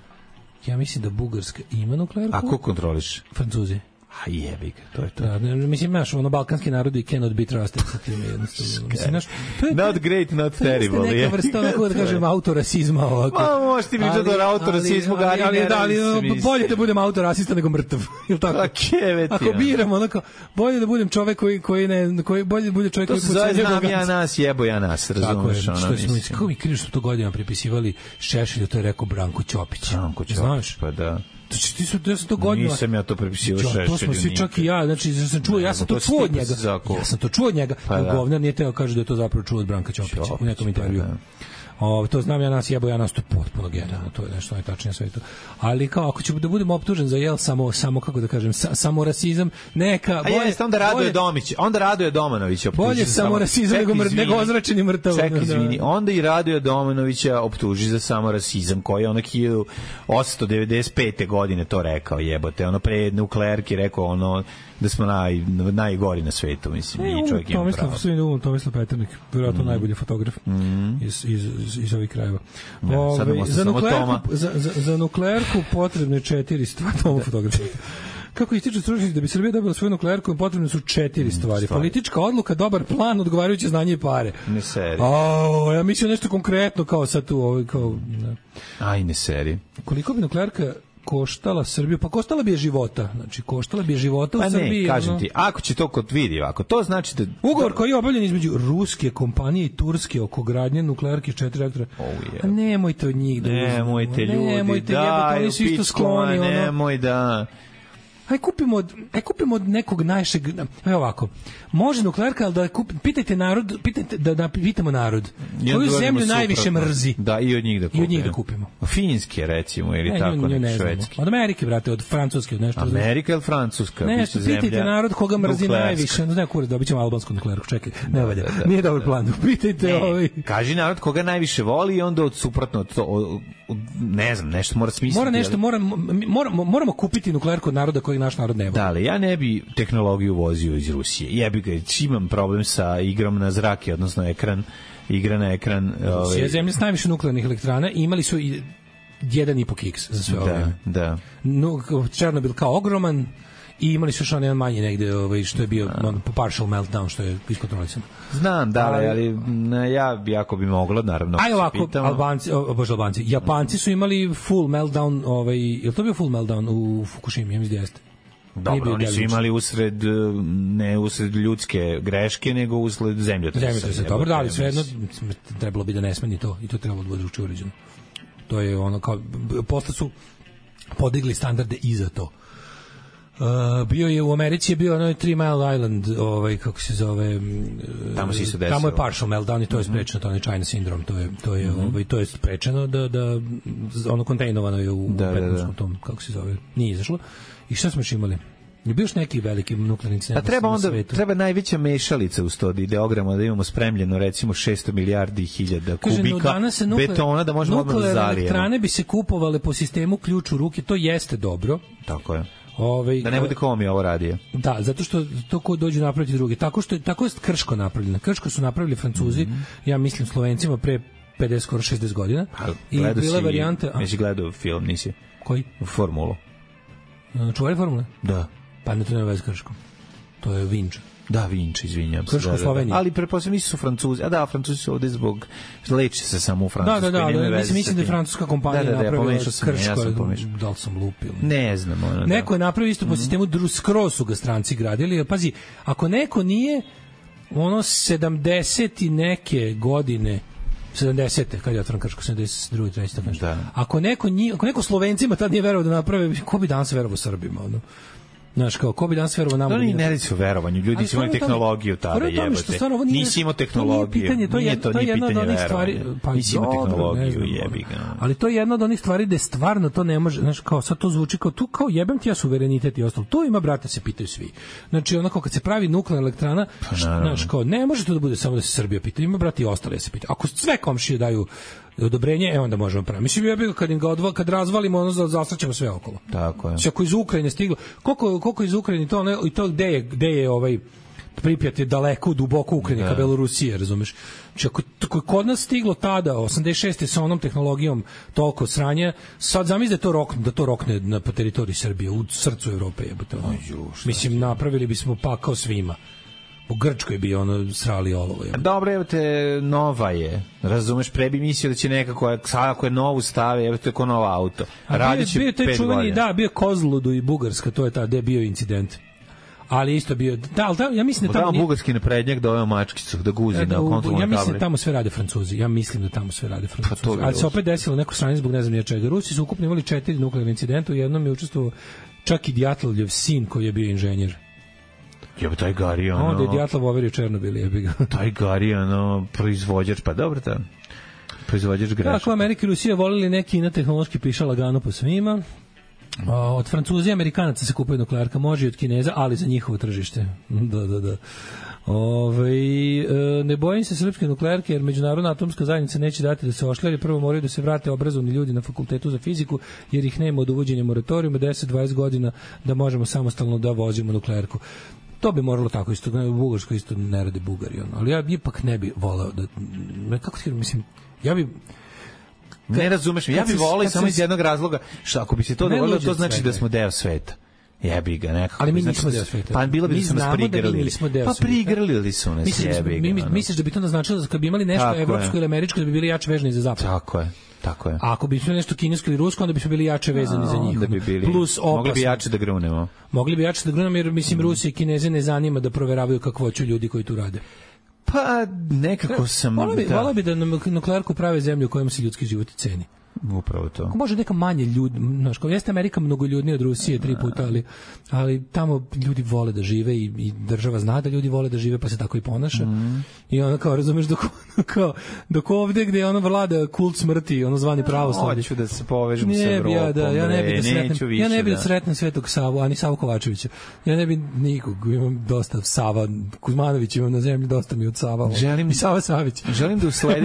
Ja mislim da Bugarska ima nuklearku. A ko kontroliš? Francuzi. A jebi ga, to je to. Da, mislim, znaš, balkanski narodi cannot be trusted sa tim jednostavno. Mislim, znaš, not great, not terrible. To je neka vrsta, onako da kažem, autorasizma ovako. Ma, možeš ti pričati o autorasizmu, ali bolje da budem autorasista nego mrtav. Ili tako? Ako biram, onako, bolje da budem čovek koji bolje da bude čovek koji puca njegov znam ja nas, jebo ja nas, razumeš? Kako mi krivo što to godinama pripisivali Šešelju, to je rekao Branko Ćopić. Znaš? Pa da. Znači, ja sam to godinama... Nisam ja to prepisio Šešelju. To smo svi, čak i ja, znači, ja sam to čuo od njega. Ja sam to čuo od njega. Govnar nije teo kaže da je to zapravo čuo od Branka Ćopića u nekom intervju. To znam ja nas, jebo ja nas, to je potpuno genijalno, to je nešto najtačnije sve to. Ali kao, ako ću da budem optužen za samo kako da kažem, samo rasizam, neka... bolje, onda Radoje Domanović optuži. Bolje samo rasizam nego ozračeni mrtav. Čekaj, izvini, onda i Radoje Domanovića optuži za samo rasizam, koji je 1895. godine to rekao, jebote, pre nuklearki rekao da smo najgori na svetu, mislim, i čovjek ima pravo. Tomislav Peternik, vjerojatno najbolji fotograf iz ovih krajeva. Za nuklearku potrebne 4 stvari. Toma fotograf. Kako ističu stručnjaci da bi Srbija dobila svoju nuklearku, potrebne su 4 stvari. Politička odluka, dobar plan, odgovarajuće znanje i pare. Ne seri. Ja mislim nešto konkretno kao sad tu. Aj, ne seri. Koliko bi nuklearka koštala Srbiju, pa koštala bi je života. Znači, koštala bi je života u Srbiji. Ne, kažem ti, ako će to kod vidi ovako, to znači da... Ugovor koji je obavljen između ruske kompanije i turske oko gradnje nuklearke 4 reaktora. A nemojte od njih da uzmemo. Nemojte ljudi, daj, u pičkoma, nemoj da... Aj kupimo od nekog najšeg, ovako. Može nuklearka, ali pitajte narod, da pitamo narod. Koju zemlju najviše mrzi? Da, i od njih da kupimo. Finske, recimo, ili tako, nek švedski. Od Amerike, brate, od Francuske, od nešto. Amerika ili Francuska? Nešto, pitajte narod koga mrzi najviše. Ne, kure, dobit ćemo albansku nuklearku, čekaj, ne valja. Nije dobar plan, pitajte ovaj. Kaži narod koga najviše voli i onda od suprotno od to, ne znam, nešto mora smisliti. Moramo kupiti nuklearku od naroda kojeg naš narod ne voli. Da, ali ja ne bi tehnologiju vozio iz Rusije. Jebi ga, imam problem sa igrom na zrake, odnosno igra na ekran. Rusija je zemlja s najviše nuklearnih elektrana i imali su 1,5 kiks za sve ove. Da. Černobil kao ogroman i imali su još jedan manji negde što je bio partial meltdown, što je iskontrolisan. Znam, da, ali ja jako bi moglo, naravno. Aj ovako, Albanci, Japanci su imali full meltdown, je li to bio full meltdown u Fukushimi, ja mislim da jeste. Dobro, oni su imali ne usred ljudske greške, nego usred zemljotresa. Dobro, da, ali svejedno trebalo bi da ne smeni to i to trebalo da bude drugčije uređeno. To je kao, posle su podigli standarde i za to. Bio je u Americi je bio Three Mile Island, kako se zove, tamo se isto desilo. Tamo je partial meltdown i to je sprečeno, to je China syndrome, to je sprečeno da kontejnovano je u Petrovskom tom, kako se zove, nije izašlo. I šta smo još imali? Je bio još neki veliki nuklearni incident na svetu? Treba najveća mešalica uz to ideograma, da imamo spremljeno recimo 600 milijardi hiljada kubika betona da možemo odmah da zalijemo. Nuklearne elektrane bi se kupovale po sistemu ključ u ruke, to jeste dobro. Tako je. Da ne bude ko mi ovo radio. Da, zato što to ko dođu napraviti drugi. Tako je Krško napravljeno. Krško su napravili Francuzi, ja mislim Slovencima pre 50, skoro 60 godina. I bila varijanta... Nisi gledao film, nisi? Koji? Formulu. Čuvari formule? Da. Pa ne to nema veze s Krškom. To je Vinč. Da, Vinč, izvinjam se. Krško, Slovenija. Ali pretpostavljam nisu su Francuzi. A da, Francuzi su ovde zbog leče se samo u Francuskoj. Da, mislim da je francuska kompanija napravila Krško. Da li sam lupio? Ne znam. Neko je napravio isto po sistemu skroz su ga stranci gradili. Pazi, ako neko nije 70 i neke godine 70. kad je otvoren Krško, 72. 3. Da. Ako neko Slovencima tad nije verovao da naprave, ko bi danas verovao Srbima, Znaš, ko bi danas verovao nama? To ne radi se o verovanju, ljudi su imali tehnologiju tada, jebote. Nisi imao tehnologiju, nije to pitanje verovanja. Nisi imao tehnologiju, jebi ga. Ali to je jedna od onih stvari gde stvarno to ne može, znaš, kao sad to zvuči kao tu, kao jebem ti ja suverenitet i ostalo. To ima, brate, se pitaju svi. Znači, onako kad se pravi nuklearna elektrana, znaš, kao ne može to da bude samo da se Srbija pita, ima, brate, i ostale se pitaju. Ako sve komšije daju odobrenje, onda možemo praviti. Mislim, ja bih kad razvalimo, zastraćemo sve okolo. Tako je. Ako iz Ukrajine stiglo, koliko iz Ukrajine to i to gde je Pripjat je daleko, duboko u Ukrajini, ka Belorusije, razumeš? Znači, ako je kod nas stiglo tada, 86. sa onom tehnologijom toliko sranja, sad zamisli da to rokne na teritoriji Srbije, u srcu Evrope, jebote. Mislim, napravili bismo pakao svima. U Grčkoj bi ono srali olovo. Dobro, evo te, nova je. Razumeš, pre bi mislio da će nekako, ako je novu stave, evo te ko nova auto. Radit će 5 godina. Da, bio Kozludu i Bugarska, to je ta, gde je bio incident. Ali isto bio, ja mislim da tamo bugarski naprednjak doveo mačkicu da guzi na kontrolnoj tabli. Ja mislim da tamo sve rade Francuzi. Ali se opet desilo neko sranje zbog ne znam čega. Rusi su ukupno imali 4 nuklearne incidenta, u jednom je učestvovao čak i Djatlovljev sin koji je bio inženjer. Jebe, taj Gari, ono... Onda je Djatlov overio Černobil, jebi ga. Taj Gari, ono, proizvođač, pa dobro ta, proizvođač grešaka. Tako, Amerika i Rusija volili neki na tehnološki piša lagano po svima. Od Francuza i Amerikanaca se kupuje nuklearka, može i od Kineza, ali za njihovo tržište. Da. Ne bojim se srpske nuklearke, jer međunarodna atomska zajednica neće dati da se ošljari. Prvo moraju da se vrate obrazovni ljudi na fakultetu za fiziku, jer ih nema od uvođenja moratorijuma 10-20 godina da možemo samostalno da vozimo nuklearku. To bi moralo tako isto, u Bugarskoj isto ne rade Bugari, ali ja ipak ne bi voleo da, kako ti mislim, ja bi... Ne razumeš, ja bih voleo samo iz jednog razloga, što ako bi se to dogodilo, to znači da smo deo sveta. Jebi ga, nekako. Ali mi nismo deo sveta. Pa bilo bi da su nas prigrlili. Pa prigrlili su nas, jebi ga. Misliš da bi to naznačilo da kad bi imali nešto evropsko ili američko, da bi bili jače vezani za zapad? Tako je. A ako bi imali nešto kinesko ili rusko, onda bi smo bili jače vezani za njih. Plus opasno. Mogli bi jače da grunemo. Jer, mislim, Rusi i Kineze ne zanima da proveravaju kakvoću ljudi koji tu rade. Pa, nekako sam... Volao bi da nuklearku prave zemlju u kojem se ljudski život ceni. Upravo to. Ako može neka manje ljudi, znaš, kao jeste Amerika mnogo ljudnija od Rusije 3 puta, ali tamo ljudi vole da žive i država zna da ljudi vole da žive, pa se tako i ponaša. I ono kao, razumeš, dok ovde gde ono vlada kult smrti, ono zvani pravoslavlje. Hoću da se povežem sa Evropom. Ja ne bi da sretnem Svetog Savu, ani Savu Kovačevića. Ja ne bi nikog, imam dosta Sava, Kuzmanović imam na zemlji, dosta mi od Sava. I Sava Savić. Želim da u sledećem...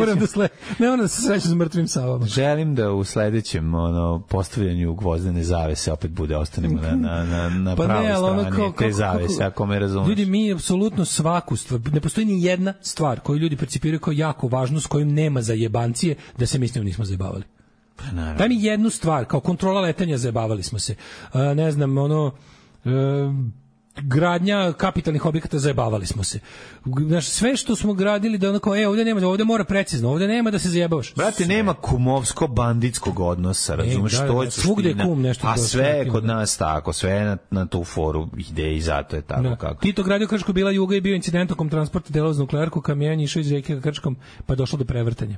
Ne moram da se srećem s mrtvim Savama. Želim da u sledećem postavljanju gvozdene zavese opet ostanemo na pravoj strani te zavese, ako me razumeš. Ljudi, mi apsolutno svaku stvar, ne postoji ni jedna stvar koju ljudi percipiraju kao jako važnu, s kojim nema zajebancije, da se mislimo nismo zajebavali. Daj mi jednu stvar, kao kontrola letenja, zajebavali smo se. Ne znam, gradnja kapitalnih objekata, zajebavali smo se. Znaš, sve što smo gradili da onako, ovde mora precizno, ovde nema da se zajebavaš. Brate, nema kumovsko-banditskog odnosa, razumeš, to je suština. A sve je kod nas tako, sve je na tu foru ide i zato je tako kako. Tito gradio Kršku, bila Juga i bio incident tokom transporta delova za nuklearku, kamion išao iz rijeke ka Krškom, pa je došlo do prevrtanja.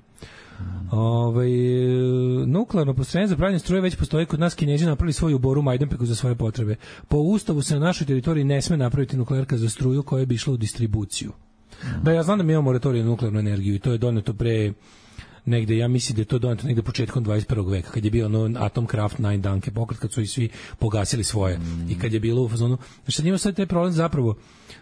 Nuklearno postrojenje za pravljanje struje već postoji kod nas. Kinezi napravili svoju boru u Majdanpeku za svoje potrebe. Po ustavu se na našoj teritoriji ne sme napraviti nuklearka za struju koja bi išla u distribuciju. Da, ja znam da mi imamo moratorij na nuklearnu energiju i to je doneto pre negde, ja mislim da je to doneto negde početkom 21. veka, kad je bio Atomkraft 9 Danke pokret, kad su i svi pogasili svoje i kad je bilo u fazonu, znači njima sad taj problem zapravo,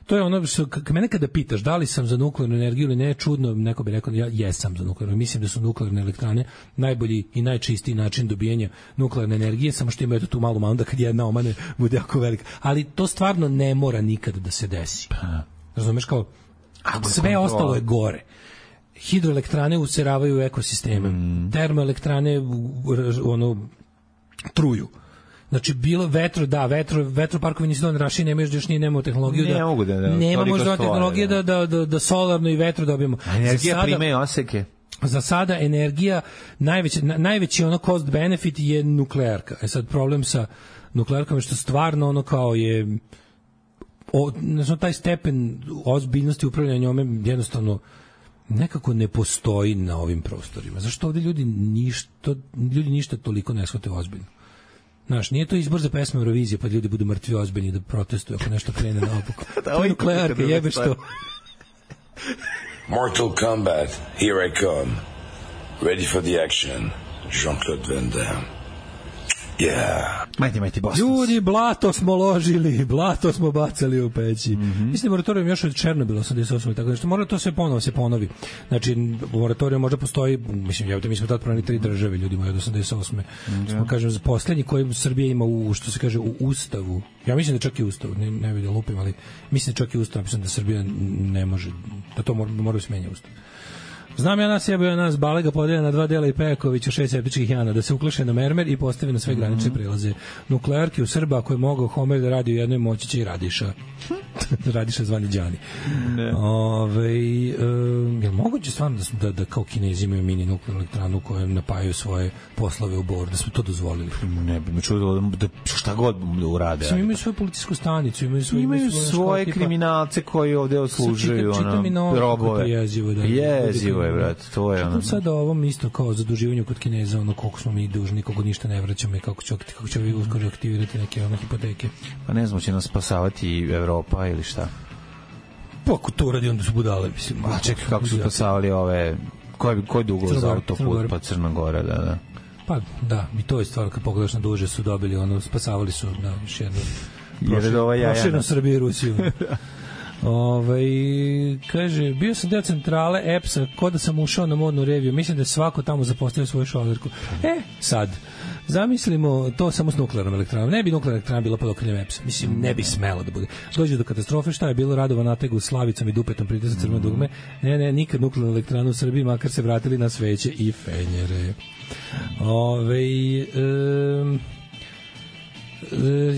to je ono što mene kada pitaš da li sam za nuklearnu energiju ili ne, čudno, neko bi rekao ja jesam za nuklearnu, mislim da su nuklearne elektrane najbolji i najčistiji način dobijanja nuklearne energije, samo što imaju tu malu manu da kad jedna omane bude jako velika, ali to stvarno ne mora nikad da se desi. Razumeš, kao sve ostalo je gore. Hidroelektrane useravaju ekosisteme. Termoelektrane truju. Znači bilo vetroparkovi nisu dovoljno rašini, nemaš još nemamo tehnologiju nema možda tehnologije da solarno i vetro dobijemo. Energija prima i oseke. Za sada energija najveći cost benefit je nuklearka. Sad problem sa nuklearkom je što stvarno kao je taj stepen ozbiljnosti upravljanja njome jednostavno nekako ne postoji na ovim prostorima. Zašto ovde ljudi ništa toliko ne shvate ozbiljno? Znaš, nije to izbor za pesme Eurovizije, pa ljudi budu mrtvi ozbiljni da protestuju ako nešto krene naopako. To je nuklearka, jebeš to. Mortal Kombat, here I come. Ready for the action. Jean-Claude Van Damme. Majti Boston. Ljudi, blato smo ložili, blato smo bacali u peći. Mislim, moratorijum još od Černobila 88. Tako nešto, mora to sve ponovo se ponovi. Znači, moratorijum možda postoji, mislim, mi smo tad pronali 3 države, ljudi moji, od 88. Smo, kažem, poslednji koji Srbija ima u, što se kaže, u Ustavu. Ja mislim da čak i Ustavu, ne vidim, lupim, ali mislim da čak i Ustav, mislim da Srbija ne može, da to mora smenja Ustav. Znam ja nas jebio nas Balega podelja na 2 dela i Pejakovića 6 septičkih jana, da se ukleše na mermer i postavi na sve granične prelaze. Nuklearki u Srba, ako je mogao Homer da radi u jednoj, moći će i Radiša. Radiša zvani Đani. Je moguće stvarno da kao Kinezi imaju mini nuklearnu elektranu kojem napajaju svoje poslove u Bor, da smo to dozvolili? Ne bi me čudo da šta god urade. Imaju svoju policijsku stanicu, imaju svoje kriminalce koji ovde odslužuju robove. Jezivo je, brate, to je ono. Sada ovom isto kao zaduživanju kod Kineza, ono koliko smo mi dužni, koliko ništa ne vraćamo i kako će vi uskoro aktivirati neke ono hipoteke. Pa ne znam, će nas spasavati Evropa ili šta? Pa ako to uradi, onda su budale, mislim. A čekaj, kako su spasavali ove, koji dugo za autoput, pa Crna Gora, da. Pa da, i to je stvar, kad pogledaš na duže su dobili, ono, spasavali su, da, još jedno. Proširno Srbiju i Rusiju. Kaže, bio sam deo centrale EPS-a, ko da sam ušao na modnu reviju, mislim da je svako tamo zapostavio svoju šolerku. Sad, zamislimo to samo s nuklearnom elektranom. Ne bi nuklearna elektrana bila pod okriljem EPS-a. Mislim, ne bi smelo da bude. Dođe do katastrofe, šta je bilo? Radovan nateg u Slavicom i dupetom pritisak crveno dugme. Ne, nikad nuklearna elektrana u Srbiji, makar se vratili na sveće i fenjere.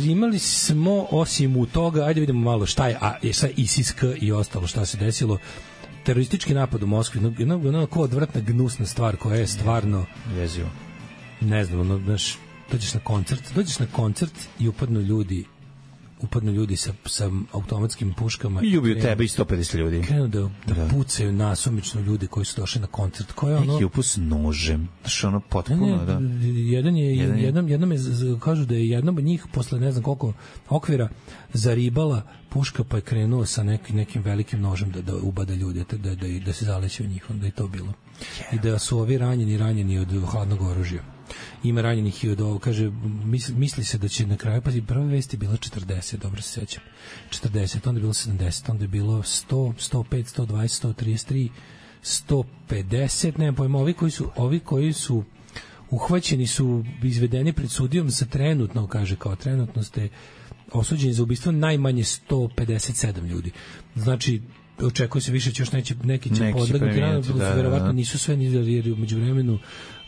Imali smo osim u toga, ajde vidimo malo šta je ISIS-K i ostalo šta se desilo. Teroristički napad u Moskvi, jedna odvratna gnusna stvar koja je stvarno jezivo. Ne znam, dođeš na koncert i upadnu ljudi sa automatskim puškama i ubiju tebe i 150 ljudi. Krenu da pucaju nasumično ljudi koji su došli na koncert. Ko je ono? Neki upus nožem. Znaš, ono potpuno, da. Jednom je, kažu da je jednom od njih posle ne znam koliko okvira zaribala puška, pa je krenuo sa nekim velikim nožem da ubada ljude, da se zaleće u njih, onda je to bilo. I da su ovi ranjeni od hladnog oružja. Ima ranjenih i od ovo, kaže, misli se da će na kraju, pazi, prva vest je bila 40, dobro se sećam, 40, onda je bilo 70, onda je bilo 100, 105, 120, 133, 150, nemam pojma, ovi koji su uhvaćeni su izvedeni pred sudijom za trenutno, kaže, kao trenutno ste osuđeni za ubistvo najmanje 157 ljudi. Znači, očekuje se više, će još neki će podlegnuti, verovatno nisu sve, jer umeđu vremenu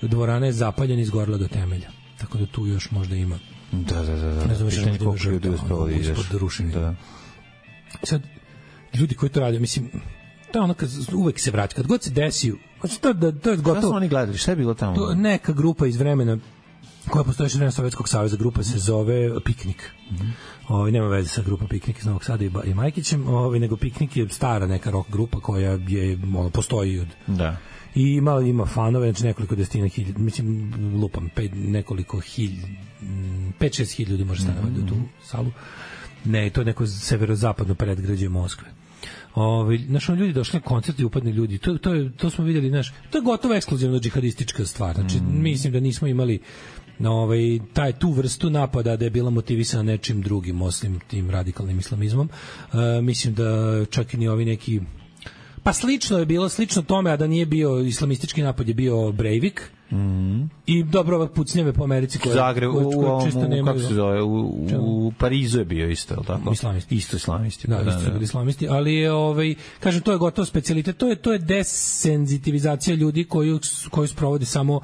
dvorana je zapaljena i izgorela do temelja. Tako da tu još možda ima. Da. Ne znam, pitanje koliko ljudi uspelo da ideš. Da. Sad, ljudi koji to rade, mislim, to je ono kad uvek se vraća, kad god se desi, to je gotovo. Šta su oni gledali, šta je bilo tamo? To neka grupa iz vremena koja postoji još vremena Sovjetskog saveza, grupa se zove Piknik. Nema veze sa grupa Piknik iz Novog Sada i Majkićem, nego Piknik je stara neka rock grupa koja je, postoji od... Da. I ima fanove, znači nekoliko desetina hiljada, mislim, lupam, 5-6 hiljada ljudi može stanovati u tu salu. Ne, to je neko severozapadno predgrađe Moskve. Znaš, ljudi došli na koncert i upadne ljudi. To smo vidjeli, znaš, to je gotovo ekskluzivno džihadistička stvar. Znači, mislim da nismo imali tu vrstu napada da je bila motivisana nečim drugim, osim tim radikalnim islamizmom. Mislim da čak i ni ovi neki... Pa slično je bilo, slično tome, a da nije bio islamistički napad, je bio Breivik. I dobro, ovak pucnjave po Americi koje često nemaju. Kako se zove, u Parizu je bio isto, je tako? Islamisti. Isto islamisti. Da, isto bili islamisti, ali je, kažem, to je gotovo specijalitet, to je desenzitivizacija ljudi koju sprovodi samo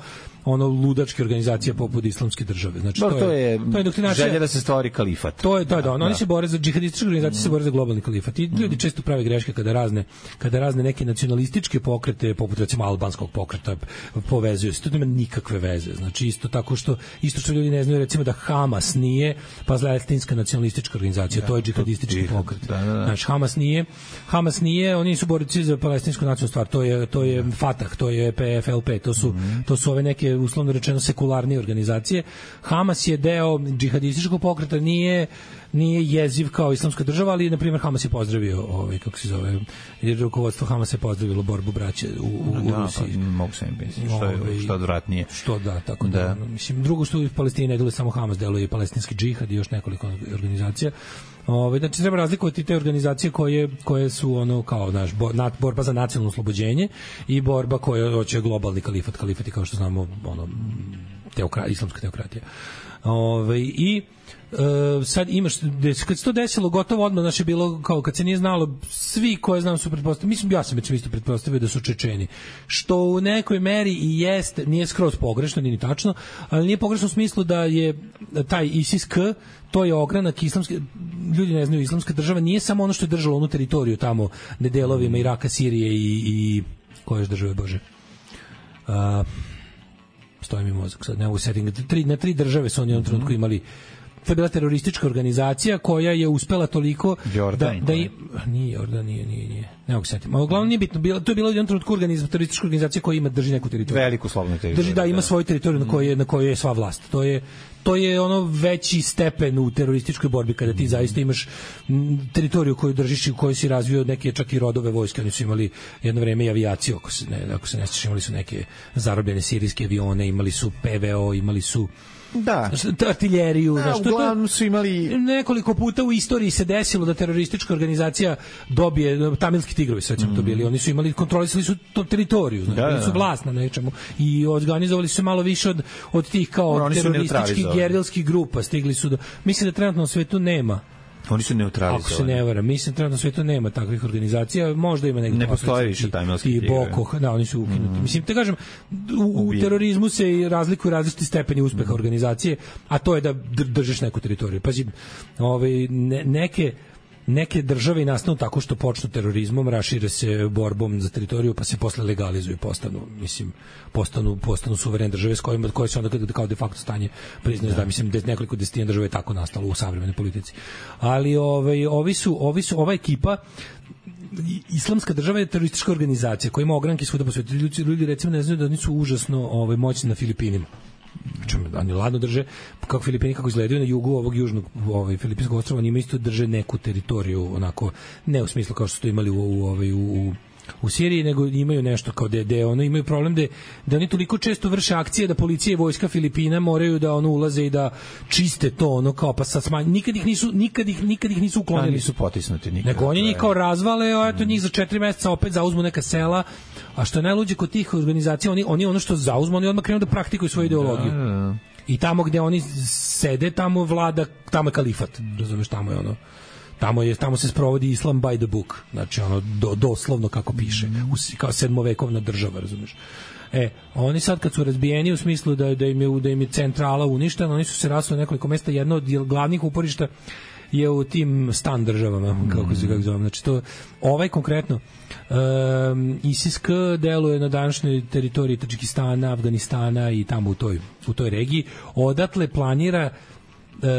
ludačke organizacije poput Islamske države. Znači, to je želja da se stvori kalifat. To je da. Oni se bore za džihadističke organizacije, se bore za globalni kalifat. I ljudi često prave greške kada razne neke nacionalističke pokrete, poput recimo albanskog pokreta, povezuju se. To nema nikakve veze. Znači, isto što ljudi ne znaju, recimo da Hamas nije palestinska nacionalistička organizacija, to je džihadistički pokret. Znači, Hamas nije, oni su borci za palestinsku nacionalnu stvar, to je Fatah, to je PFLP, to su ove neke uslovno rečeno sekularnije organizacije. Hamas je deo džihadističkog pokreta, nije jeziv kao islamska država, ali na primjer Hamas je pozdravio kako se zove, jer rukovodstvo Hamasa je pozdravilo borbu braće u Rusiji. Mogu se misliti, što odvratnije. Što da, tako da. Mislim, drugo što u Palestini ne deluje samo Hamas, deluje i palestinski džihad i još nekoliko organizacija. Znači treba razlikovati te organizacije koje su ono kao borba za nacionalno oslobođenje i borba koja hoće globalni kalifat i kao što znamo islamska teokratija. I sad imaš, kad se to desilo gotovo odmah, znači bilo kao kad se nije znalo, svi koje znam su pretpostavili, mislim ja sam već isto pretpostavio da su Čečeni, što u nekoj meri i jeste, nije skroz pogrešno, nije ni tačno, ali nije pogrešno u smislu da je taj ISIS-K, to je ogranak islamske, ljudi ne znaju, islamska država nije samo ono što je držalo onu teritoriju tamo na delovima Iraka, Sirije i koje još države, Bože, stoji mi mozak sad, ne mogu setting, na 3 države su oni u jednom trenutku imali. To je bila teroristička organizacija koja je uspela toliko nije Jordan, nije. Ne mogu setiti. Uglavnom nije bitno, to je bila u jednom trenutku teroristička organizacija koja drži neku teritoriju. Veliku slobodnu teritoriju. Ima svoju teritoriju na kojoj je sva vlast. To je ono veći stepen u terorističkoj borbi kada ti zaista imaš teritoriju koju držiš i u kojoj si razvio neke čak i rodove vojske. Oni su imali jedno vreme i avijaciju, ako se ne sjećaš, imali su neke zarobljene sirijske avione, imali su PVO, imali su artiljeriju. Uglavnom su imali... Nekoliko puta u istoriji se desilo da teroristička organizacija dobije, Tamilski tigrovi sve to bili, oni su imali, kontrolisali su to teritoriju, bili su vlast na nečemu i organizovali su malo više od tih kao terorističkih gerilskih grupa, stigli su do... Mislim da trenutno u svetu nema. Oni su neutralizovani. Ako se ne varam, mislim trenutno u svetu nema takvih organizacija, možda ima negdje. Ne postoji više Tamilski tigre. I Boko, oni su ukinuti. Mislim, te kažem, u terorizmu se razlikuju različiti stepeni uspeha organizacije, a to je da držiš neku teritoriju. Pazi, neke države nastanu tako što počnu terorizmom, rašire se borbom za teritoriju, pa se posle legalizuju, postanu suverene države s koje se onda kao de facto stanje priznaju, da mislim nekoliko desetina država je tako nastalo u savremenoj politici. Ali ova ekipa, islamska država je teroristička organizacija koja ima ogranke svuda po svijetu. Ljudi recimo ne znaju da oni su užasno moćni na Filipinima. Oni ladno drže, kako Filipini kako izgledaju na jugu ovog južnog Filipinskog ostrva, oni isto drže neku teritoriju, onako, ne u smislu kao što su to imali u Siriji, nego imaju nešto kao da ono imaju problem da oni toliko često vrše akcije da policija i vojska Filipina moraju da ulaze i da čiste to ono kao pa sad nikad ih nisu uklonili, nisu potisnuti nikad. Nego oni njih kao razvale, a eto njih za 4 meseca opet zauzmu neka sela, a što je najluđe kod tih organizacija, oni ono što zauzmu, oni odmah krenu da praktikuju svoju ideologiju. I tamo gde oni sede, tamo vlada, tamo je kalifat, razumeš, tamo je ono. Tamo se sprovodi islam by the book, znači ono doslovno kako piše, kao sedmovekovna država, razumeš. Oni sad kad su razbijeni u smislu da im je centrala uništena, oni su se rasli na nekoliko mesta, jedno od glavnih uporišta je u tim stan državama, kako zovem. Znači to, konkretno ISIS-K deluje na današnjoj teritoriji Tadžikistana, Afganistana i tamo u toj regiji. Odatle planira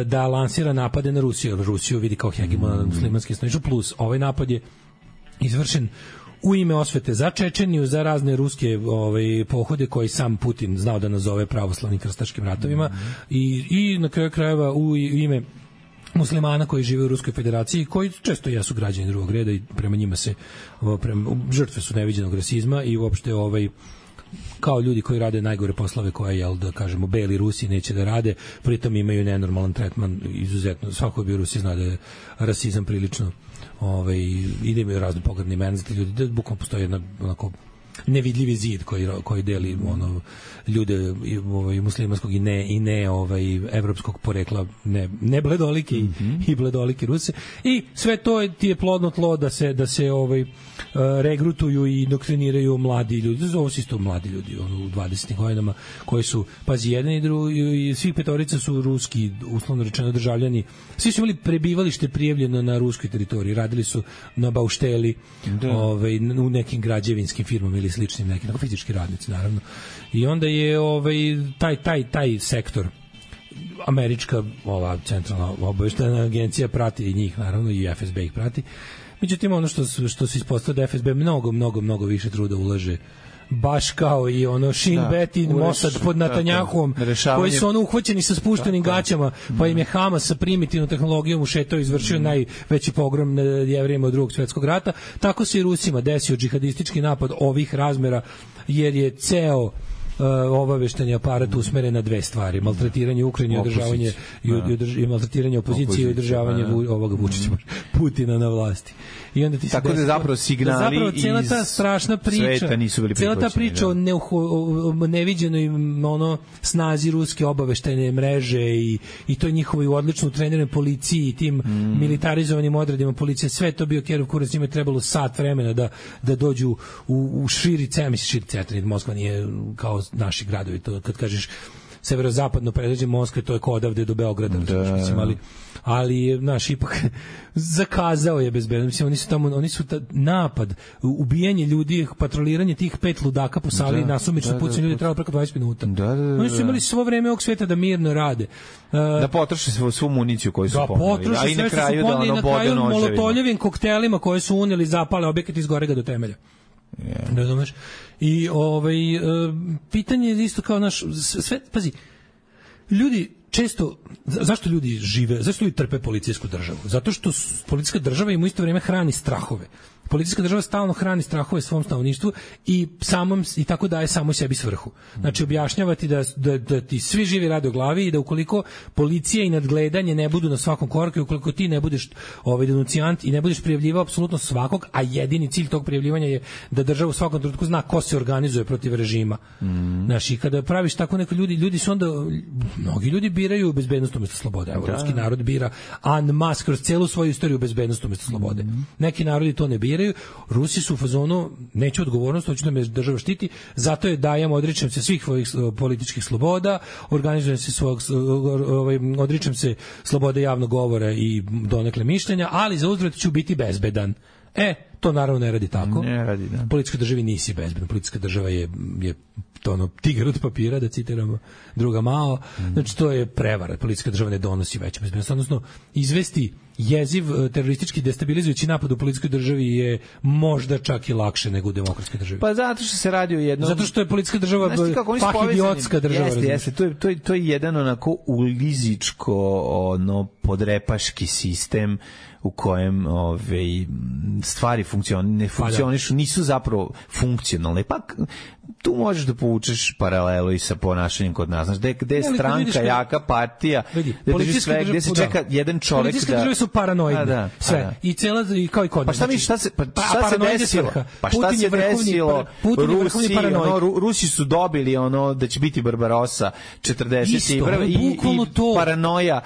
da lansira napade na Rusiju. Rusiju vidi kao hegemona muslimanski stanovništvo, plus ovaj napad je izvršen u ime osvete za Čečeniju, za razne ruske pohode koji sam Putin znao da nazove pravoslavnim krstaškim ratovima i na kraju krajeva u ime muslimana koji žive u Ruskoj federaciji, koji često jesu građani drugog reda i prema njima se žrtve su neviđenog rasizma i uopšte kao ljudi koji rade najgore poslove koje, da kažemo, beli Rusi neće da rade, pritom imaju nenormalan tretman, izuzetno, svako bi u Rusiji zna da je rasizam prilično i da imaju razne pogrdne imena za te ljudi, da bukvalno postoji jedna onako nevidljivi zid koji deli ljude muslimanskog i ne evropskog porekla, ne bledolike i bledolike Ruse, i sve to ti je plodno tlo da se regrutuju i doktriniraju mladi ljudi. Ovo su isto mladi ljudi u 20. godinama koji su, pazi, jedan i drugi, svih petorica su ruski, uslovno rečeno, državljani. Svi su imali prebivalište prijavljeno na ruskoj teritoriji, radili su na baušteli, u nekim građevinskim firmama ili sličnim nekim, fizički radnici naravno. I onda je taj sektor, američka centralna obaveštajna agencija prati njih, naravno, i FSB ih prati, Međutim, ono što se ispostavilo da FSB mnogo više truda ulaže, baš kao i ono Shin Bet i Mossad pod Netanjahuom, koji su ono uhvaćeni sa spuštenim gaćama, pa im je Hamas sa primitivnom tehnologijom ušetao i izvršio najveći pogrom nad Jevrejima od Drugog svjetskog rata. Tako se i Rusima desio džihadistički napad ovih razmera, jer je ceo obaveštajni aparat usmeren na dve stvari: maltretiranje Ukrajine i održavanje i maltretiranje opozicije i održavanje ovoga Vučića, Putina na vlasti. I onda ti se tako da zapravo signali iz cela ta strašna priča, nisu bili prihvaćeni. Cela ta priča o neviđenoj snazi ruske obaveštajne mreže i to njihovoj odlično treniranoj policiji i tim militarizovanim odredima policije, sve to bio kerov kurac, njima je trebalo sat vremena da dođu u širi centar. Moskva nije kao naši gradovi, to kad kažeš severozapadno predgrađe Moskve, to je kao odavde do Beograda, ali naš ipak zakazao je bezbedno. Mislim, oni su napad, ubijanje ljudi, patroliranje tih 5 ludaka po sali, nasumično pucanje ljudi trebalo preko 20 minuta. Oni su imali svo vreme ovog sveta da mirno rade. Da potroše svu municiju koju su poneli, a i na kraju da ono bode noževima. Molotovljevim koktelima koje su uneli, zapale objekat iz gorega do temelja. Razumeš? I pitanje je isto kao naš sve, pazi, ljudi često, zašto ljudi žive, zašto ljudi trpe policijsku državu? Zato što policijska država im u isto vrijeme hrani strahove. Policijska država stalno hrani strahove svom stanovništvu i tako daje samo sebi svrhu. Znači, objašnjavati da ti svi živi rade u glavi i da ukoliko policija i nadgledanje ne budu na svakom koraku i ukoliko ti ne budeš denucijant i ne budeš prijavljivao apsolutno svakog, a jedini cilj tog prijavljivanja je da država u svakom trenutku zna ko se organizuje protiv režima. Znači, kada praviš tako neko ljudi su onda, mnogi ljudi biraju bezbednost umjesto slobode. Evo, ruski narod bira en masse kroz celu svoju istoriju bezbednost umjesto slobode. Neki narodi to ne biraju. Rusi su u fazonu, neću odgovornost, hoću da me država štiti, zato je dajem, odričem se svih svojih političkih sloboda, organizujem se odričem se slobode javnog govora i donekle mišljenja, ali za uzvrat ću biti bezbedan. To naravno ne radi tako. Ne radi, da. Policijska država nisi bezbedan. Policijska država je to ono tigar od papira, da citiramo druga Mao. Znači, to je prevara. Policijska država ne donosi veću bezbednost. Odnosno, izvesti jeziv teroristički destabilizujući napad u policijskoj državi je možda čak i lakše nego u demokratskoj državi. Pa zato što se radi o jednom... Zato što je policijska država idiotska država. Jeste. To je jedan onako ulizičko podrepaški sistem u kojem stvari ne funkcionišu, nisu zapravo funkcionalne. Pa tu možeš da povučeš paralelu i sa ponašanjem kod nas. Znaš, gde je stranka, jaka partija, gde se čeka jedan čovek da... Policijske države su paranoidne. Sve. I cela, kao i kod nas. Šta se desilo? Pa šta se desilo? Rusi su dobili da će biti Barbarossa 41. i paranoja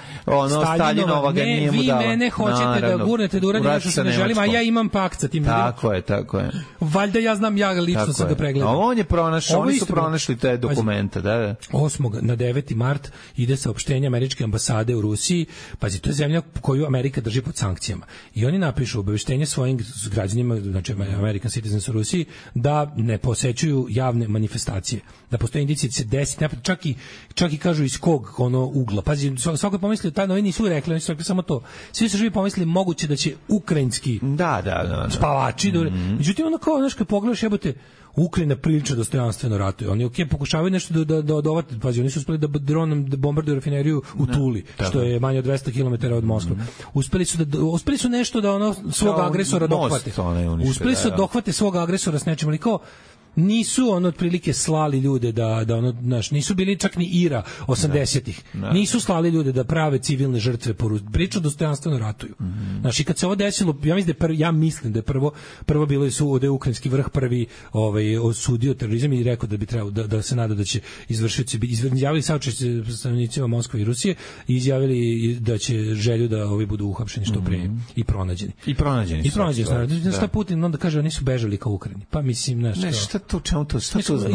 Staljinova ga nije mu dala. Vi mene hoćete da gurnete da uradim nešto što ne želim, a ja imam pakt sa tim ljudima. Tako je. Valjda ja znam, ja lično sam ga pregledao. A on je pronašao, oni su pronašli te dokumente, da. 8. na 9. mart ide saopštenje američke ambasade u Rusiji. Pazi, to je zemlja koju Amerika drži pod sankcijama. I oni napišu obaveštenje svojim građanima, znači American citizens u Rusiji, da ne posećuju javne manifestacije. Da postoje indicije da se desi, čak i kažu iz kog ugla. Pazi, svako je pomislio, oni nisu rekli, oni su rekli samo to. Svi su živi pomislili moguće da će ukrajinski spavači. Međutim, kao, znaš, kad pogledaš, jebote, Ukrajina prilično dostojanstveno ratuje. Oni pokušavaju nešto da odovate. Pazi, oni su uspeli da dronom bombarduju rafineriju u Tuli, što je manje od 200 km od Moskve. Uspeli su nešto da svog agresora dohvate. Uspeli su da dohvate svog agresora s nečim, ali kao nisu otprilike slali ljude nisu bili čak ni Ira 80-ih. Nisu slali ljude da prave civilne žrtve, priču dostojanstveno ratuju. Znači, kad se ovo desilo, ja mislim da je prvo bilo da je ukrajinski vrh prvi osudio terorizam i rekao da bi trebalo da se nada da će izvršioci izjavili saučešće stanovnicima Moskve i Rusije i izjavili da će želju da ovi budu uhapšeni što pre i pronađeni. I pronađeni. Šta Putin onda kaže, oni su bežali ka Ukrajini. Pa mislim, to čemu to, šta to znači?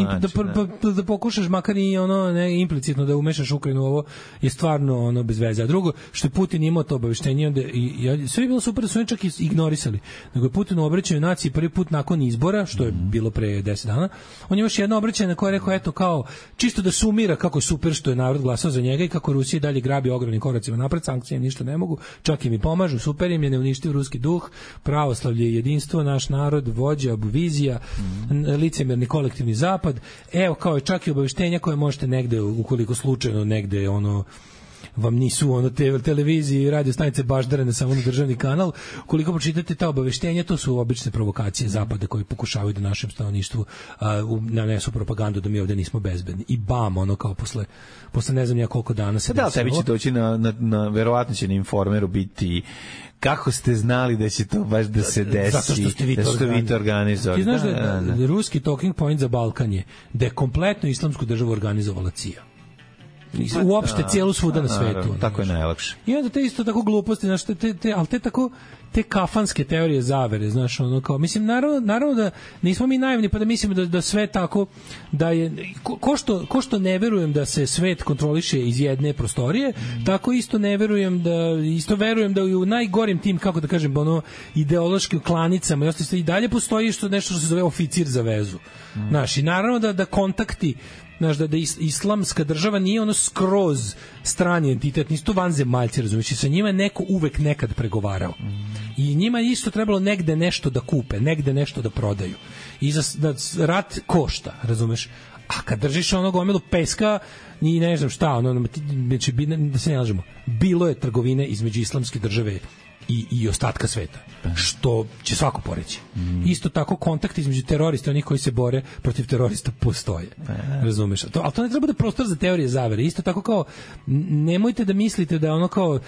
Da pokušaš makar i ono ne implicitno da umešaš Ukrajinu, ovo je stvarno ono bez veze. A drugo, što je Putin imao to obaveštenje, onda i sve je bilo super, da su oni čak ignorisali. Nego je Putin u obraćanju naciji prvi put nakon izbora, što je bilo pre 10 dana, on je još jedno obraćanje na koje je rekao, eto kao, čisto da sumira kako je super što je narod glasao za njega i kako Rusija dalje grabi ogromnim koracima napred, sankcije ništa ne mogu, čak i mi pomažu, super im je, ne uništiv ruski duh, pravoslavlje, jedinstvo, naš narod, vođa, vizija, licemerni kolektivni zapad. Evo, kao je čak i obaveštenja koje možete negde, ukoliko slučajno negde ono vam nisu ono televiziji i radio stanice baždarene samo na državni kanal, koliko pročitate ta obaveštenja, to su obične provokacije zapada koji pokušavaju da našem stanovništvu nanesu propagandu da mi ovde nismo bezbedni. I bam, ono kao posle ne znam ja koliko dana se da, tebi će doći na verovatno će na Informeru biti kako ste znali da će to baš da se desi, zato što ste vi to organizovali. Ti znaš da ruski talking point za Balkan je da je kompletno islamsku državu organizovala CIA. Uopšte cijelu svuda na svetu. Tako je najlakše. I onda te isto tako gluposti, znaš, ali te kafanske teorije zavere, znaš, ono kao, mislim, naravno da nismo mi naivni pa da mislimo da sve tako, da je, ko što ne verujem da se svet kontroliše iz jedne prostorije, tako isto verujem da u najgorim tim, kako da kažem, ono, ideološkim klanicama i dalje postoji nešto što se zove oficir za vezu. Znaš, i naravno da kontakti, znaš, da islamska država nije ono skroz strani entitet, nisu to vanzemaljci, razumiješ, i sa njima je neko uvek nekad pregovarao. I njima je isto trebalo negde nešto da kupe, negde nešto da prodaju. I da rat košta, razumeš? A kad držiš ono gomilu peska i ne znam šta, ono, da se ne lažemo, bilo je trgovine između islamske države i ostatka sveta, što će svako poreći. Isto tako kontakt između terorista i onih koji se bore protiv terorista postoje. Razumeš? Ali to ne treba da prostor za teorije zavere. Isto tako kao, nemojte da mislite da ono kao,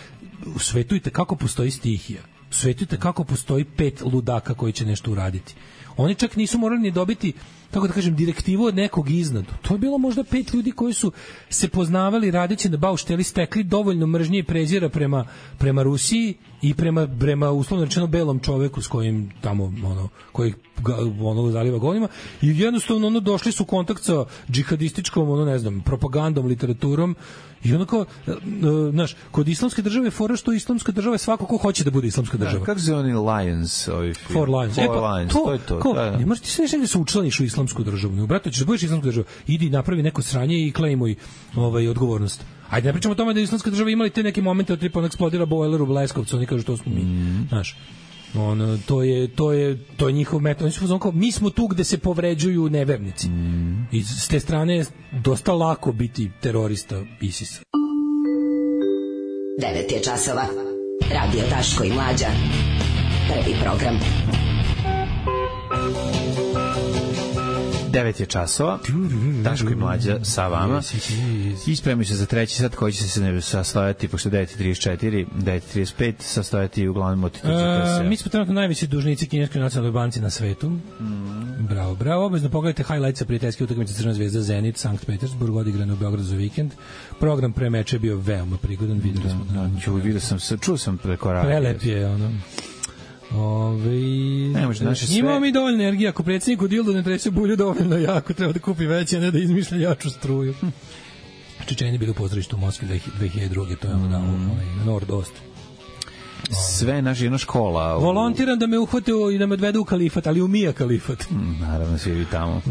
u svetu kako postoji stihija. U svetu kako postoji 5 ludaka koji će nešto uraditi. Oni čak nisu morali ni dobiti, tako da kažem, direktivu od nekog iznad. To je bilo možda 5 ljudi koji su se poznavali radeći na baušteli, stekli dovoljno mržnje i prezira prema Rusiji i prema uslovno rečeno belom čoveku s kojim tamo koji zaliva golima, i jednostavno došli su u kontakt sa džihadističkom ne znam, propagandom, literaturom, i ono kao, znaš, kod islamske države fora što islamska država je svako ko hoće da bude islamska država. Kako se oni Lions, ovi film? Four Lions. To je to. Ne možeš ti sve negdje se učlaniš u islamsku državu. Ne, brate, ćeš da budeš islamska država. Idi, napravi neko sranje i klejmuj odgovornost. Ajde, ne pričamo o tome da islamska država imali te neke momente od tipa eksplodira bojler u Leskovcu, oni kažu to smo mi. Znaš, to je njihov metod. Oni su kao, mi smo tu gde se povređuju nevernici. I s te strane je dosta lako biti terorista ISIS-a. 9 je časova. Radio Daško i Mlađa. Prvi program. 9 je časova. Daško i Mlađa sa vama. Ispremaju se za treći sat koji će se sastojati, pošto 9.34, 9.35, sastojati uglavnom od mi smo trenutno najveći dužnici kineskoj nacionalnoj banci na svetu. Bravo. Obvezno pogledajte highlights prijateljske utakmice Crvena zvezda Zenit, Sankt Petersburg, odigrane u Beogradu za vikend. Program pre meča je bio veoma prigodan, videli smo. Čuo sam preko radija. Prelep je, imamo mi dovoljno energije, ako predsjednik u dildu ne trese bulju dovoljno jako, treba da kupi veće, a ne da izmišlja jaču struju. Čečeni bili u pozorištu u Moskvi 2002. To je Nordost. Sve naša jedna škola. Volontiram da me uhvate i da me odvedu u kalifat, ali u Mija kalifat. Naravno, svi vi tamo.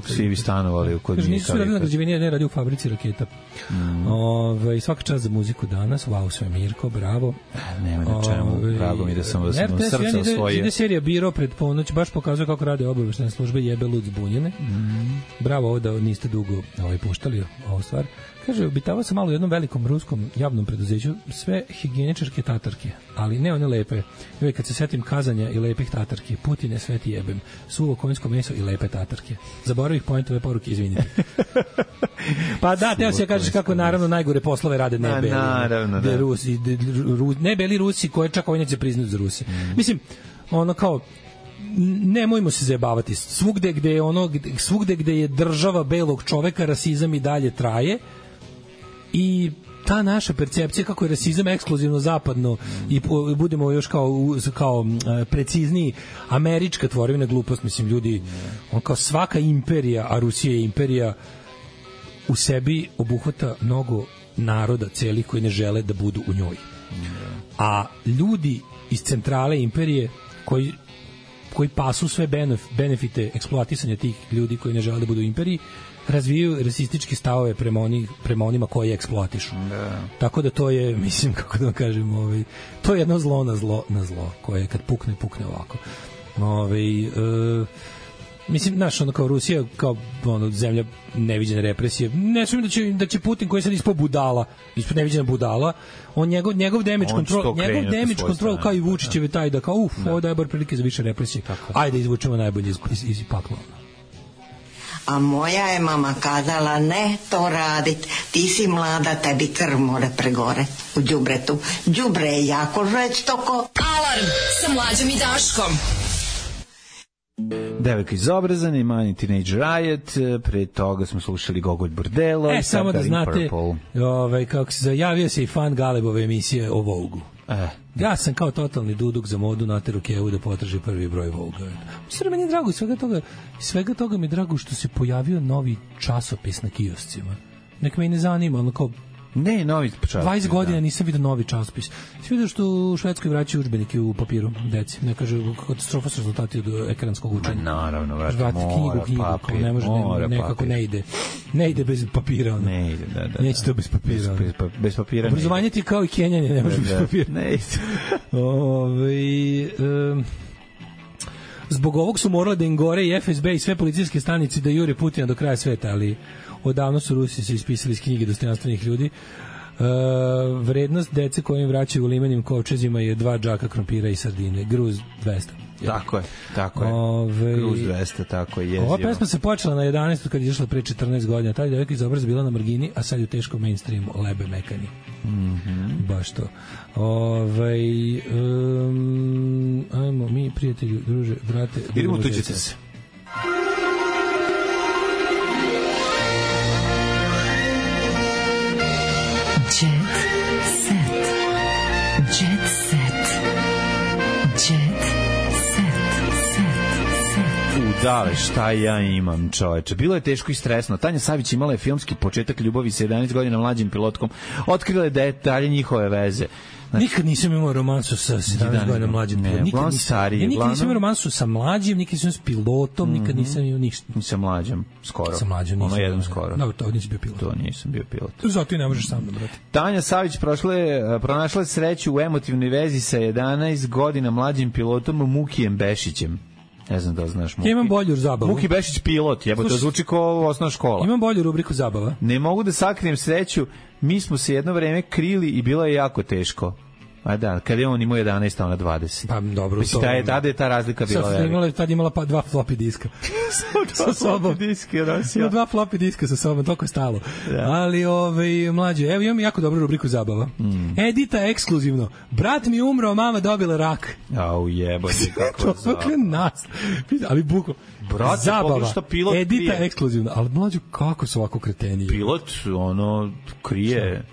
Svi vi stanovali kod Mija kalifat. Nisu radili na građevini, ne radi u fabrici raketa. Svaka čast za muziku danas. Wow, sve Mirko, bravo. Nema na čemu. Drago mi da sam vas srce osvojio. Ide serija Biro pred ponoć, baš pokazuje kako rade obaveštajne službe, jebe lud zbunjene. Bravo ovo da niste dugo puštali ovu stvar. Kaže, obitavao sam malo u jednom velikom ruskom javnom preduzeću, sve higijeničarke tatarke, ali ne one lepe. Uvijek kad se setim kazanja i lepih tatarki, Putine sve ti jebem, suvo konjsko meso i lepe tatarke. Zaboravih pointove poruke, izvinite. Pa da, teo se kažeš kako naravno najgore poslove rade nebeli. Naravno, da. Nebeli Rusi koje čak ovaj neće priznati za Rusi. Mislim, kao, nemojmo se zajebavati. Svugde gde je država belog čoveka, rasizam i dalje traje. I ta naša percepcija kako je rasizam ekskluzivno zapadno i budemo još kao precizniji, američka tvorevina glupost, mislim, ljudi, on kao svaka imperija, a Rusija je imperija, u sebi obuhvata mnogo naroda celih koji ne žele da budu u njoj. A ljudi iz centrale imperije koji pasu sve benefite eksploatisanja tih ljudi koji ne žele da budu u imperiji, razvijaju rasističke stavove prema onima koji eksploatišu. Tako da to je, mislim, kako da vam kažem, to je jedno zlo na zlo, koje kad pukne ovako. Mislim, znaš, ono kao Rusija, kao zemlja neviđene represije, ne sumnjam da će Putin, koji je sad ispod budala, ispod neviđena budala, on njegov damage control, kao i Vučićeve, taj da kao, ovo daje bar prilike za više represije. Ajde, izvučemo najbolje iz pakla. A moja je mama kazala, ne to radit, ti si mlada, tebi krv more pregore u đubretu. Đubre je jako žestoko. Alarm sa Mlađom i Daškom. Devojka iz Obrazane, Mani Teenage Riot, pre toga smo slušali Gogolj Bordelo. Samo da znate, kako se javio se i fan Galebove emisije o Vogue-u. Ja sam kao totalni duduk za modu nateru Kevu da potraži prvi broj Vogue-a. Mislim, meni je drago svega toga mi je drago što se pojavio novi časopis na kioscima. Nek me i ne zanima, ali kao ne, novi časopis. 20 godina nisam vidio novi časopis. Si vidio što u Švedskoj vraćaju udžbenike u papiru, deci. Ne kaže, katastrofa su rezultati od ekranskog učenja. Naravno, vratiti knjigu, papir, ne može, nekako ne ide. Ne ide bez papira. Ne ide, da. Neće to bez papira. Bez papira. Obrazovanje ti kao i Kenjanje, ne može bez papira. Ne ide. Zbog ovog su morali da im gore i FSB i sve policijske stanice da jure Putina do kraja sveta, ali odavno su Rusi se ispisali iz knjige dostojanstvenih ljudi. Vrednost dece koje im vraćaju u limenim kovčezima je 2 džaka krompira i sardine. Gruz 200. Tako je. Gruz 200, tako je. Jezivo. Ova pesma se počela na 11. kad je išla pre 14 godina. Taj devojka iz Obraza bila na margini, a sad je u teškom mainstreamu. Lebe mekani. Baš to. Ajmo mi, prijatelju, druže, brate. Idemo tuđite se. Dale, šta ja imam, čoveče. Bilo je teško i stresno. Tanja Savić imala je filmski početak ljubavi sa 11 godina mlađim pilotkom. Otkrila je detalje njihove veze. Znači, nikad nisam imao romansu sa 17 godina mlađim pilotom. Nikad nisam imao romansu sa mlađim, nikad nisam s pilotom, nikad nisam imao ništa. Nisam mlađim, skoro. Sa mlađim nisam. Ono jednom skoro. Dobro, to nisi bio pilot. To nisam bio pilot. Zato i ne možeš sam da, brate. Tanja Savić pronašla sreću u emotivnoj vezi sa 11 godina mlađim pilotom Mukijem Bešićem. Ne znam da znaš Muki. Ja imam bolju zabavu. Muki Bešić pilot, to zvuči kao osnovna škola. Imam bolju rubriku zabava. Ne mogu da sakrijem sreću, mi smo se jedno vreme krili i bilo je jako teško. A da, kad je on imao 11, a ona 20. Pa dobro, to. Tada je ta razlika bila velika. Tad imala 2 floppy diska. Sa sobom. Ima 2 floppy diska sa sobom, toliko je stalo. Da. Ali, mlađe, evo imam jako dobru rubriku zabava. Edita ekskluzivno. Brat mi umro, mama dobila rak. Au jebote, kako zabava. Ali buko. Zabava. Edita krije. Ekskluzivno. Ali mlađe, kako su ovako kreteniji? Pilot, krije...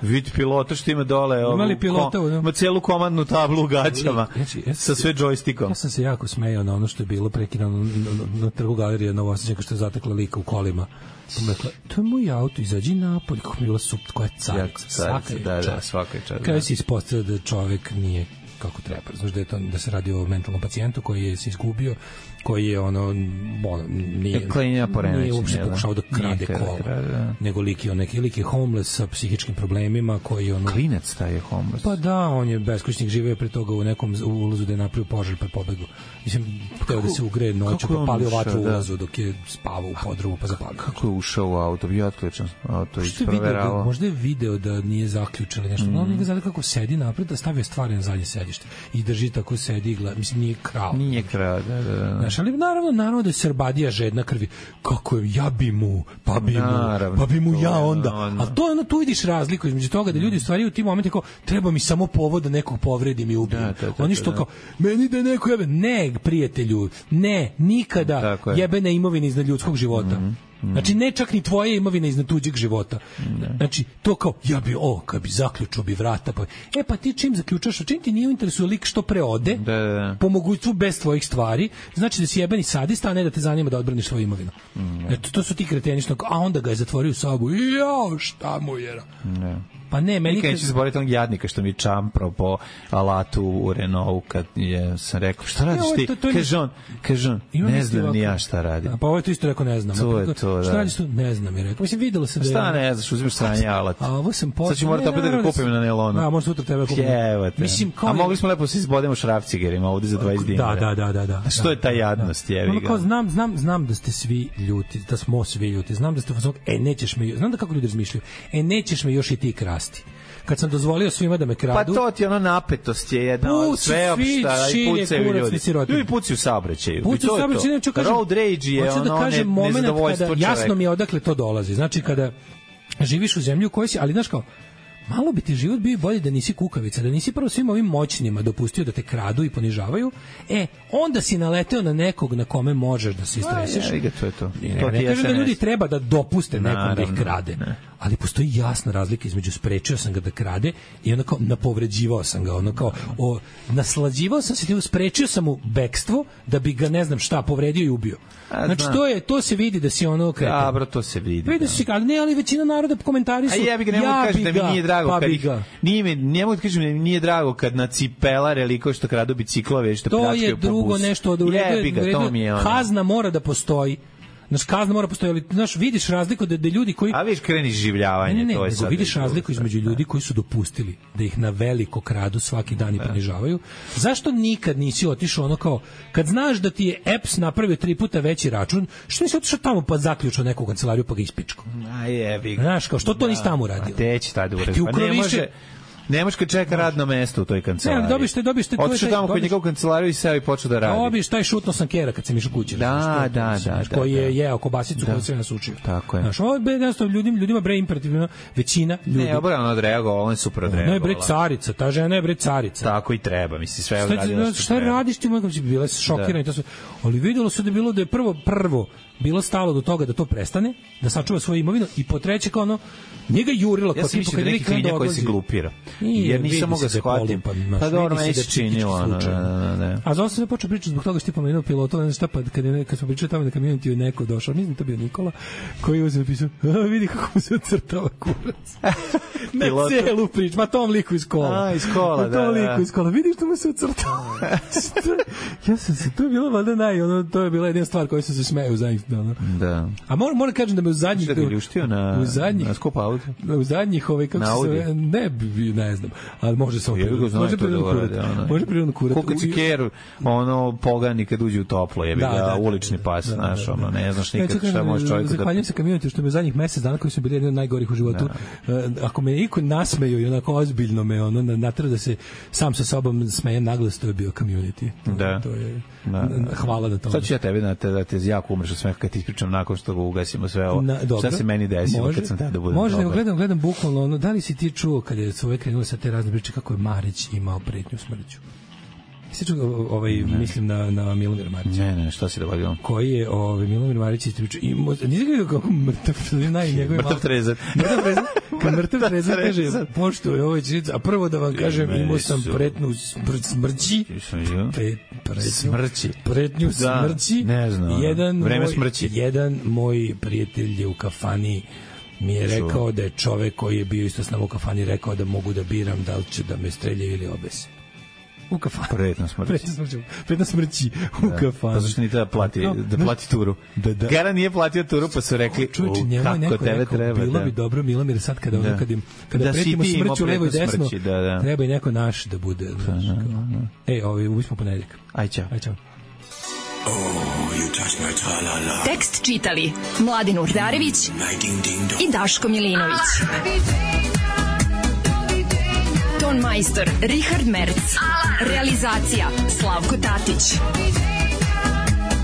Vid pilota što ima dole, ima celu komandnu tablu u gaćama sa sve džojstikom. Ja sam se jako smejao na ono što je bilo prekidano na trgu galerije Novosađenka, što je zatekla lika u kolima. Rekla, to je moj auto, izađi napolje, kako mi je bila super, koja je carica, svaka je čast. Kada si ispostavio da čovek nije kako treba, znaš da se radi o mentalnom pacijentu koji je se izgubio, koji je nije uopšte pokušao da krade kola, nego lik je homeless sa psihičkim problemima, koji klinac taj je homeless. Pa da, on je beskućnik, živeo pre toga u nekom ulazu da je napravio požar pa pobegao. Mislim, hteo da se ugreje noću, pa palio vatru u ulazu dok je spavao u podrumu pa zapalio. Kako je ušao u auto? Bio otključan auto i proveravao. Možda je video da nije zaključili nešto. On ga zada kako sedi napred, da stavio stvari na zadnje sedište i drži tako, sedi i gleda. Mislim, nije krao. Da. Znaš, ali naravno da je Srbadija žedna krvi. Kako je, ja bi mu, pa bi mu ja onda. A to je tu vidiš razliku između toga da ljudi stvari u tim momentima kao, treba mi samo povod da nekog povredim i ubijem. Oni što kao, meni da neko jebe. Ne, prijatelju, ne, nikada jebena imovina iznad ljudskog života. Znači, ne čak ni tvoje imovine iznad tuđeg života. Znači, to kao, kad bi zaključio bi vrata. Pa ti čim zaključaš, čim ti nije u interesu lik što pre ode, po mogućstvu bez tvojih stvari, znači da si jebeni sadista, a ne da te zanima da odbraniš svoju imovinu. To su ti kreteni što, a onda ga je zatvorio u sobu. Šta mu je? Pa ne, meni nikad neću zaboraviti onog jadnika što mi čamprao po alatu u Renaultu kad sam rekao, šta radiš ti? Kaže on, ne znam ni ja šta radi. Pa ovo je to isto rekao, ne znam. To je to, šta radiš tu? Ne znam, je rekao. Mislim, videlo se da je... Šta ne znaš, uzimaš sranje alat. A ovo sam sad ću morati opet da ga kupim na nelonu. A možda sutra tebe kupim. Mislim, a mogli smo lepo se izbodemo šrafcigerima ovde za 20 dinara. Da. Što je ta jadnost, jevi ga? Znam da ste svi ljuti, da smo svi ljuti. Znam da ste nećeš me, znam da kako ljudi razmišljaju. Nećeš me još i ti krasti. Kad sam dozvolio svima da me kradu. Pa to ti ono napetost je jedna od sveopšta i pucaju ljudi. Ljudi pucaju u saobraćaju. Pucaju u saobraćaju. Road rage je ono nezadovoljstvo čoveka. Jasno mi je odakle to dolazi. Znači kada živiš u zemlji u kojoj si, ali znaš kao, malo bi ti život bio bolje da nisi kukavica, da nisi prvo svim ovim moćnima dopustio da te kradu i ponižavaju, onda si naleteo na nekog na kome možeš da se istreseš. To je to. Ne kažem da ljudi treba da dopuste nekom da ih krade, ali postoji jasna razlika između sprečio sam ga da krade i ono kao napovređivao sam ga, ono kao naslađivao sam se, sprečio sam mu bekstvo da bi ga ne znam šta povredio i ubio. Znači to se vidi da si ono kretan. Dobro, to se vidi. Vidi se, ali većina naroda komentari su. A ja bih ga ne mogu kažem da mi nije drago kad ne mogu da kažem da mi nije drago kad na cipelare liko što kradu biciklove što pljačkaju po busu. To je drugo nešto od kazna mora da postoji. Znaš, kazna mora postojati, znaš, vidiš razliku da ljudi koji... A vidiš kreni življavanje, to je sad... Vidiš razliku između ljudi koji su dopustili da ih na veliko kradu svaki dan i ponižavaju. Zašto nikad nisi otišao ono kao, kad znaš da ti je EPS napravio 3 puta veći račun, što nisi otišao tamo pa zaključao neku kancelariju pa ga ispičko? Znaš, kao, što to nisi tamo uradio? A te će tada uradio, pa ne može... Ne možeš kad čeka radno mesto u toj kancelariji. Ne, dobiš te... Otišao tamo kod njegovu kancelariju i seo i počeo da radi. Dobiš taj šutno sam kera kad sam išao kući. Da. Koji je jeo kobasicu koju se nasučio. Tako je. Znaš, ovo je ljudima bre imperativno, većina ljudi. Ne, obrano odreagovao, on je super odreagovao. Ne, bre carica, ta žena je bre carica. Tako i treba, misli, sve odradila što treba. Šta radiš ti, mojko, bila si šokirana i to sve. Ali videlo se da je prvo bilo stalo do toga da to prestane, da sačuva svoju imovinu i po treće kao ono njega jurilo kao tipa kad neki klinja koji se glupira. Jer nisam mogao shvatiti. Pa dobro, meni se činilo. A zato sam počeo pričati zbog toga što ti pomenuo pilota, ne znam šta, pa kad smo pričali tamo na community je neko došao, mislim to bio Nikola, koji je napisao, vidi kako mu se ocrtava kurac. Na celu priču, ma tom liku iz kola. Iz kola, da. Tom liku iz kola, vidi što mu se ocrtava. Ja sam se, to je bilo valjda to je bila jedna stvar koju sam se smejao u zadnjih dana. Da. A moram kažem da me u zadnjih... Šta ga ljuštio na skup auto? U zadnjih kako se zove, ne znam, ali može samo prirodno kurat. Koliko ci keru, pogani kad uđe u toplo, jebi ga, ulični pas, znaš, ne znaš nikad šta može čovjek da... Zahvaljujem se community što me u zadnjih mesec dana koji su bili jedni od najgorih u životu, ako me niko nasmeju i onako ozbiljno me natera da se sam sa sobom smejem naglas, to je bio community. Da. To je, hvala na tome. Sad ću ja tebi da te jako umreš od smeha kad ti ispričam nakon što ga ugasimo sve ovo. Šta se meni desilo kad sam tada budem dobar. Može, gledam bukvalno da li si ti čuo kad je sve krenulo sa te razne priče kako je Marić imao pretnju smrću? Jesi čuo, mislim na Milomira Marića? Ne, šta si dogodio? Koji je Milomir Marić ispričao, nisi gledao kako mrtav trezan. Mrtav trezan kaže, poštuje ovo će, a prvo da vam kažem, imao sam pretnju smrći. Pretnju smrći. Ne znam, vreme smrći. Jedan moj prijatelj je u kafani mi je rekao da je čovek koji je bio isto s nama u kafani rekao da mogu da biram da li će da me streljaju ili obese. U kafani. Pretna smrći u kafani. Pa zašto ni treba da plati turu? Gara nije platio turu, pa su rekli kako tebe treba. Bilo bi dobro, Milomir, sad kada pretimo smrću levo i desno, treba i neko naš da bude. Ubismo ponedjeljak. Aj, čao. Tekst čitali Mladin Urdarević i Daško Milinović. Ton majstor Richard Merc. Realizacija Slavko Tatić.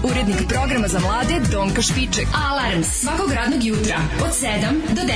Urednik programa za mlade Donka Špiček. Alarms svakog radnog jutra od 7 do 10.